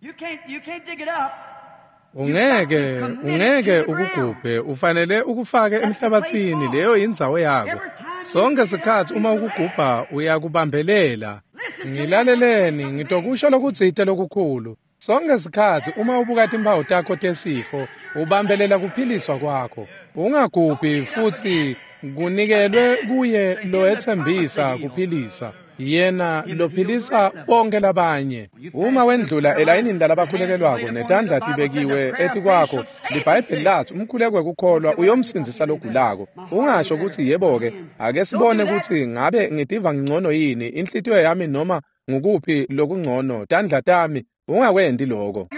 Ungeke ukugubhe, ufanele ukufake emhlabatsini, leyo indzawo yako. Sonke sikhatsi uma ukugubha uyakubambelela. Ngilaleleni, ngitokusho lokutsite lokukhulu. Sonke sikhatsi uma ubuka timphawu takho tesifo, ubambelela kuphiliswa kwakho. Ungagubhi futsi kunikelwe kuye loyetsembisa kuphilisa. Yena lophilisa bonke labanye. Uma wendlula elayinini lalabakhulekelwako netandla tibekiwe etikwakho, liBhayibheli latsi umkhuleko wekukholwa uyomsindzisa logulako. Ungasho kutsi yebo-ke, ake sibone kutsi ngabe ngitiva ngingcono yini, inhlitiyo yami noma ngukuphi lokungcono, tandla tami. Ungakwenti loko.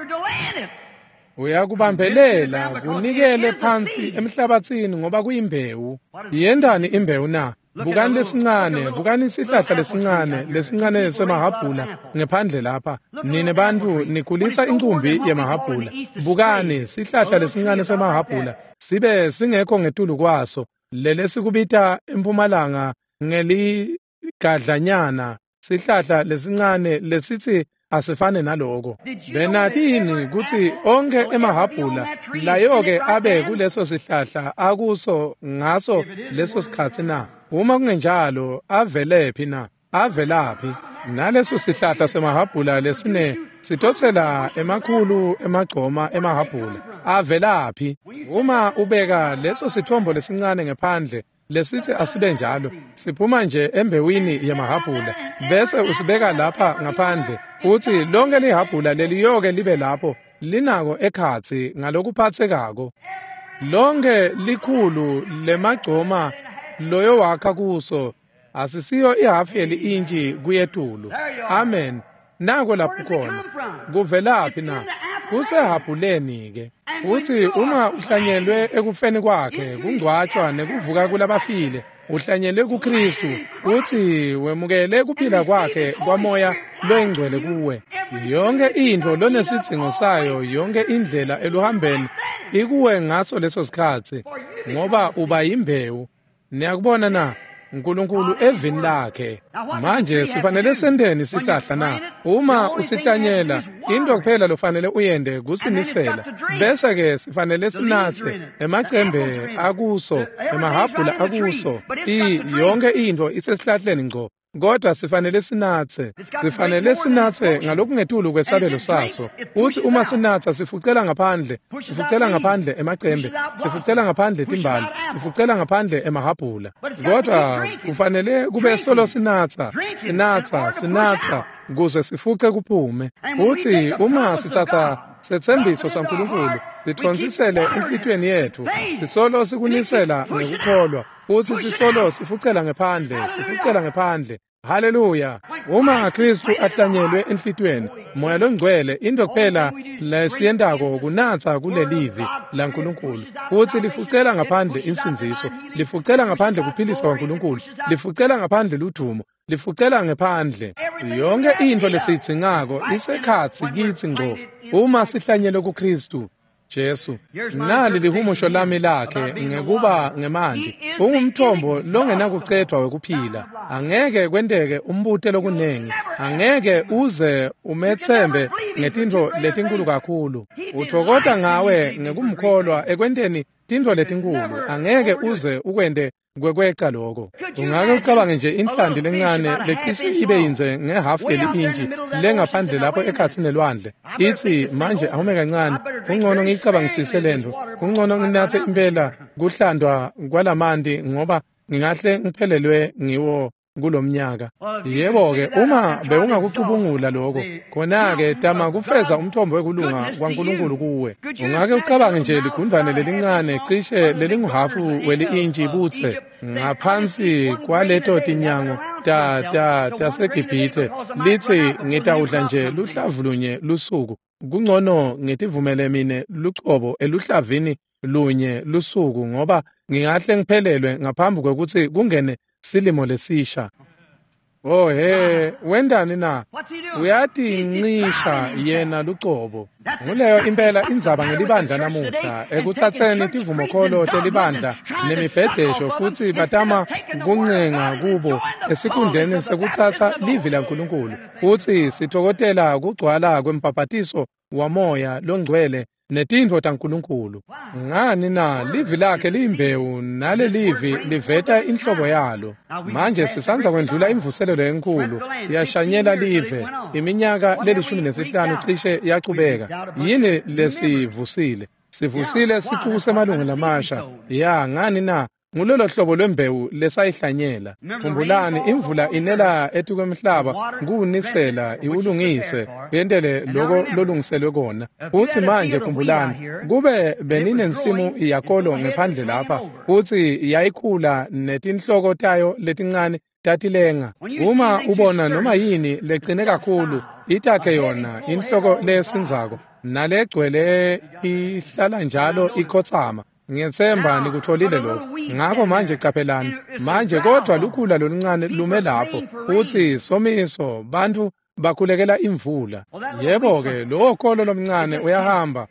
Uyakubambelela kunikele phansi emhlabatsini ngoba kuyimbewu. Yentani imbewu na? Bukani lesincane, bukani sihlahla lesincane, lesincane semahhabhula ngephandle lapha. Nine bantfu nikhulisa incumbi yemahhabhula. Bukani sihlahla lesincane semahhabhula, sibe singekho ngetulu kwaso. Lelesikubita empumalanga ngeligadlanyana. Sihlahla lesincane lesithi asifane naloko. Benatini kutsi onkhe emahhabhula layo-ke abe kuleso sihlahla akuso ngaso leso sikhatsi na? Uma kungenjalo avelephi na? Avelaphi? Naleso sihlahla semahhabhula lesine sitotsela emakhulu emagcoma emahhabhula avelaphi? Uma ubeka leso sithombo lesincane ngephandle lesithi asibe njalo, siphuma nje embewini yemahhabhula bese usibeka lapha ngaphandle, uthi lonke lihhabhula leliyoke libe lapho linako ekhatsi ngalokuphathekako. Lonke likhulu lemagcoma loyo wakha kuso asisiyo ihafu yeli-intshi kuyetulu. Amen. Nako lapho khona. Kuvelaphi na? Kusehhabhuleni-ke. Uthi uma uhlanyelwe ekufeni kwakhe, kungcwatshwa nekuvuka kulabafile, uhlanyelwe kuKristu, uthi wemukele kuphila kwakhe kwamoya loyingcwele kuwe. Yonke intfo lonesidzingo sayo, yonke indlela eluhambeni ikuwe ngaso leso sikhatsi, ngoba uba yimbewu. Niyakubona na? uNkulunkulu evini lakhe. Manje sifanele senteni sihlahla na? Uma usihlanyela, into kuphela lofanele uyende kusinisela. Bese ke sifanele sinatse emacembe akuso, emahhabhula akuso, yonke into isesihlahleni ngco. Kodwa sifanele sinatse. Sifanele sinatse ngalokungetulu kwesabelo saso. Uthi uma sinatsa sifucela ngaphandle, sifucela ngaphandle emacembe, sifucela ngaphandle timbali, sifucela ngaphandle emahhabhula. Kodwa kufanele kube solo sinatsa, sinatsa, sinatsa kuze sifuce kuphume. Uthi uma sitsatsa setsembiso saNkulunkulu, sithonsisele enhlitiyweni yethu, sisolo sikunisela ngekukholwa. Uthi sisolo sifucela ngephandle, sifucela ngephandle. Haleluya. Uma Kristu ahlanyelwe enhlitiyweni, Moya loNgcwele into kuphela lesiyentako kunatsa kulelivi laNkulunkulu. Uthi lifucela ngaphandle insindziso, lifucela ngaphandle kuphilisa kwaNkulunkulu, lifucela ngaphandle ludumo, lifucela ngephandle. Yonke into lesiyidzingako isekhatsi kitsi ngco uma sihlanyelwe kuKristu Jesu. Nali lihumusho lami lakhe ngekuba ngemanti. Ungumthombo longenakucedwa wekuphila. Angeke kwenteke umbute lokunengi. Angeke uze umethembe ngetintfo letinkulu kakhulu. Uthokota ngawe ngekumkholwa ekwenteni tintfo letinkulu. Angeke uze ukwente kwekweca lokho. Ungake ucabange nje inhlanti lencane lecishe ibe yindze ngehafu yeli-intshi lengaphandle lapho ekhatsi nelwandle. Ithi manje awume kancane, kungcono ngiyicabangisise lento, kungcono nginatse impela kuhlandwa kwalamanti ngoba ngingahle ngiphelelwe ngiwo kulomnyaka. Yebo-ke, uma bewungakucubungula lokho, khona-ke tama kufeza umthombo wekulunga kwaNkulunkulu kuwe. Ungake ucabange nje ligundvane lelincane cishe lelinguhafu weli-intshi butse ngaphansi kwaleto tinyango taseGibhithe lithi ngitawudla nje luhlavu lunye lusuku. Kungcono ngitivumele mine lucobo eluhlavini lunye lusuku ngoba ngingahle ngiphelelwe ngaphambi kwekutsi kungene silimo lesisha. Oh he, wendani na? Uyatincisha yena lucobo. Nguleyo impela indzaba ngelibandla namuhla, ekutsatseni tivumokholo telibandla nemibhedesho futsi batama kuncenga kubo esikhundleni sekutsatsa livi laNkulunkulu. Futsi sithokotela kugcwala kwembhabhatiso wamoya longcwele netintfo taNkulunkulu. Ngani na? Livi lakhe liyimbewu nalelivi liveta inhlobo yalo. Manje sisandza kwendlula imvuselelo enkulu, yashanyela live iminyaka le-15 cishe yachubeka. Yini lesivusile? Sivusile sicuku semalungu lamasha. Ya, ngani na? Ngulolo hlobo lwembewu lesayihlanyela. Khumbulani, imvula inela etikwemhlaba kuwunisela iwulungise yentele loko lolungiselwe kona. Futhi manje khumbulani, kube beninensimu yakolo ngephandle lapha, futhi yayikhula netinhloko tayo letincane tatilenga. Uma ubona noma yini leqine kakhulu, itakhe yona inhloko lesinzako nalegcwele ihlala njalo ikhotsama. Ngiyethemba nikutholile lokho. Ngakho manje qaphelani. Manje kodwa lukhula loluncane lume lapho. Uthi somiso bantu bakhulekela imvula. Yebo-ke, lowo kholo lomncane uyahamba.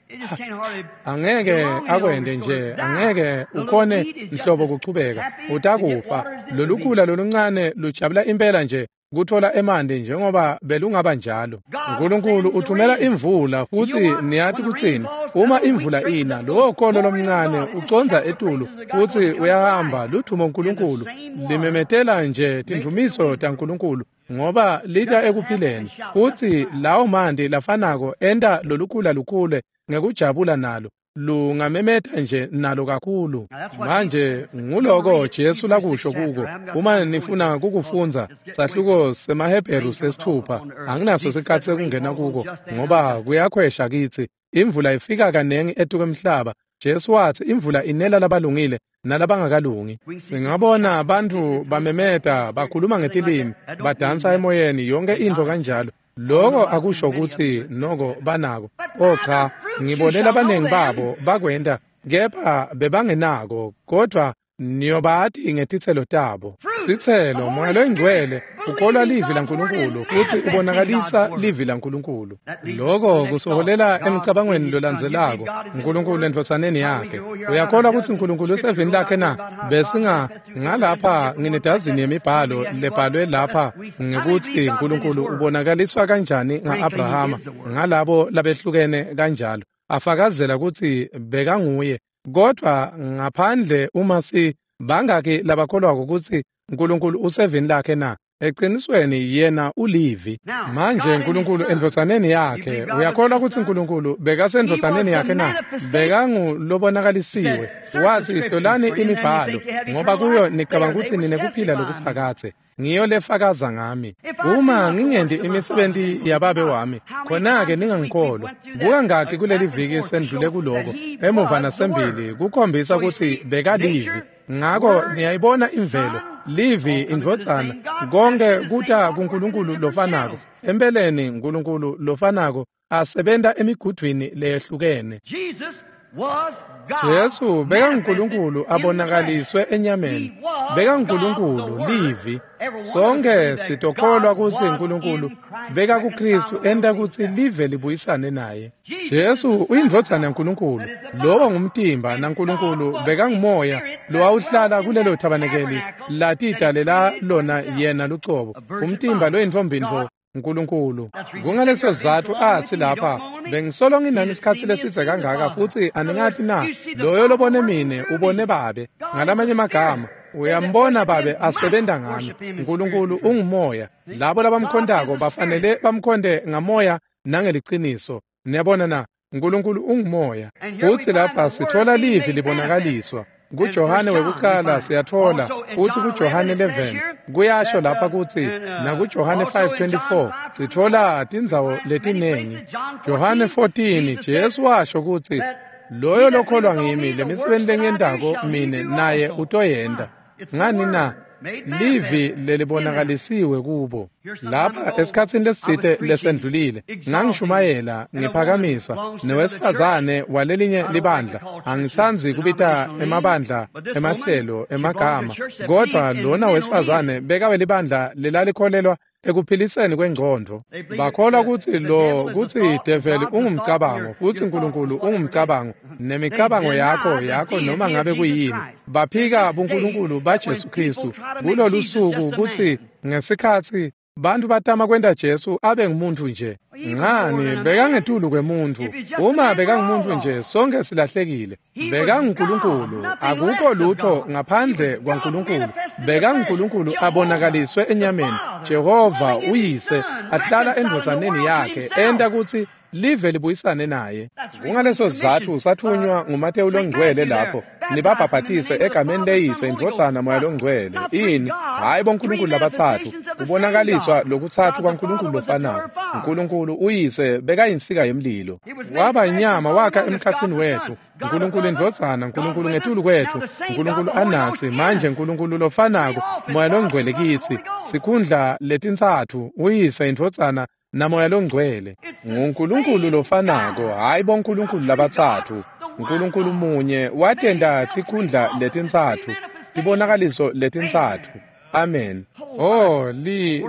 Angeke akwende nje, angeke ukhone nhlobo kuchubeka. Utakufa. Lolukhula loluncane lujabula impela nje kuthola emanti njengoba belungaba njalo. Nkulunkulu uthumela imvula, futhi niyati kutsini? Uma imvula ina, lowo kolo lomncane ucondza etulu futhi uyahamba ludvumo uNkulunkulu limemetela nje tindvumiso taNkulunkulu ngoba lita ekuphileni. Futhi lawo manti lafanako enta lolukhula lukhule ngekujabula nalo, lungamemeta nje nalo kakhulu. Manje nguloko Jesu lakusho kuko. Uma nifuna kukufundza sahluko semaHebheru 6, anginaso sikhatsi sekungena kuko ngoba kuyakhwesha kitsi. Imvula ifika kanengi etukwemhlaba. Jesu wathi imvula inela labalungile nalabangakalungi. Singabona bantfu bamemeta, bakhuluma ngetilimi, badansa emoyeni, yonke intfo kanjalo. Loko akusho kutsi noko banako. Oh cha, ngibone labanengi babo bakwenta, kepha bebangenako, kodvwa niyobati ngetitselo tabo. Sitselo, Moya loyiNgcwele, ukholwa livi laNkulunkulu futhi ubonakalisa livi laNkulunkulu. Loko kusoholela emcabangweni lolandzelako, Nkulunkulu endvodzaneni yakhe. Uyakholwa kutsi Nkulunkulu usevini lakhe na? Besinga ngalapha nginedazini yemibhalo lebhalwe lapha ngekutsi Nkulunkulu ubonakaliswa kanjani nga-Abrahama ngalabo labehlukene kanjalo, afakazela kutsi bekanguye. Kodwa ngaphandle uma si bangaki labakholwako kutsi Nkulunkulu usevini lakhe na? Eqinisweni yena ulivi. Manje Nkulunkulu endvodzaneni yakhe, uyakholwa kutsi Nkulunkulu bekasendvodzaneni yakhe na? Bekangulobonakalisiwe. Wathi hlolani imibhalo, ngoba kuyo nicabanga kutsi ninekuphila lokuphakadze. Ngiyo lefakaza ngami. Uma ngingendi imisebenti yababe wami, khona-ke ningangikholwa. Kukangaki kuleli viki sendlule kuloko, emuva nasembili, kukhombisa kutsi bekalivi. Ngako niyayibona imvelo, livi, indvodzana, konke kuta kuNkulunkulu lofanako. Empeleni Nkulunkulu lofanako asebenta emigudvwini leyehlukene. Jesu bekanguNkulunkulu abonakaliswe enyameni. BekanguNkulunkulu, livi. Sonke sitokholwa kutsi Nkulunkulu bekakuKristu enta kutsi live libuyisane naye. Jesu uyindvodzana yaNkulunkulu. Lowo ngumtimba, naNkulunkulu bekangumoya lowawuhlala kulelo thabanekeli latidalela lona yena lucobo. Umtimba loyintfombintfo Nkulunkulu. Kungaleso sizatfu atsi lapha, bengisolo nginani isikhatsi lesidze kangaka futhi aningati na? Loyo lobone mine ubone Babe. Ngalamanye amagama, uyambona Babe asebenta ngami. Nkulunkulu ungumoya. Labo labamkhontako bafanele bamkhonte ngamoya nangeliciniso. Niyabona na? Nkulunkulu ungumoya. Futhi lapha sithola livi libonakaliswa. KuJohane wekucala siyathola uthi kuJohane 11 kuyasho lapha kutsi nakuJohane 5:24 sithola tindzawo letinengi. Johane 14 Jesu washo kutsi loyo lokholwa ngimi, lemisebenti lengiyentako mine naye utoyenta. Ngani na? Livi lelibonakalisiwe kubo. Lapha esikhatsini lesitsite lesendlulile ngangishumayela ngiphakamisa nowesifazane walelinye libandla. Angitsandzi kubita emabandla emahlelo emagama, kodwa lona wesifazane bekawe libandla lelalikholelwa ekuphiliseni kwengqondo. Bakholwa kutsi lo kutsi develi ungumcabango futhi Nkulunkulu ungumcabango, nemicabango yakho noma ngabe kuyini. Baphika buNkulunkulu baJesu Kristu kulolu suku kutsi ngesikhatsi bantu batama kwenta Jesu abe ngumuntu nje. Ngani bekangetulu kwemuntu. Uma bekangumuntu nje sonke silahlekile. BekanguNkulunkulu, akukho lutho ngaphandle kwaNkulunkulu. BekanguNkulunkulu abonakaliswe enyameni. Jehova uyise ahlala endvodzaneni yakhe enta kutsi live libuyisane naye. Kungaleso sizatfu sathunywa nguMatewu longcwele lapho nibabhabhatise egameni leyise, indvodzana, Moya longcwele. Ini? Hhayi boNkulunkulu labatsatfu, kubonakaliswa lokutsatfu kwaNkulunkulu lofanako. Nkulunkulu uyise bekayinsika yemlilo, waba inyama wakha emkhatsini wetfu. Nkulunkulu indvodzana, Nkulunkulu ngetulu kwetfu, Nkulunkulu anatsi. Manje Nkulunkulu lofanako, Moya longcwele kitsi. Sikhundla letintsatfu, uyise, indvodzana naMoya longcwele. NguNkulunkulu lofanako, hhayi boNkulunkulu labatsatfu. Nkulunkulu munye watenta tikhundla letintsatfu, tibonakaliso letintsatfu. Amen. Oh,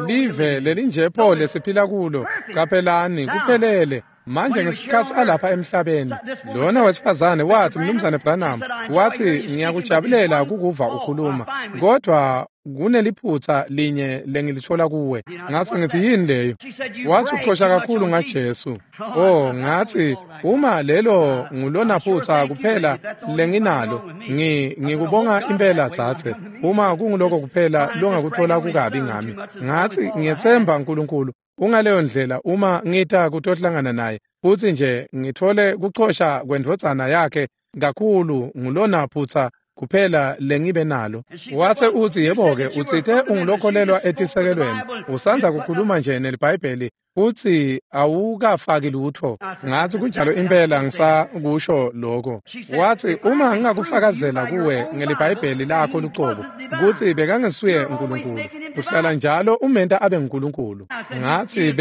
live lelinjepho lesiphila kulo. Qaphelani, kuphelele. Manje ngesikhatsi alapha emhlabeni, lona wesifazane wathi, Mnumzane Branham, wathi, ngiyakujabulela kukuva ukhuluma, kodwa Kuneliphutha linye lengilithola kuwe. Ngase ngithi, yini leyo? Wathi, uqhosha kakhulu ngaJesu. Oh, ngathi, uma lelo ngulona phutha kuphela lenginalo, ngikubonga impela dzadze. Uma kunguloko kuphela longakuthola kukabi ngami. Ngathi, ngiyethemba uNkulunkulu ungaleyo ndlela uma ngita kutohlangana naye, futhi nje ngithole kuchosha kwendvodzana yakhe kakhulu ngulona phutha kuphela lengibe nalo. Wathe uthi, yebo-ke, utsite ungulokholelwa etisekelweni, usandza kukhuluma nje neliBhayibheli futhi awukafaki lutho. Ngathi, kunjalo impela, ngisakusho lokho. Wathi, uma ngingakufakazela kuwe ngeliBhayibheli lakho lucobo kutsi bekangesuye uNkulunkulu, uhlala njalo umenta abe nguNkulunkulu. Ngathi,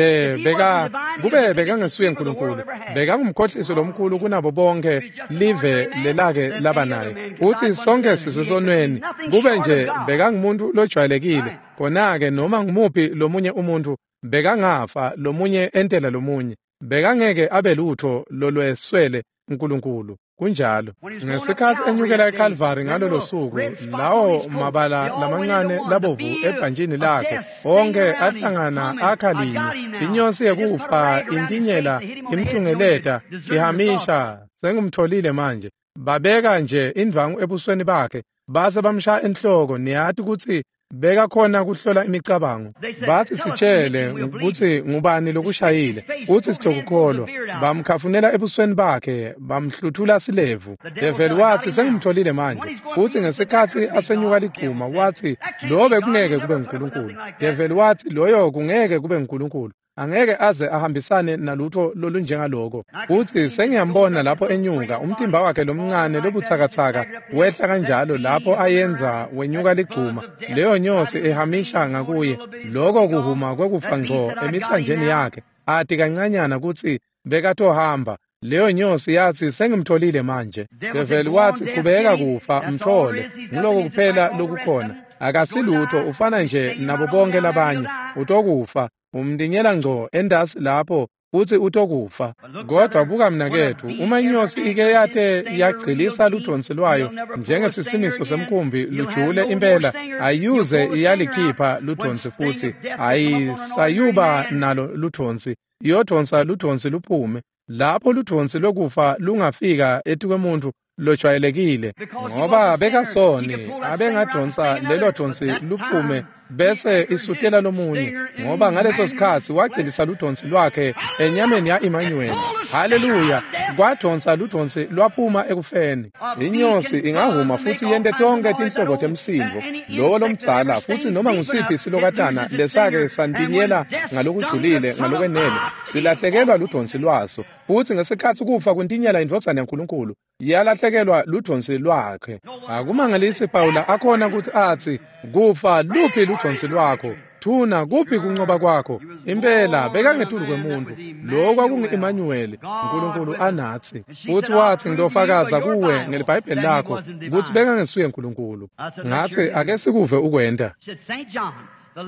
kube bekangesuye uNkulunkulu, bekangumkhohliso lomkhulu kunabo bonke live lelake laba naye. Uthi sonke sisesonweni, kube nje bekangumuntu lojwayelekile, khona-ke noma ngumuphi lomunye umuntu bekangafa, lomunye entela lomunye, bekangeke abe lutho lolweswele uNkulunkulu. Kunjalo. Ngesikhathi enyukela eCalvary ngalolo suku, lawo mabala lamancane labovu ebhantshini lakhe onke ahlangana akha linye, inyosi yekufa intinyela imtungeleta ihamisha, sengumtholile manje. Babeka nje indwangu ebusweni bakhe base bamshaya enhloko. Niyati kutsi beka khona kuhlola imicabango. Bathi, sitshele ukuthi ngubani lokushayile, uthi sitokukholwa. Bamkhafunela ebusweni bakhe, bamhluthula silevu. Develi wathi, sengimtholile manje. Uthi ngesikhathi asenyuka liguma, wathi lo bekungeke kube nguNkulunkulu. Develi wathi, loyo kungeke kube nguNkulunkulu, angeke aze ahambisane nalutho lolunjengaloko. Uthi sengiyambona lapho enyuka, umtimba wakhe lomncane lobutsakatsaka wehla kanjalo lapho ayenza wenyuka liguma, leyo nyosi ehamisha ngakuye, loko kuhuma kwekufa ngco emitsanjeni yakhe, ati kancanyana kutsi bekatohamba. Leyo nyosi yathi, sengimtholile manje. Develi wathi, qhubeka kufa, mthole, nguloko kuphela lokukhona. Akasilutho, ufana nje nabo bonke labanye, utokufa. Umtinyela ngco endasi lapho futhi utokufa. Kodwa buka mnakethu, uma inyosi ike yate yagcilisa ludonsi lwayo njengesisimiso semkhumbi lujule impela, ayuze iyalikhipha ludonsi futhi, ayisayuba nalo ludonsi, iyodonsa ludonsi luphume. Lapho ludonsi lokufa lungafika etikwemuntu lojwayelekile, ngoba bekasoni, abengadonsa lelo donsi luphume bese isutela lomunye, ngoba ngaleso sikhathi wagcilisa ludonsi lwakhe enyameni ya-Emmanuel. Haleluya! Kwadonsa ludonsi lwaphuma ekufeni. Inyosi ingahuma futhi yente tonke tinhlobo temsindvo, lowo lomdzala futhi noma ngusiphi silokatana lesake santinyela ngalokujulile ngalokwenele, silahlekelwa ludonsi lwaso. Futhi ngesikhathi kufa kuntinyela indvodzana yaNkulunkulu, yalahlekelwa ludonsi lwakhe. Akumangalisi Pawula akhona ukuthi athi, kufa luphi ludonsi lwakho? Thuna kuphi kunqoba kwakho? Impela bekangetulu kwemuntu. Lo kwakungu-Emmanuel, uNkulunkulu anathi. Futhi wathi, ngitofakaza kuwe ngeliBhayibheli lakho ukuthi bekangesuye uNkulunkulu. Ngathi, ake sikuve ukwenta.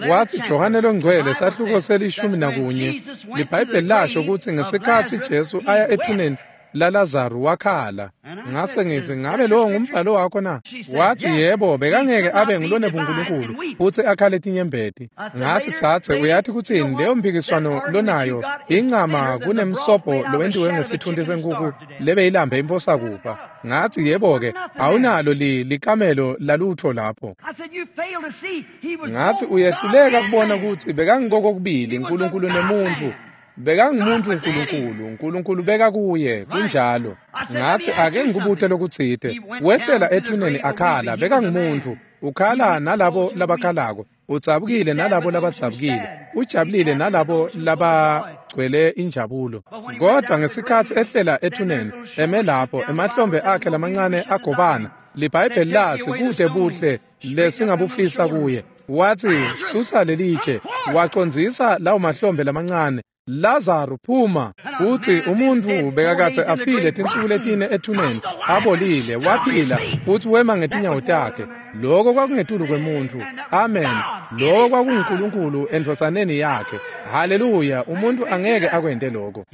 Wathi, Johane longcwele sahluko se-11, liBhayibheli lasho ukuthi ngesikhathi Jesu aya ethuneni laLazaru wakhala. Ngase ngithi, ngabe lowo ngumbhalo wakho na? Wathi, yebo, bekangeke abe ngulone buNkulunkulu futhi akhale tinyembeti. Ngathi, tsatse, uyathi kutsini leyo mphikiswano lonayo incama kunemsobho lowentiwe ngesithunti senkukhu lebeyilambe imposakufa. Ngathi, yebo-ke, awunalo likamelo lalutho lapho. Ngathi, uyehluleka kubona ukuthi bekangikokokubili uNkulunkulu nemuntu. Bekangumuntu uNkulunkulu, uNkulunkulu beka kuye, kunjalo. Ngathi, ake ngikubute lokutsite. Wehlela ethuneni akhala, bekangumuntu, ukhala nalabo labakhalako, udzabukile nalabo labadzabukile, ujabulile nalabo labagcwele injabulo. Kodwa ngesikhathi ehlela ethuneni, eme lapho, emahlombe akhe lamancane agobana, liBhayibheli lathi kude buhle lesingabufisa kuye. Wathi, susa lelitshe, wacondzisa lawo mahlombe lamancane, Lazaru phuma. Uthi umuntu bekakathe afile tinsuku letine ethuneni, abolile, waphila futhi wema ngetinyawo takhe. Lokho kwakungetulu kwemuntu. Amen. Lokho kwakunguNkulunkulu endvodzaneni yakhe. Haleluya! Umuntu angeke akwente lokho.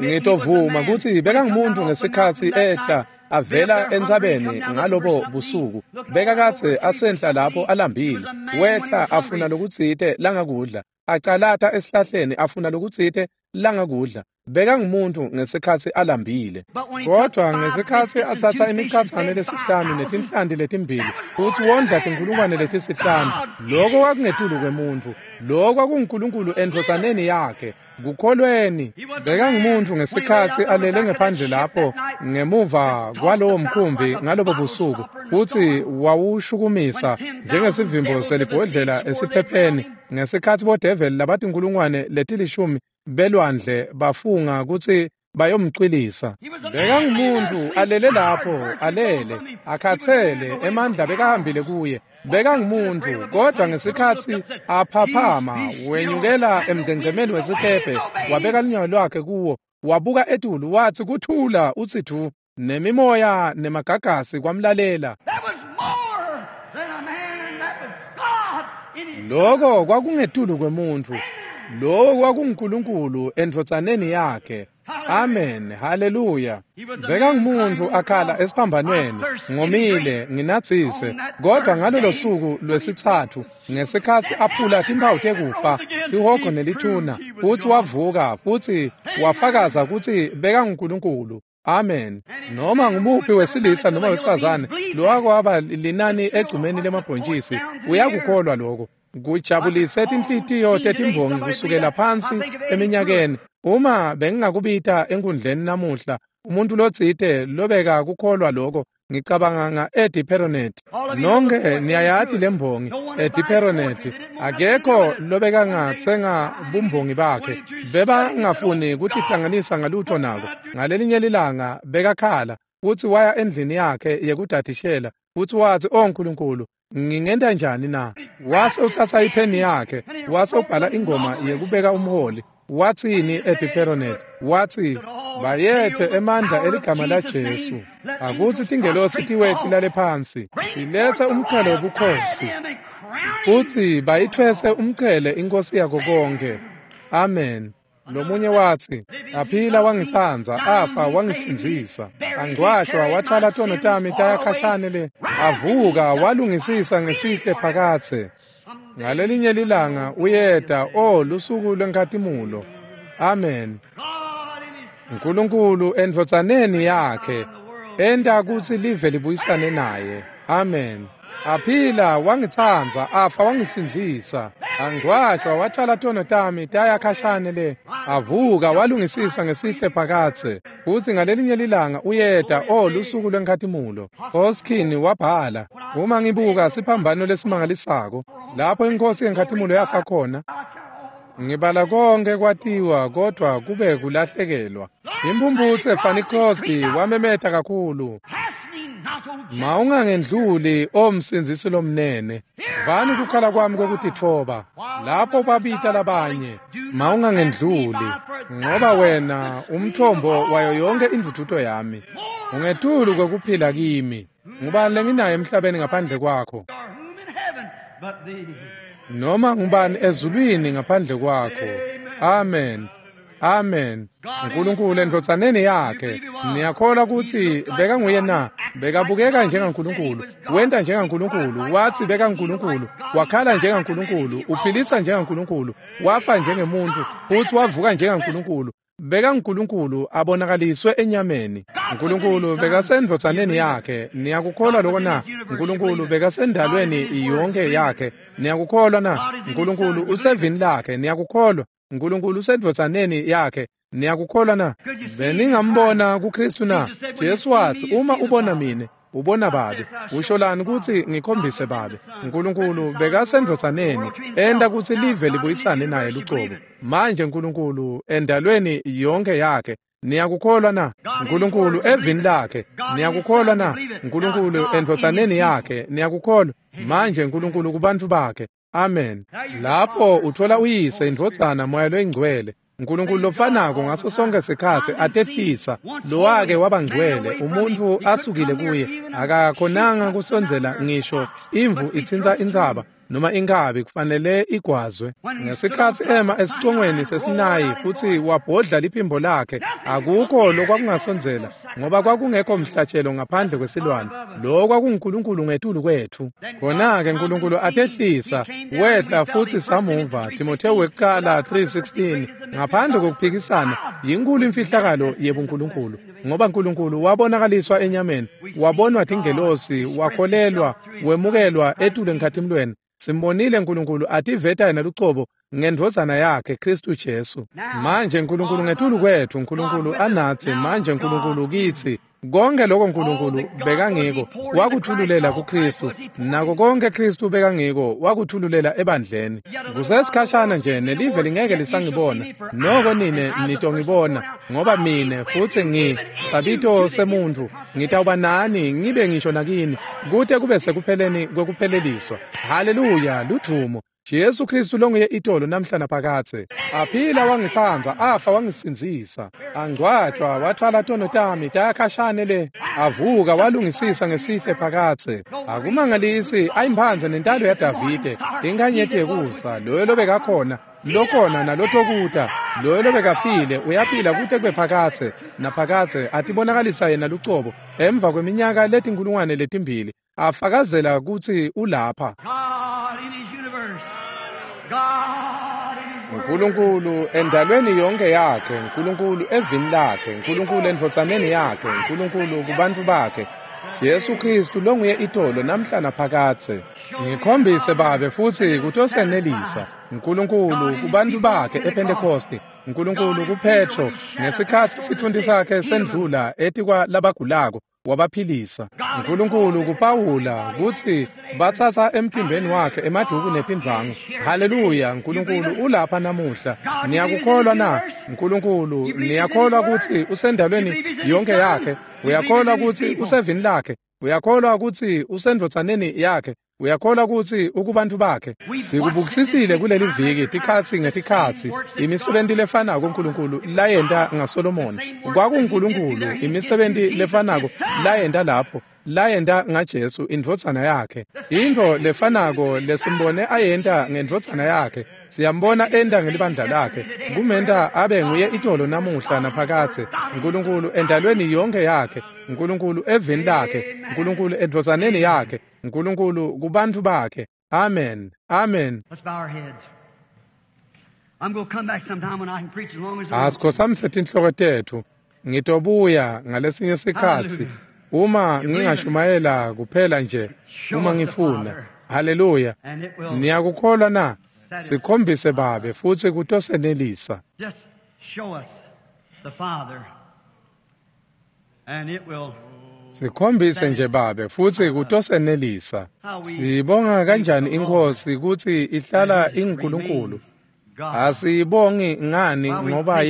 Ngitovuma ukuthi bekangumuntu ngesikhathi ehla avela entsabeni ngalobo busuku. Bekakadze asenhla lapho alambile, wehla afuna lokutsite langakudla, acalata esihlahleni afuna lokutsite langakudla. Bekangumuntu ngesikhatsi alambile. Kodwa ngesikhatsi atsatsa imicatsane lesihlanu netinhlanti letimbili futsi wondla tinkulungwane letisihlanu, loko kwakungetulu kwemuntfu. Loko kwakunguNkulunkulu endvodzaneni yakhe. Kukholweni. Bekangumuntu ngesikhatsi alele ngephandle lapho ngemuva kwalowo mkhumbi ngalobo busuku, futsi wawushukumisa njengesivimbo selibhodlela esiphepheni ngesikhatsi bodeveli labatinkulungwane letilishumi belwandle bafunga kutsi bayomcwilisa. Bekangumuntu alele lapho, alele akhatsele, emandla bekahambile kuye. Bekangumuntu, kodwa ngesikhatsi aphaphama wenyukela emgcengcemeni wesikebhe, wabeka lunyawo lwakhe kuwo, wabuka etulu, wathi kuthula utsi thu, nemimoya nemagagasi kwamlalela. Loko kwakungetulu kwemuntfu. Lowo kwakunguNkulunkulu endvodzaneni yakhe. Amen, haleluya. Bekangumuntu akhala esiphambanweni, ngomile, nginatsise. Kodwa ngalolo suku lwesitsatfu, ngesikhatsi aphula timphawu tekufa, sihogo nelithuna, futsi wavuka, futsi wafakaza kutsi bekanguNkulunkulu. Amen. Noma ngumuphi wesilisa noma wesifazane lowakwaba linani egcumeni lemabhontjisi uyakukholwa lokho. Kujabulise tinhlitiyo tetimbongi kusukela phansi eminyakeni. Uma bengingakubita enkundleni namuhla umuntu lotsite lobeka kukholwa lokho, ngicabanga nga-Eddie Perronet. Nonke niyayati lembongi Eddie Perronet. Akekho lobekangatsenga bumbongi bakhe. Bebangafuni kutihlanganisa ngalutho nako. Ngalelinye lilanga bekakhala futsi waya endlini yakhe yekudadishela futsi watsi, "O Nkulunkulu, ngingenta njani na?" Wase utsatsa ipheni yakhe, wase ubhala ingoma yekubeka umholi. Watsini Eddie Perronet? Watsi, "Bayethe emandla eligama laJesu. Akutsi tingelosi tiwe tilale phansi, ilethe umqhele wobukhosi, futsi bayithwese umqhele inkosi yako konke." Amen. Lomunye watsi, "Aphila wangitsandza, afa wangisindzisa, angcwatjwa wathwala tono tami taya khashane le, avuka walungisisa ngesihle phakadze. Ngalelinye lilanga uyeta, o lusuku lwenkhatimulo." Amen. Nkulunkulu endvodzaneni yakhe enta kutsi live libuyisane naye. Amen. Aphila wangitsandza, afa wangisindzisa, angcwatjwa wathwala tono tami taya khashane le, avuka walungisisa ngesihle phakadze, futsi ngalelinye lilanga uyeta, o lusuku lwenkhatimulo. Hoskin wabhala, "Uma ngibuka siphambano lesimangalisako lapho inkosi yenkhatimulo yafa khona, ngibala konke kwatiwa kodwa kube kulahlekelwa." Imphumphutse Fanny Crosby wamemeta kakhulu, "Mawungangendluli, o msindzisi lomnene, vani kukhala kwami kwekutitfoba." Lapho babita labanye, "Mawungangendluli, ngoba wena umthombo wayo yonke indvudvuto yami, ungetulu kwekuphila kimi. Ngubani lenginaye emhlabeni ngaphandle kwakho? Noma ngubani ezulwini ngaphandle kwakho?" Amen. Amen. Nkulunkulu endvodzaneni yakhe. Niyakholwa kutsi bekanguye na? Bekabukeka njengaNkulunkulu, wenta njengaNkulunkulu, watsi bekanguNkulunkulu, wakhala njengaNkulunkulu, uphilisa njengaNkulunkulu, wafa njengemuntfu, futsi wavuka njengaNkulunkulu. BekanguNkulunkulu abonakaliswe enyameni. Nkulunkulu bekasendvodzaneni yakhe. Niyakukholwa loko na? Nkulunkulu bekasendalweni yonke yakhe. Niyakukholwa na? Nkulunkulu usevini lakhe. Niyakukholwa? Nkulunkulu usendvodzaneni yakhe. Niyakukholwa na? Beningambona kuKristu na? Jesu watsi, "Uma ubona mine, ubona Babe." Usholani kutsi ngikhombise Babe? Nkulunkulu bekasendvodzaneni enta kutsi live libuyisane naye lucobo. Manje Nkulunkulu endalweni yonke yakhe. Niyakukholwa na? Nkulunkulu evini lakhe. Niyakukholwa na? Nkulunkulu endvodzaneni yakhe. Niyakukholwa? Manje Nkulunkulu kubantfu bakhe. Amen. Lapho uthola uyise, indvodzana, Moya loyingcwele. Nkulunkulu lofanako ngaso sonke sikhatsi atehlisa lowake waba ngcwele, umuntfu asukile kuye, akakhonanga kusondzela ngisho imvu itsintsa intsaba. noma inkabi kufanele igwazwe. Ngesikhatsi ema esicongweni seSinayi futsi wabhodla liphimbo lakhe, akukho lokwakungasondzela, ngoba kwakungekho mhlatshelo ngaphandle kwesilwane. Lo kwakunguNkulunkulu ngetulu kwetfu. Khona-ke Nkulunkulu atehlisa, wehla futsi samuva. Timothewu wekucala 3:16. Ngaphandle kokuphikisana, yinkulu imfihlakalo yebuNkulunkulu, ngoba Nkulunkulu wabonakaliswa enyameni, wabonwa tingelosi, wakholelwa, wemukelwa etulu enkhatimlweni. Simbonile Nkulunkulu ativeta yena lucobo ngendvodzana yakhe Kristu Jesu. Manje Nkulunkulu ngetulu kwetfu, Nkulunkulu anatsi, manje Nkulunkulu kitsi. Konke lokho Nkulunkulu bekangiko wakuthululela kuKristu, nako konke Kristu bekangiko wakuthululela ebandleni. Kusesikhashana nje nelive lingeke lisangibona, noko nine nitongibona, ngoba mine futsi ngisabito semuntfu, ngitawuba nani ngibe ngisho nakini, kute kube sekupheleni kwekupheleliswa. Haleluya, ludvumo. Jesu Kristu longuye itolo namhla naphakadze. Aphila wangitsandza, afa wangisindzisa. Angcwatjwa wathwala tono tami tayakhashane le. Avuka walungisisa ngesihle phakadze. Akumangalisi ayimphandze nentalo yaDavide, inkanyeti yekusa, loyo lobekakhona, lokhona nalotokuta, loyo lobekafile uyaphila kute kube phakadze naphakadze, atibonakalisa yena lucobo emva kweminyaka letinkulungwane letimbili, afakazela kutsi ulapha. Nkulunkulu endalweni yonke yakhe, Nkulunkulu evini lakhe, Nkulunkulu endvodzaneni yakhe, Nkulunkulu kubantfu bakhe, Jesu Kristu longuye itolo namhla naphakadze. Ngikhombise Babe futsi kutosenelisa. Nkulunkulu kubantfu bakhe ePhentekosti, Nkulunkulu kuPetro ngesikhatsi sitfunti sakhe sendlula etikwa labagulako, wabaphilisa. Nkulunkulu kuPawula kutsi batsatsa emtimbeni wakhe emaduku netindvwangu. Haleluya, Nkulunkulu ulapha namuhla. Niyakukholwa na? Nkulunkulu, niyakholwa kutsi usendalweni yonke yakhe? Uyakholwa kutsi usevini lakhe? Uyakholwa kutsi usendvodzaneni yakhe? Uyakholwa kutsi ukubantfu bakhe? Sikubukisisile kuleli viki tikhatsi ngetikhatsi imisebenti lefanako uNkulunkulu layenta ngaSolomoni. KwakunguNkulunkulu imisebenti lefanako layenta lapho, layenta ngaJesu indvodzana yakhe. Intfo lefanako lesimbone ayenta ngendvodzana yakhe, siyambona enta ngelibandla lakhe, kumenta abe nguye itolo namuhla naphakadze. Nkulunkulu endalweni yonke yakhe, Nkulunkulu evini lakhe, Nkulunkulu endvodzaneni yakhe, Nkulunkulu kubantfu bakhe. Amen. Amen. Asikhotsamise tinhloko tetfu. Ngitobuya ngalesinye sikhatsi uma ngingashumayela kuphela nje uma ngifuna. Haleluya. Niyakukholwa na? Sikhombise Babe futsi kutosenelisa. Sikhombise nje Babe futsi kutosenelisa. Sibonga kanjani iNkhosi kutsi ihlala inguNkulunkulu. Asiyibongi ngani ngoba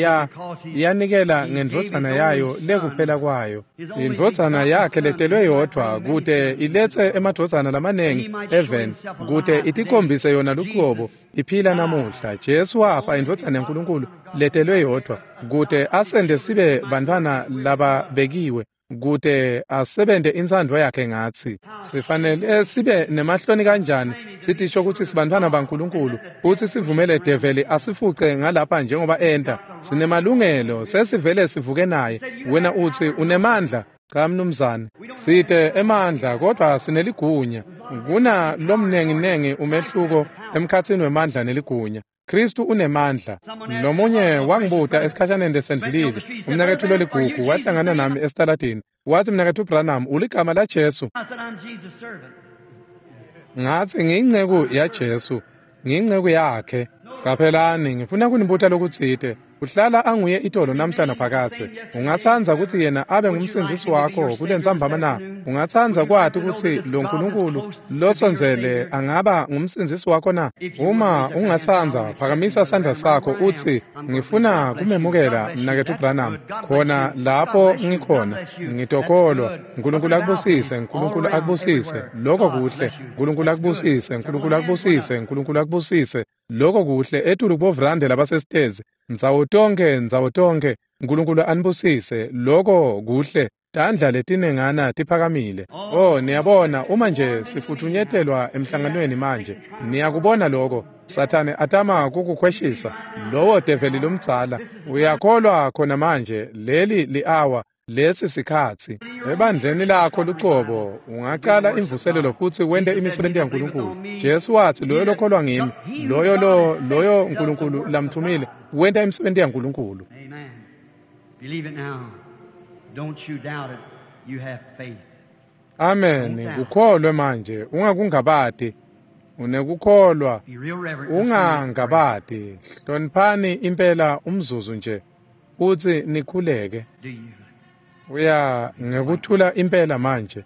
yanikela ngendvodzana yayo lekuphela kwayo, indvodzana yakhe letelwe yodvwa, kute iletse emadvodzana lamanengi eveni, kute itikhombise yona luqobo iphila namuhla. Jesu wafa, indvodzana yaNkulunkulu letelwe yodvwa, kute asende sibe bantfwana lababekiwe, kute asebente intsandvo yakhe ngatsi. Sifanele sibe nemahloni kanjani sitisho kutsi sibantfwana baNkulunkulu futsi sivumele develi asifuce ngalapha njengoba enta. Sinemalungelo, sesivele sivuke naye. Wena utsi unemandla? Cha mnumzane, site emandla kodvwa sineligunya. Kuna lomnenginengi umehluko emkhatsini wemandla neligunya. Kristu unemandla. Lomunye wangibuta esikhashaneni lesendlulile, umnaketfu loligugu wahlangana nami esitaladini. Wathi, mnaketfu Branham, uligama laJesu? Ngathi ngiyinceku yaJesu, ngiyinceku yakhe. Qaphelani, ngifuna kunibuta lokutsite. Uhlala anguye itolo namhla naphakadze. Ungatsandza kutsi yena abe ngumsindzisi wakho kulentsambama na? Ungatsandza kwati kutsi lo Nkulunkulu losondzele angaba ngumsindzisi wakho na? Uma ungatsandza, phakamisa sandla sakho utsi, ngifuna kumemukela mnaketfu Branham. Khona lapho ngikhona, ngitokholwa. Nkulunkulu akubusise, Nkulunkulu akubusise. Lokho kuhle. Nkulunkulu akubusise, Nkulunkulu akubusise, Nkulunkulu akubusise. Lokho kuhle etulu kubovrande labasesitezi. Ndzawo tonkhe, ndzawo tonkhe. Nkulunkulu anibusise. Lokho kuhle. Tandla letinengana tiphakamile. Oh, niyabona, uma nje sifuthunyetelwa emhlanganweni manje, niyakubona lokho. Sathane atama kukukhweshisa. Lowo develi lomdzala uyakholwa khona manje, leli li-hour, lesi sikhatsi. Ebandleni lakho lucobo ungacala imvuselelo futhi wente imisebenzi yaNkulunkulu. Jesu wathi, loyo lokholwa ngimi, loyo loyo uNkulunkulu lamthumile, wenta imisebenzi yaNkulunkulu. Amen. Believe it now. Don't you doubt it. You have faith. Amen. Kukholwe manje, ungakungabati. Unekukholwa, Be real reverent. ungangabati. Hloniphani impela umzuzu nje futhi nikhuleke. Do you? Uya ngekuthula impela manje.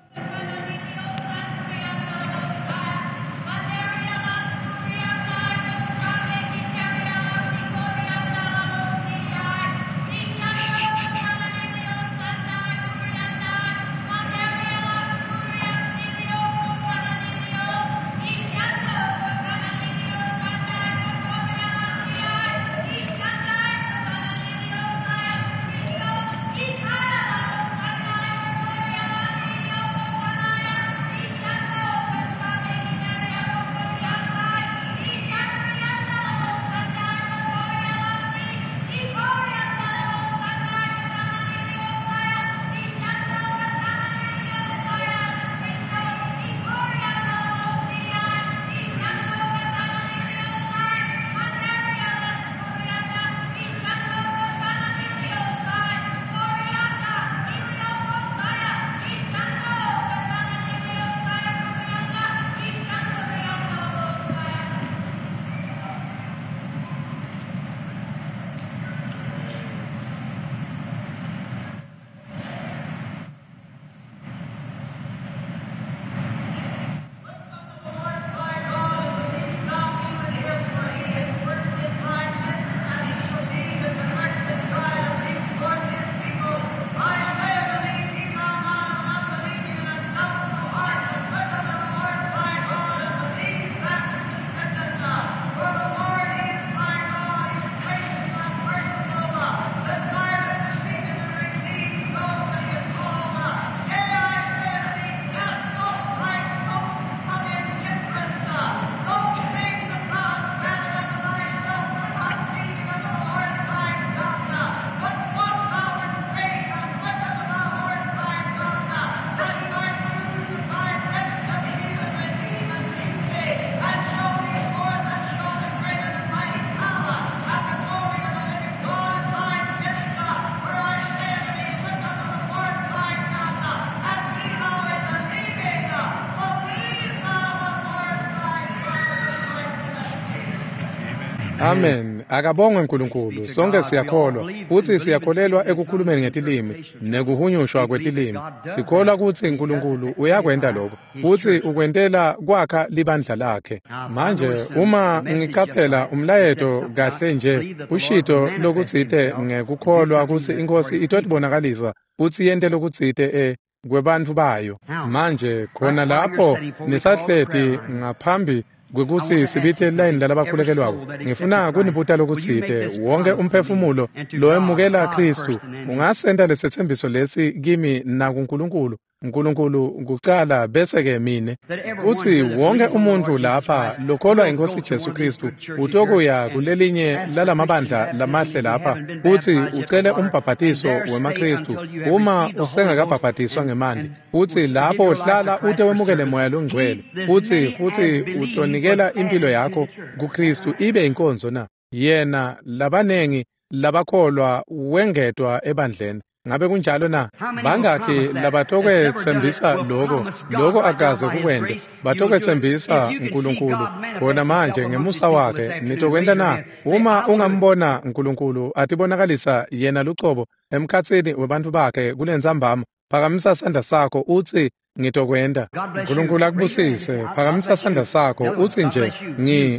Amen. Akabongwe uNkulunkulu. Sonke siyakholwa futhi siyakholelwa ekukhulumeni ngetilimi nekuhunyushwa kwetilimi. Sikholwa ukuthi uNkulunkulu uyakwenta lokho futhi ukwentela kwakha libandla lakhe. Manje uma ngiqaphela umlayeto kahle nje, ushito lokutsite ngekukholwa ukuthi inkosi itotibonakalisa futhi yente lokutsite kwebantfu bayo. Manje khona lapho nisahleti ngaphambi kwekuthi sibite line lalabakhulekelwako, ngifuna kunibuta lokutsite. Wonke umphefumulo loemukela Kristu ungasenta lesethembiso lesi kimi nakuNkulunkulu. uNkulunkulu kucala bese ke mine. Uthi wonke umuntu lapha lokholwa inkosi Jesu Kristu utokuya kulelinye lalamabandla lamahle lapha uthi ucele umbhabhatiso wemaKristu uma usengakabhabhatiswa ngemanti, uthi lapho uhlala ute wemukele moya longcwele, uthi futhi utonikela impilo yakho kuKristu ibe inkonzo na yena labanengi labakholwa wengetwa ebandleni. Ngabe kunjalo na? Bangakhi labatokwetsembisa lokho, lokho akaze kukwente. Batokwetsembisa uNkulunkulu khona manje ngemusa wakhe. Nitokwenta na? Uma ungambona uNkulunkulu atibonakalisa yena lucobo emkhatsini webantfu bakhe kulentsambama, phakamisa sandla sakho uthi ngitokwenta. uNkulunkulu akubusise. Phakamisa sandla sakho uthi nje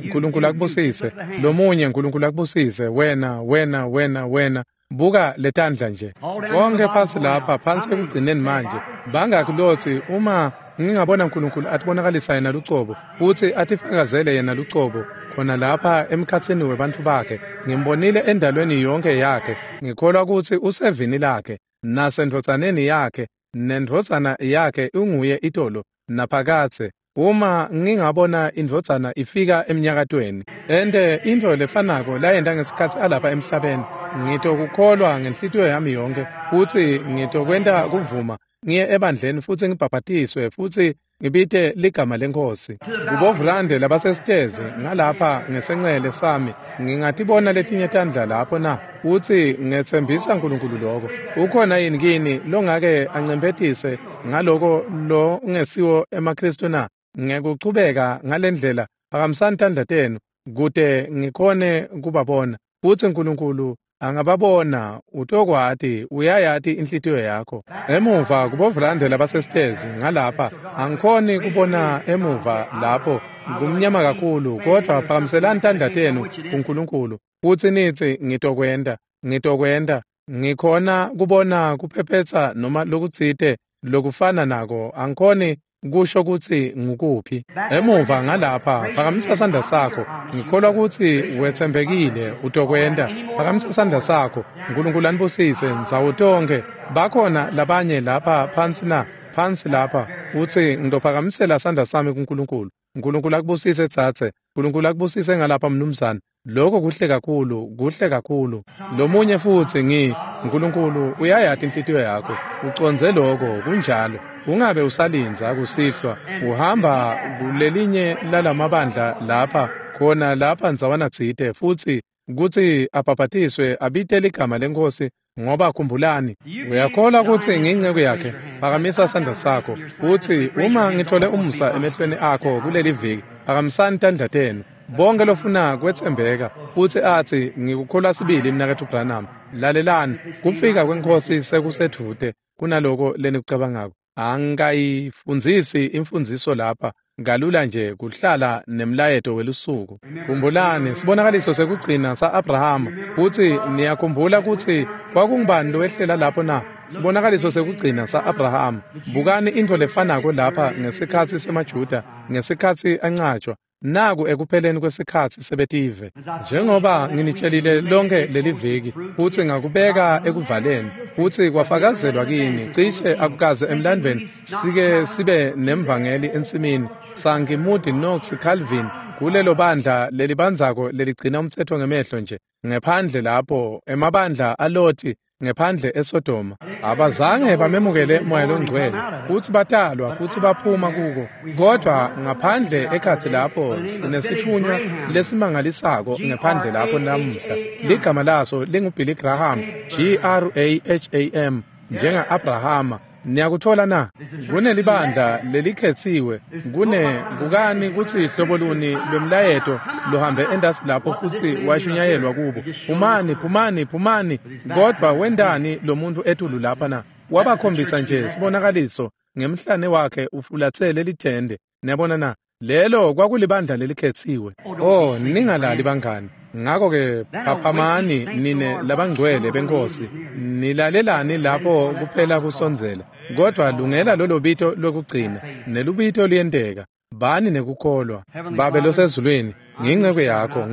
uNkulunkulu akubusise. Lomunye uNkulunkulu akubusise. Wena, wena, wena, wena. Buka letandla nje. Konke phasi lapha, phansi ekugcineni manje. Bangakulothi uma ngingabona uNkulunkulu atibonakalisa yena lucobo futhi atifakazele yena lucobo khona lapha emkhatsini webantfu bakhe. Ngimbonile endalweni yonke yakhe. Ngikholwa ukuthi usevini lakhe. nasendvodzaneni yakhe, nendvodzana yakhe unguye itolo naphakadze. Uma ngingabona indvodzana ifika emnyakatweni, ente intfo lefanako layenta ngesikhatsi alapha emhlabeni, ngitokukholwa ngenhlitiyo yami yonke, futsi ngitokwenta kuvuma ngiye ebandleni futsi ngibhabhatiswe futsi ngibite ligama leNkhosi. Kubovulande labasesitezi ngalapha ngesencele sami, ngingatibona letinye tandla lapho na? Futsi ngetsembisa uNkulunkulu lokho. Ukhona yini kini longake ancemphetise ngaloko lo ngesiwo emaKristu na? Ngekuchubeka ngalendlela, phakamisani tandla tenu kute ngikhone kubabona. Futsi uNkulunkulu angababona, utokwati, uyayati inhlitiyo yakho. Emuva kubovulande labasesitezi ngalapha, angikhoni kubona emuva lapho, kumnyama kakhulu, kodvwa phakamiselani tandla tenu kuNkulunkulu futsi nitsi, ngitokwenta, ngitokwenta. Ngikhona kubona kuphephetsa noma lokutsite lokufana nako, angikhoni kusho kutsi ngukuphi. Emuva ngalapha, phakamisa sandla sakho. Ngikholwa kutsi wetsembekile, utokwenta. Phakamisa sandla sakho. Nkulunkulu anibusise ndzawo tonkhe. Bakhona labanye lapha phansi na? Phansi lapha. Utsi, ngitophakamisela sandla sami kuNkulunkulu. Nkulunkulu akubusise tsatse. Nkulunkulu akubusise ngalapha mnumzane. Lokho kuhle kakhulu, kuhle kakhulu. Lomunye futsi Nkulunkulu uyayati inhlitiyo yakho. Ucondze lokho, kunjalo. Ungabe usalindza kusihlwa, uhamba kulelinye lalamabandla lapha, khona lapha ndzawana tsite, futsi kutsi abhabhatiswe abite ligama leNkhosi, ngoba khumbulani, uyakholwa kutsi ngiyinceku yakhe. Phakamisa sandla sakho, futsi uma ngithole umusa emehlweni akho kuleli viki, phakamisani tandla tenu. Bonke lofuna kwetsembeka futsi atsi, ngikukholwa sibili mnaketfu Branham. Lalelani, kufika kweNkhosi sekusedvute kunaloko lenikucabangako. Angikayifundzisi imfundziso lapha kalula nje kuhlala nemlayeto welusuku. Khumbulani sibonakaliso sekugcina sa-Abrahama, futsi niyakhumbula kutsi kwakungubani lowehlela lapho na? Sibonakaliso sekugcina sa-Abrahama. Bukani intfo lefanako lapha ngesikhatsi semaJuda, ngesikhatsi ancatshwa. Naku ekupheleni kwesikhatsi sebetive. Njengoba nginitshelile lonke leli viki, futsi ngakubeka ekuvaleni, futsi kwafakazelwa kini, cishe akukaze emlandvweni sike sibe nemvangeli ensimini, Sankey, Moody, Knox, Calvin, kulelo bandla lelibandzako leligcina umtsetfo ngemehlo nje, ngephandle lapho, emabandla aLoti, ngephandle eSodoma. Abazange bamemukele Moya loNgcwele, futsi batalwa futsi baphuma kuko. Kodvwa ngaphandle ekhatsi lapho sinesitfunywa lesimangalisako ngephandle lapho namuhla. Ligama laso linguBilly Graham, Graham, njenga-Abrahama. Niyakuthola na? Kunelibandla lelikhetsiwe, kune bukani kutsi hlobo luni lwemlayeto lohambe endasi lapho futsi washunyayelwa kubo. Phumani, phumani, phumani. Kodvwa wentani lo muntu etulu lapha na? Wabakhombisa nje sibonakaliso ngemhlane wakhe ufulatsele lithende. Niyabona na? Lelo kwakulibandla lelikhetsiwe. Oh, ningalali bangani. Ngakho-ke phaphamani nine labangcwele beNkhosi, nilalelani lapho kuphela kusondzela. Kodvwa lungela lolo bito lokugcina, nelubito luyenteka. Bani nekukholwa. Babe losezulwini, ngiyinceku yakho,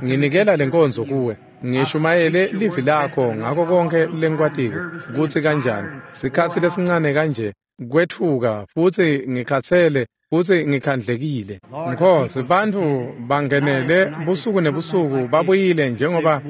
nginikela lenkonzo kuwe. Ngishumayele livi lakho ngako konke lengikwatiko, kutsi kanjani sikhatsi lesincane kanje kwetfuka, futsi ngikhatsele futsi ngikhandlekile. Nkhosi, bantfu bangenele busuku nebusuku babuyile njengoba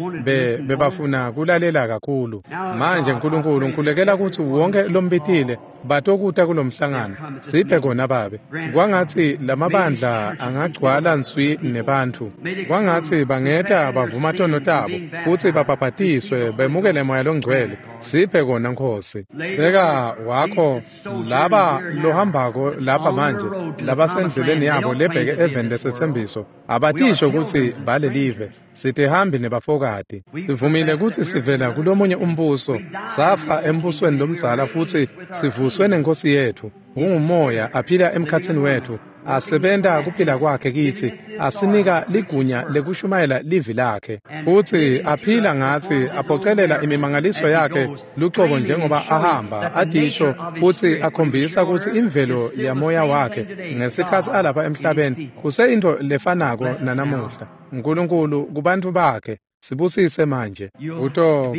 bebafuna kulalela kakhulu. Manje Nkulunkulu, ngikhulekela kutsi wonke lombitile batokuta kulomhlangano. Siphe kona Babe. Kwangatsi lamabandla angagcwala nswi nebantfu. Kwangatsi bangeta bavuma tono tabo futsi babhabhatiswe bemukele Moya loNgcwele. Siphe kona Nkhosi. Beka wakho laba lohambako lapha manje, labasendleleni yabo lebheke eveni lesetsembiso, abatisho kutsi balelive. Sitihambi nebafokati. Sivumile kutsi sivela kulomunye umbuso, safa embusweni lomdzala futsi sivuswe neNkhosi yetfu. Ungumoya aphila emkhatsini wetfu, asebenta kuphila kwakhe kitsi, asinika ligunya lekushumayela livi lakhe. Futsi aphila ngatsi, aphocelela imimangaliso yakhe lucobo njengoba ahamba, atisho futsi akhombisa kutsi imvelo yamoya wakhe ngesikhatsi alapha emhlabeni kuseyintfo lefanako nanamuhla. Nkulunkulu kubantfu bakhe. Sibusise manje.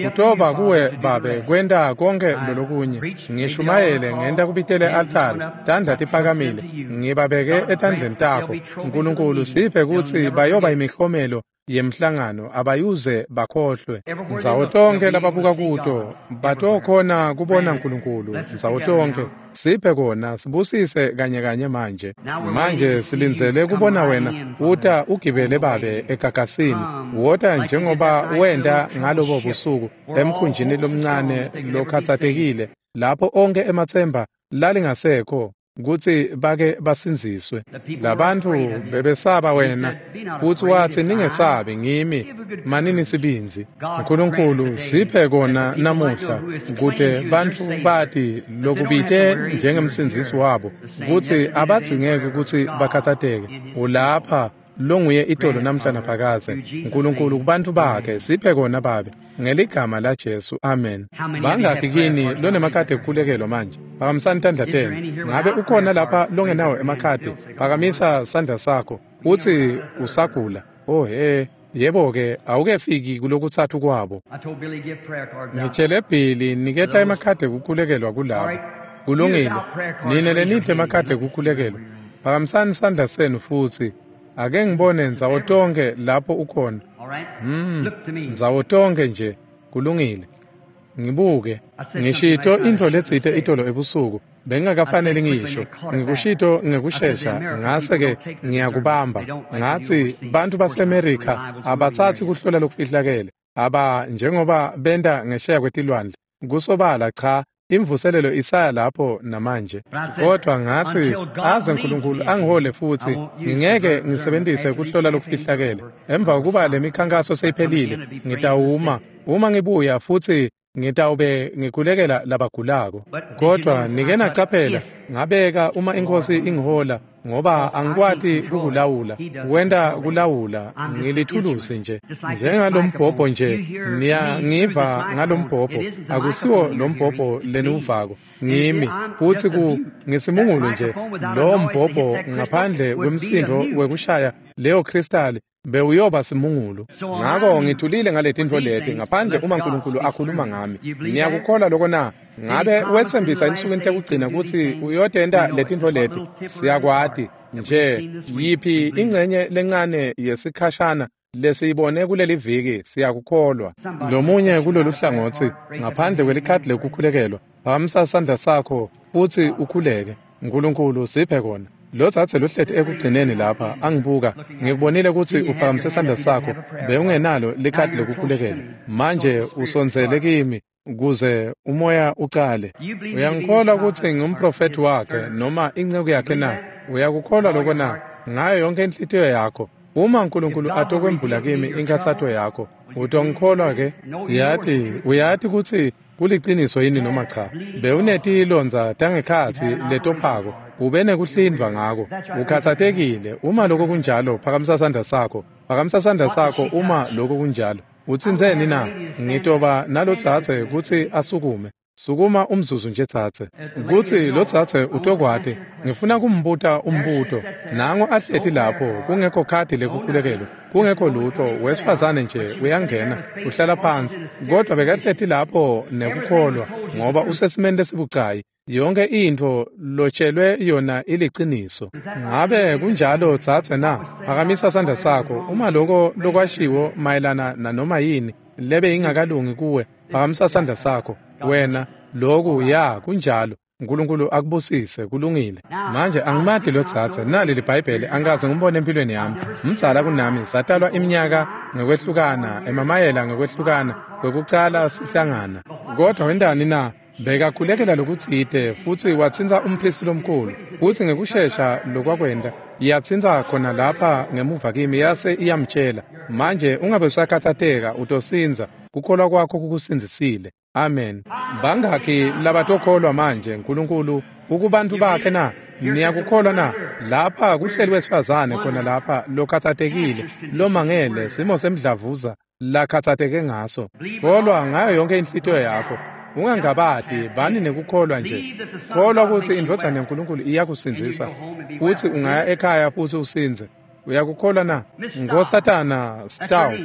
Kutoba kuwe Babe kwenta konke lolokunye. Ngishumayele ngenta kubitele altari, tandla tiphakamile, ngibabeke etandleni takho. Nkulunkulu siphe kutsi bayoba imihlomelo yemhlangano abayuze bakhohlwe. Ndzawo tonke lababuka kuto batokhona kubona Nkulunkulu. Ndzawo tonke siphe kona, sibusise kanye kanye manje. Manje silindzele kubona wena uta ugibele Babe egagasini. Wota njengoba wenta ngalobo busuku emkhunjini lomncane lokhatsatekile lapho onke ematsemba lalingasekho kutsi bake basindziswe. Labantfu bebesaba wena, kutsi watsi ningesabi ngimi, manini sibindzi. Nkulunkulu siphe kona namuhla kute bantfu bati lokubite njengemsindzisi wabo kutsi abadzingeki kutsi bakhatsateke. Ulapha longuye itolo namhla naphakadze. Nkulunkulu kubantfu bakhe siphe kona Babe ngeligama la Jesu, amen. Bangakhi kini lonemakhadi ekukhulekelwa manje? Phakamisani tandla tenu. Ngabe ukhona lapha longenawo emakhadi? Phakamisa sandla sakho utsi usagula. Oh he, yebo-ke awukefiki kulokutsatfu kwabo. Ngitshele Billy niketa emakhadi ekukhulekelwa kulabo. Kulungile. Nine lenithe emakhadi ekukhulekelwa, phakamisani sandla senu futsi. Ake ngibone ndzawo tonke lapho ukhona. Ndzawo tonke nje. Kulungile. Ngibuke. Ngishito intfo letsite itolo ebusuku. Bengingakafanele ngisho. Ngikushito ngekushesha ngase-ke ngiyakubamba. Ngatsi bantfu baseMerika abatsatsi kuhlola lokufihlakele. Aba njengoba benta ngesheya kwetilwandle. Kusobala cha, imvuselelo isaya lapho namanje. Kodwa ngatsi aze Nkulunkulu angihole futsi ngingeke ngisebentise kuhlola lokufihlakele. Emva kokuba lemikhankaso seyiphelile, ngitawuma uma ngibuya futsi ngitawube ngikhulekela labagulako. Kodwa nike nacaphela ngabeka uma inkosi ingihola, ngoba angikwati kukulawula. Wenta kulawula, ngilithulusi nje. Njengalombhobho nje, niyangiva ngalombhobho. Akusiwo lombhobho leniwuvako, ngimi futsi ngisimungulu nje. Lo mbhobho ngaphandle kwemsindo wekushaya leyo kristali bewuyoba simungulu. Ngako ngithulile ngaletintfo leti ngaphandle uma Nkulunkulu akhuluma ngami. Niyakukholwa loko na? Ngabe wetsembisa ensukwini tekugcina kutsi uyotenta letintfo leti? Siyakwati nje yiphi ingcenye lencane yesikhashana lesiyibone kuleli viki, siyakukholwa. Lomunye kulolu hlangotsi ngaphandle kwelikhadi lekukhulekelwa, phakamisa sandla sakho futsi ukhuleke. Nkulunkulu siphe kona. Lotsatse lohleti ekugcineni lapha angibuka, ngikubonile kutsi uphakamise sandla sakho, bewungenalo likhadi lekukhulekelwa. Manje usondzele kimi kuze umoya uqale. Uyangikholwa kutsi ngumprofethi wakhe noma inceku yakhe na? Uyakukholwa loko na? Ngayo yonke inhlitiyo yakho. Uma Nkulunkulu atokwembula kimi inkhatsato yakho, utongikholwa ke? Uyati kutsi kuliciniso yini noma cha? Bewunetilondza tangekhatsi letophako, ube nekuhlindvwa ngako. Ukhatsatekile. Uma lokho kunjalo, phakamisa sandla sakho. Phakamisa sandla sakho uma lokho kunjalo. Utsintseni na? Ngitoba nalotsatse kutsi asukume. Sukuma umzuzu nje tsatse. Kutsi lotsatse utokwati. Ngifuna kumbuta umbuto. Nango ahleti lapho kungekho khadi lekukhulekelwa, kungekho lutho, wesifazane nje uyangena, uhlala phansi. Kodwa bekahleti lapho nekukholwa ngoba usesimeni lesibucayi. Yonke intfo lotshelwe yona iliciniso. Ngabe kunjalo tsatse na? Phakamisa sandla sakho. Uma loko lokwashiwo mayelana nanoma yini lebe ingakalungi kuwe, phakamisa sandla sakho. Wena loku ya kunjalo. Nkulunkulu akubusise, kulungile. Manje angimati lotsatse, nali liBhayibheli angikaze ngimbone empilweni yami. Mdzala kunami, satalwa iminyaka ngekwehlukana, emamayela ngekwehlukana, kwekucala sihlangana. Kodwa wentani na? Bekakhulekela lokutsite futsi watsintsa umphristi lomkhulu, futsi ngekushesha lokwakwenta yatsintsa khona lapha ngemuva kimi yase iyamtshela. Manje ungabe usakhatsateka, utosindza, kukholwa kwakho kukusindzisile. Amen. Bangakhi labatokholwa manje Nkulunkulu ukubantfu bakhe na? Niyakukholwa na? Lapha kuhleli wesifazane khona lapha lokhatsatekile, lomangele simo semdlavuza lakhatsateke ngaso. Kholwa ngayo yonke inhlitiyo yakho. Ungangabati, bani nekukholwa nje. Kholwa kutsi indvodzana yaNkulunkulu iyakusindzisa, futsi ungaya ekhaya futsi usindze. Uyakukholwa na? Nkosatana Staub,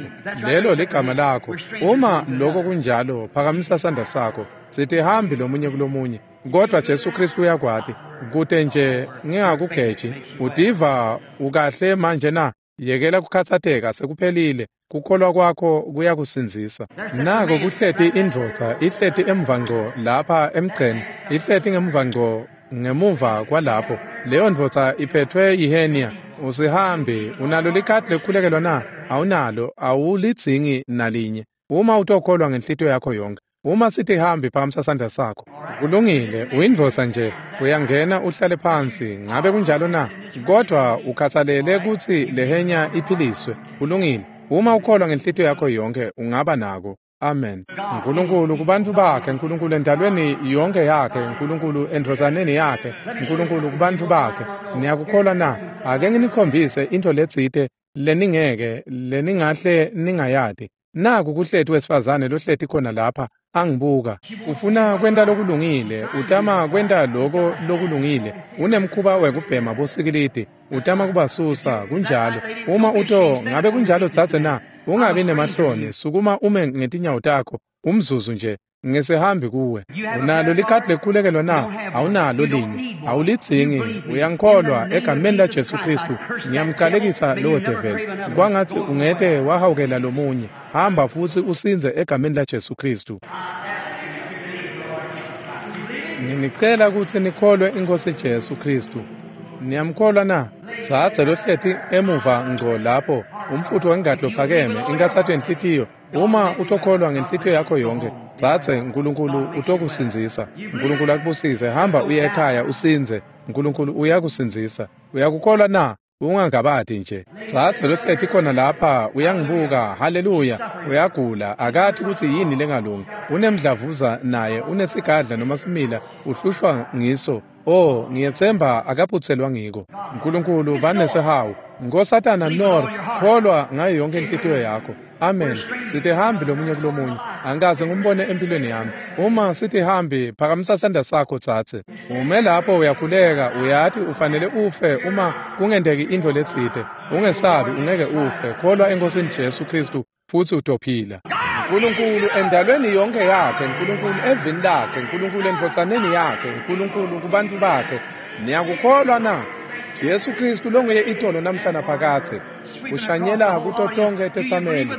lelo ligama lakho. Uma lokho kunjalo, phakamisa sandla sakho. Sithi hambi lomunye kulomunye, kodwa Jesu Kristu uyakwati. Kute nje ngingakugeji. Utiva ukahle manje na? Yekela kukhathatseka, sekuphelile. Kukholwa kwakho kuyakusindzisa. Nako kuhleti indvodza ihleti emva ngco lapha emgceni, ihleti ngemuva ngco ngemuva kwalapho. Leyo ndvodza iphethwe yihenia. Usihambi, unalo likhadi lekukhulekelwa na? Awunalo, awulidzingi nalinye. Uma utokholwa ngenhlitiyo yakho yonke. Uma sithi hambi, phakamisa sandla sakho. Kulungile, uyindvodza nje, uyangena uhlale phansi. Ngabe kunjalo na? Kodwa ukhathalele kutsi lehenya iphiliswe. Kulungile. Uma ukholwa ngenhlitiyo yakho yonke, ungaba nako. Amen. Nkulunkulu kubantu bakhe, Nkulunkulu endalweni yonke yakhe, Nkulunkulu endvodzaneni yakhe, Nkulunkulu kubantu bakhe. Niyakukholwa na? Ake nginikhombise into letsite leningeke leningahle ningayati. Naku kuhleti wesifazane lohleti khona lapha angibuka. Ufuna kwenta lokulungile, utama kwenta loko lokulungile. Unemkhuba wekubhema bosikilidi, utama kubasusa, kunjalo. Uma uto, ngabe kunjalo dzadze na? Ungabi nemahloni, sukuma ume ngetinyawo takho, umzuzu nje. Ngesihambi kuwe. Unalo likhadi lekukhulekelwa na? Awunalo linye. Awulidzingi. Uyangikholwa egameni la Jesu Kristu. Ngiyamcalekisa lowo develi. Kwangathi ungete wahawukela lomunye. Hamba futhi usindze egameni la Jesu Kristu. Nginicela ukuthi nikholwe iNkosi Jesu Kristu. Niyamkholwa na? Dzadze lohleti emuva ngco lapho, umfutho wengati lophakeme, inkathato yenhlitiyo. Uma utokholwa ngenhlitiyo yakho yonke, dzadze, Nkulunkulu utokusindzisa. Nkulunkulu akubusise. Hamba uye ekhaya usindze. Nkulunkulu uyakusindzisa. Uyakukholwa na? Ungangabati nje. Dzadze lohleti khona lapha uyangibuka. Haleluya. Uyagula, akati kutsi yini lengalungi. Unemdlavuza naye, unesigadla noma simila, uhlushwa ngiso. Oh, ngiyetsemba akaphutselwa ngiko. Nkulunkulu banesihawu. Nkosatana Nor, kholwa ngayo yonke inhlitiyo yakho. Amen. Sithi hambi lomunye kulomunye. Angikaze ngumbone empilweni yami. Uma sithi hambi, phakamisa sandla sakho dzadze. Ume lapho uyakhuleka, uyati ufanele ufe uma kungenteki intfo letsite. Ungesabi, ungeke ufe. Kholwa eNkosini Jesu Kristu futsi utophila. Nkulunkulu endalweni yonke yakhe, Nkulunkulu evini lakhe, Nkulunkulu endvodzaneni yakhe, Nkulunkulu kubantu bakhe. Niyakukholwa na? Jesu Kristu longuye itolo namhla naphakadze, ushanyela kuto tonke tetsameli.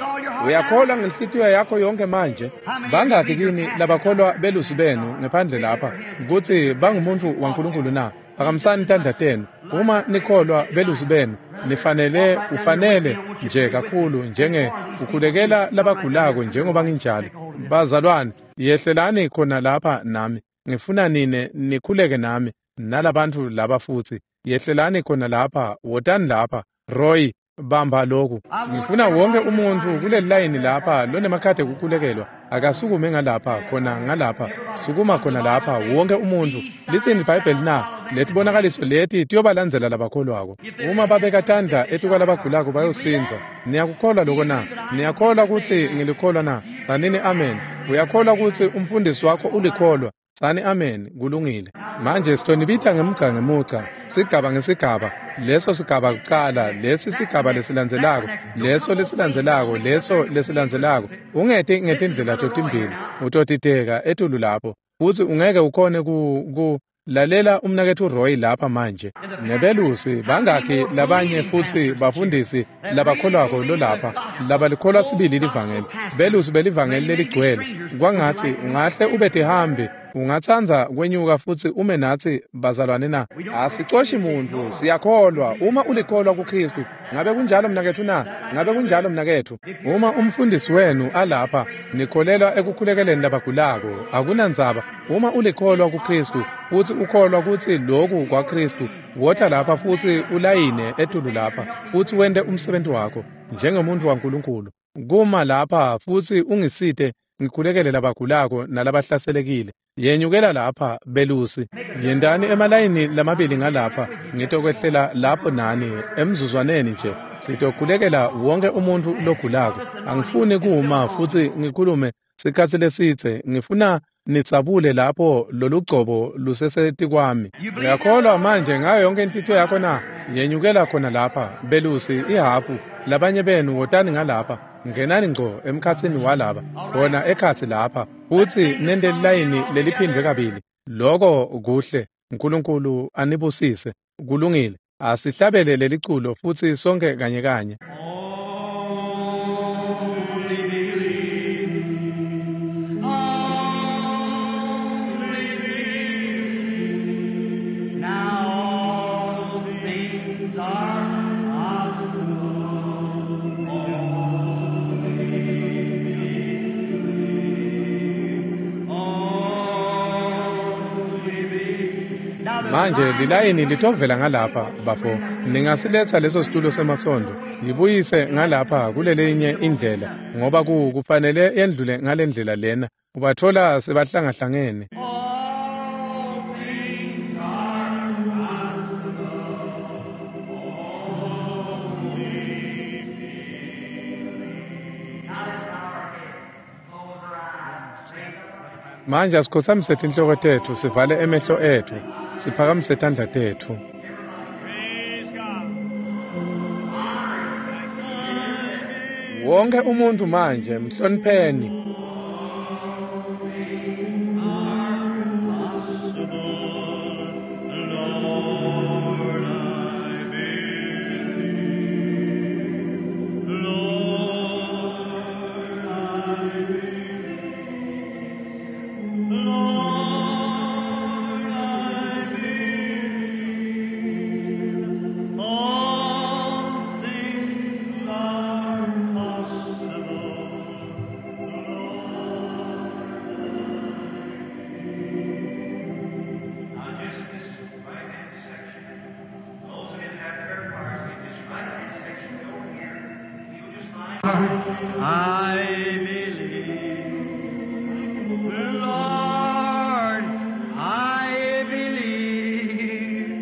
Uyakholwa ngenhlitiyo yakho yonke manje? Bangaki kini labakholwa belusi benu ngephandle lapha kutsi bangumuntu waNkulunkulu na? Phakamisani tandla tenu. Uma nikholwa belusi benu, nifanele ufanele nje kakhulu njenge ukhulekela labagulako njengoba nginjalo. Bazalwane, yehlelani khona lapha nami. Ngifuna nine nikhuleke nami nalabantfu laba futsi. Yehlelani khona lapha, wotani lapha. Roy, bamba lokhu. Ngifuna wonke umuntfu kuleli layini lapha lonemakhadi ekukhulekelwa akasukume ngalapha, khona ngalapha. Sukuma khona lapha, wonke umuntfu. Litsini iBhayibheli na? Letibonakaliso leti tiyobalandzela labakholwako. Uma babeka tandla etikwalabagulako bayosindza. Niyakukholwa loko na? Niyakholwa kutsi ngilikholwa na? Tsanini amen. Uyakholwa kutsi umfundisi wakho ulikholwa? Tsani amen. Kulungile. Manje sitonibita ngemugca ngemugca, sigaba ngesigaba. Leso sigaba kucala, lesi sigaba lesilandzelako, leso lesilandzelako, leso lesilandzelako. Ungeti ngetindlela totimbili, utotiteka etulu lapho. Futsi ungeke ukhone ku lalela umnaketfu Roy lapha manje. Nebelusi bangakhi labanye futsi bafundisi labakholwako lolapha, labalikholwa sibili livangeli. Belusi belivangeli leligcwele. Kwangatsi ungahle ube tihambi, ungatsandza kwenyuka futsi ume natsi bazalwane na? Asicoshi muntfu, siyakholwa. Uma ulikholwa kuKristu, ngabe kunjalo mnaketfu na? Ngabe kunjalo mnaketfu? Uma umfundisi wenu alapha, nikholelwa ekukhulekeleni labagulako, akunandzaba. Uma ulikholwa kuKristu futsi ukholwa kutsi loku kwaKristu, wota lapha futsi ulayine etulu lapha futsi wente umsebenti wakho njengemuntfu waNkulunkulu. Kuma lapha futsi ungisite ngikhulekele labagulako nalabahlaselekile. Yenyukela lapha belusi. Yentani emalayini lamabili ngalapha. Ngitokwehlela lapho nani emzuzwaneni nje. Sitokhulekela wonke umuntfu logulako. Angifuni kuma futsi ngikhulume sikhatsi lesitse. Ngifuna nitsabule lapho lolugcobo lusesetikwami. Uyakholwa manje ngayo yonke inhlitiyo yakho na? Yenyukela khona lapha, belusi ihafu, labanye benu wotani ngalapha, ngenani ngco emkhatsini walaba, khona ekhatsi lapha, futsi nente lilayini leliphindwe kabili. Loko kuhle. uNkulunkulu anibusise. Kulungile. Asihlabele leliculo futsi sonke kanye kanye. Manje lilayini litovela ngalapha bafo. Ningasiletsa leso situlo semasondo. Yibuyise ngalapha kulelenye indlela ngoba kufanele yendlule ngalendlela lena. Ubathola sebahlangahlangene. Manje asikhothamise tinhloko tetfu sivale emehlo etfu. Siphakamise tandla tetfu. Wonke umuntu manje mhlonipheni. I believe, Lord, I believe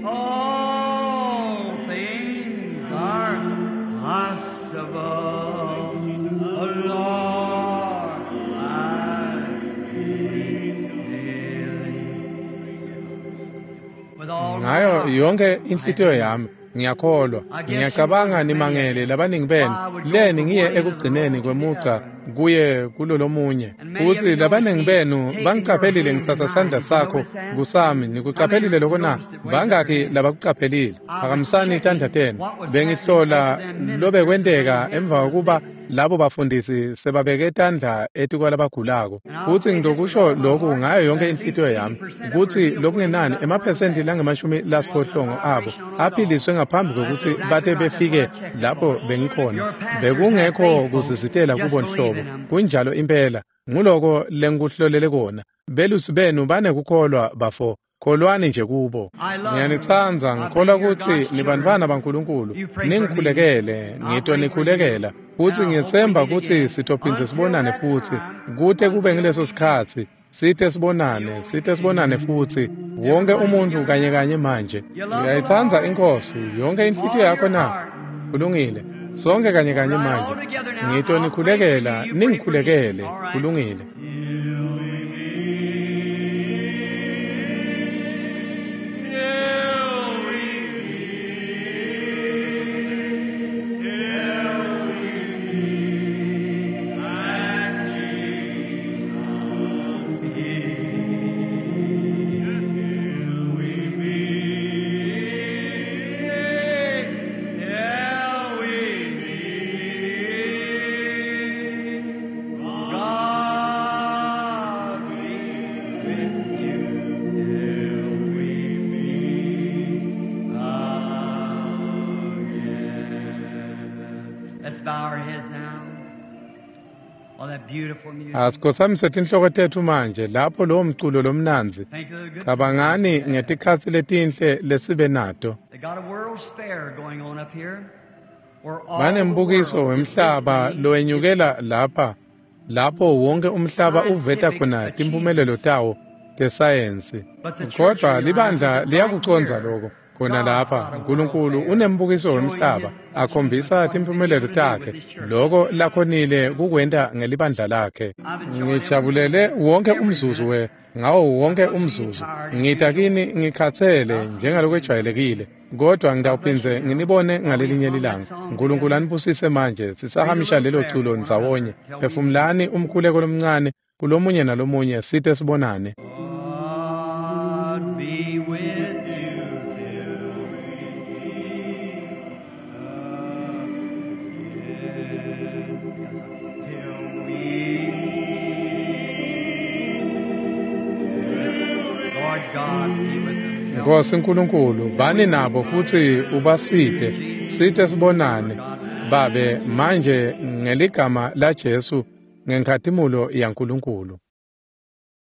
all things are possible. Lord, I believe. With all my Ngayo heart, yonke inhlitiyo yami ngiyakholwa. Ngiyacabanga nimangele labaningi benu leni ngiye ekugcineni kwemugca kuye kulolomunye. Futsi labaningi benu bangiqaphelile ngitsatsa sandla sakho kusami. Nikuqaphelile loko na? Bangaki labakuqaphelile? Phakamisani tandla tenu. Bengihlola lobekwenteka emva kokuba labo bafundisi sebabeke tandla etikwalabagulako. Futsi ngitokusho loku ngayo yonke inhlitiyo yami kutsi lokungenani emaphesenti langama-80 abo aphiliswe ngaphambi kwekutsi bate befike lapho bengikhona. Bekungekho kuzizitela kubo nhlobo. Kunjalo impela. Nguloko lengikuhlolele kona. Belusi benu banekukholwa bafo. Kholwani nje kubo. Ngiyanitsandza, ngikholwa kutsi nibantfwana baNkulunkulu. Ningikhulekele, ngitonikhulekela. Futsi ngiyetsemba kutsi sitophindze sibonane futsi. Kute kube ngileso sikhatsi, site sibonane futsi. Wonke umuntu kanye kanye manje. Uyayitsandza iNkhosi, yonke inhlitiyo yakho na? Kulungile. Sonke kanye kanye manje. Ngitonikhulekela, ningikhulekele. Kulungile. Let's bow our heads now. All that beautiful music. Asikhothamise tinhloko tetfu manje lapho lowo mculo lomnandzi. Think of the good Cabangani ngetikhatsi letinhle lesibe nato. They got a world's fair going on up here. Where all Banembukiso the world is wemhlaba displaying lowenyukela lapha, lapho wonke umhlaba uveta khona timpumelelo tawo tesayensi. Kodwa libandla liyakucondza loko. Khona lapha uNkulunkulu unembukiso wemhlaba akhombisa timpumelelo takhe, loko lakhonile kukwenta ngelibandla lakhe. Ngijabulele wonke umzuzu ngawo wonke umzuzu. Ngita kini ngikhatsele njengalokwejwayelekile. Kodwa ngitawuphindze nginibone ngalelinye lilanga. Nkulunkulu anibusise manje sisahamisha lelo culo ndzawonye. Phefumulani umkhuleko lomncane kulomunye nalomunye site sibonane. God be with you till we meet again. Till we meet. Lord God be with them. Nkosi Nkulunkulu, bani nabo futhi ubasite, site sibonane. Babe, manje ngeligama laJesu ngenkhatimulo yaNkulunkulu.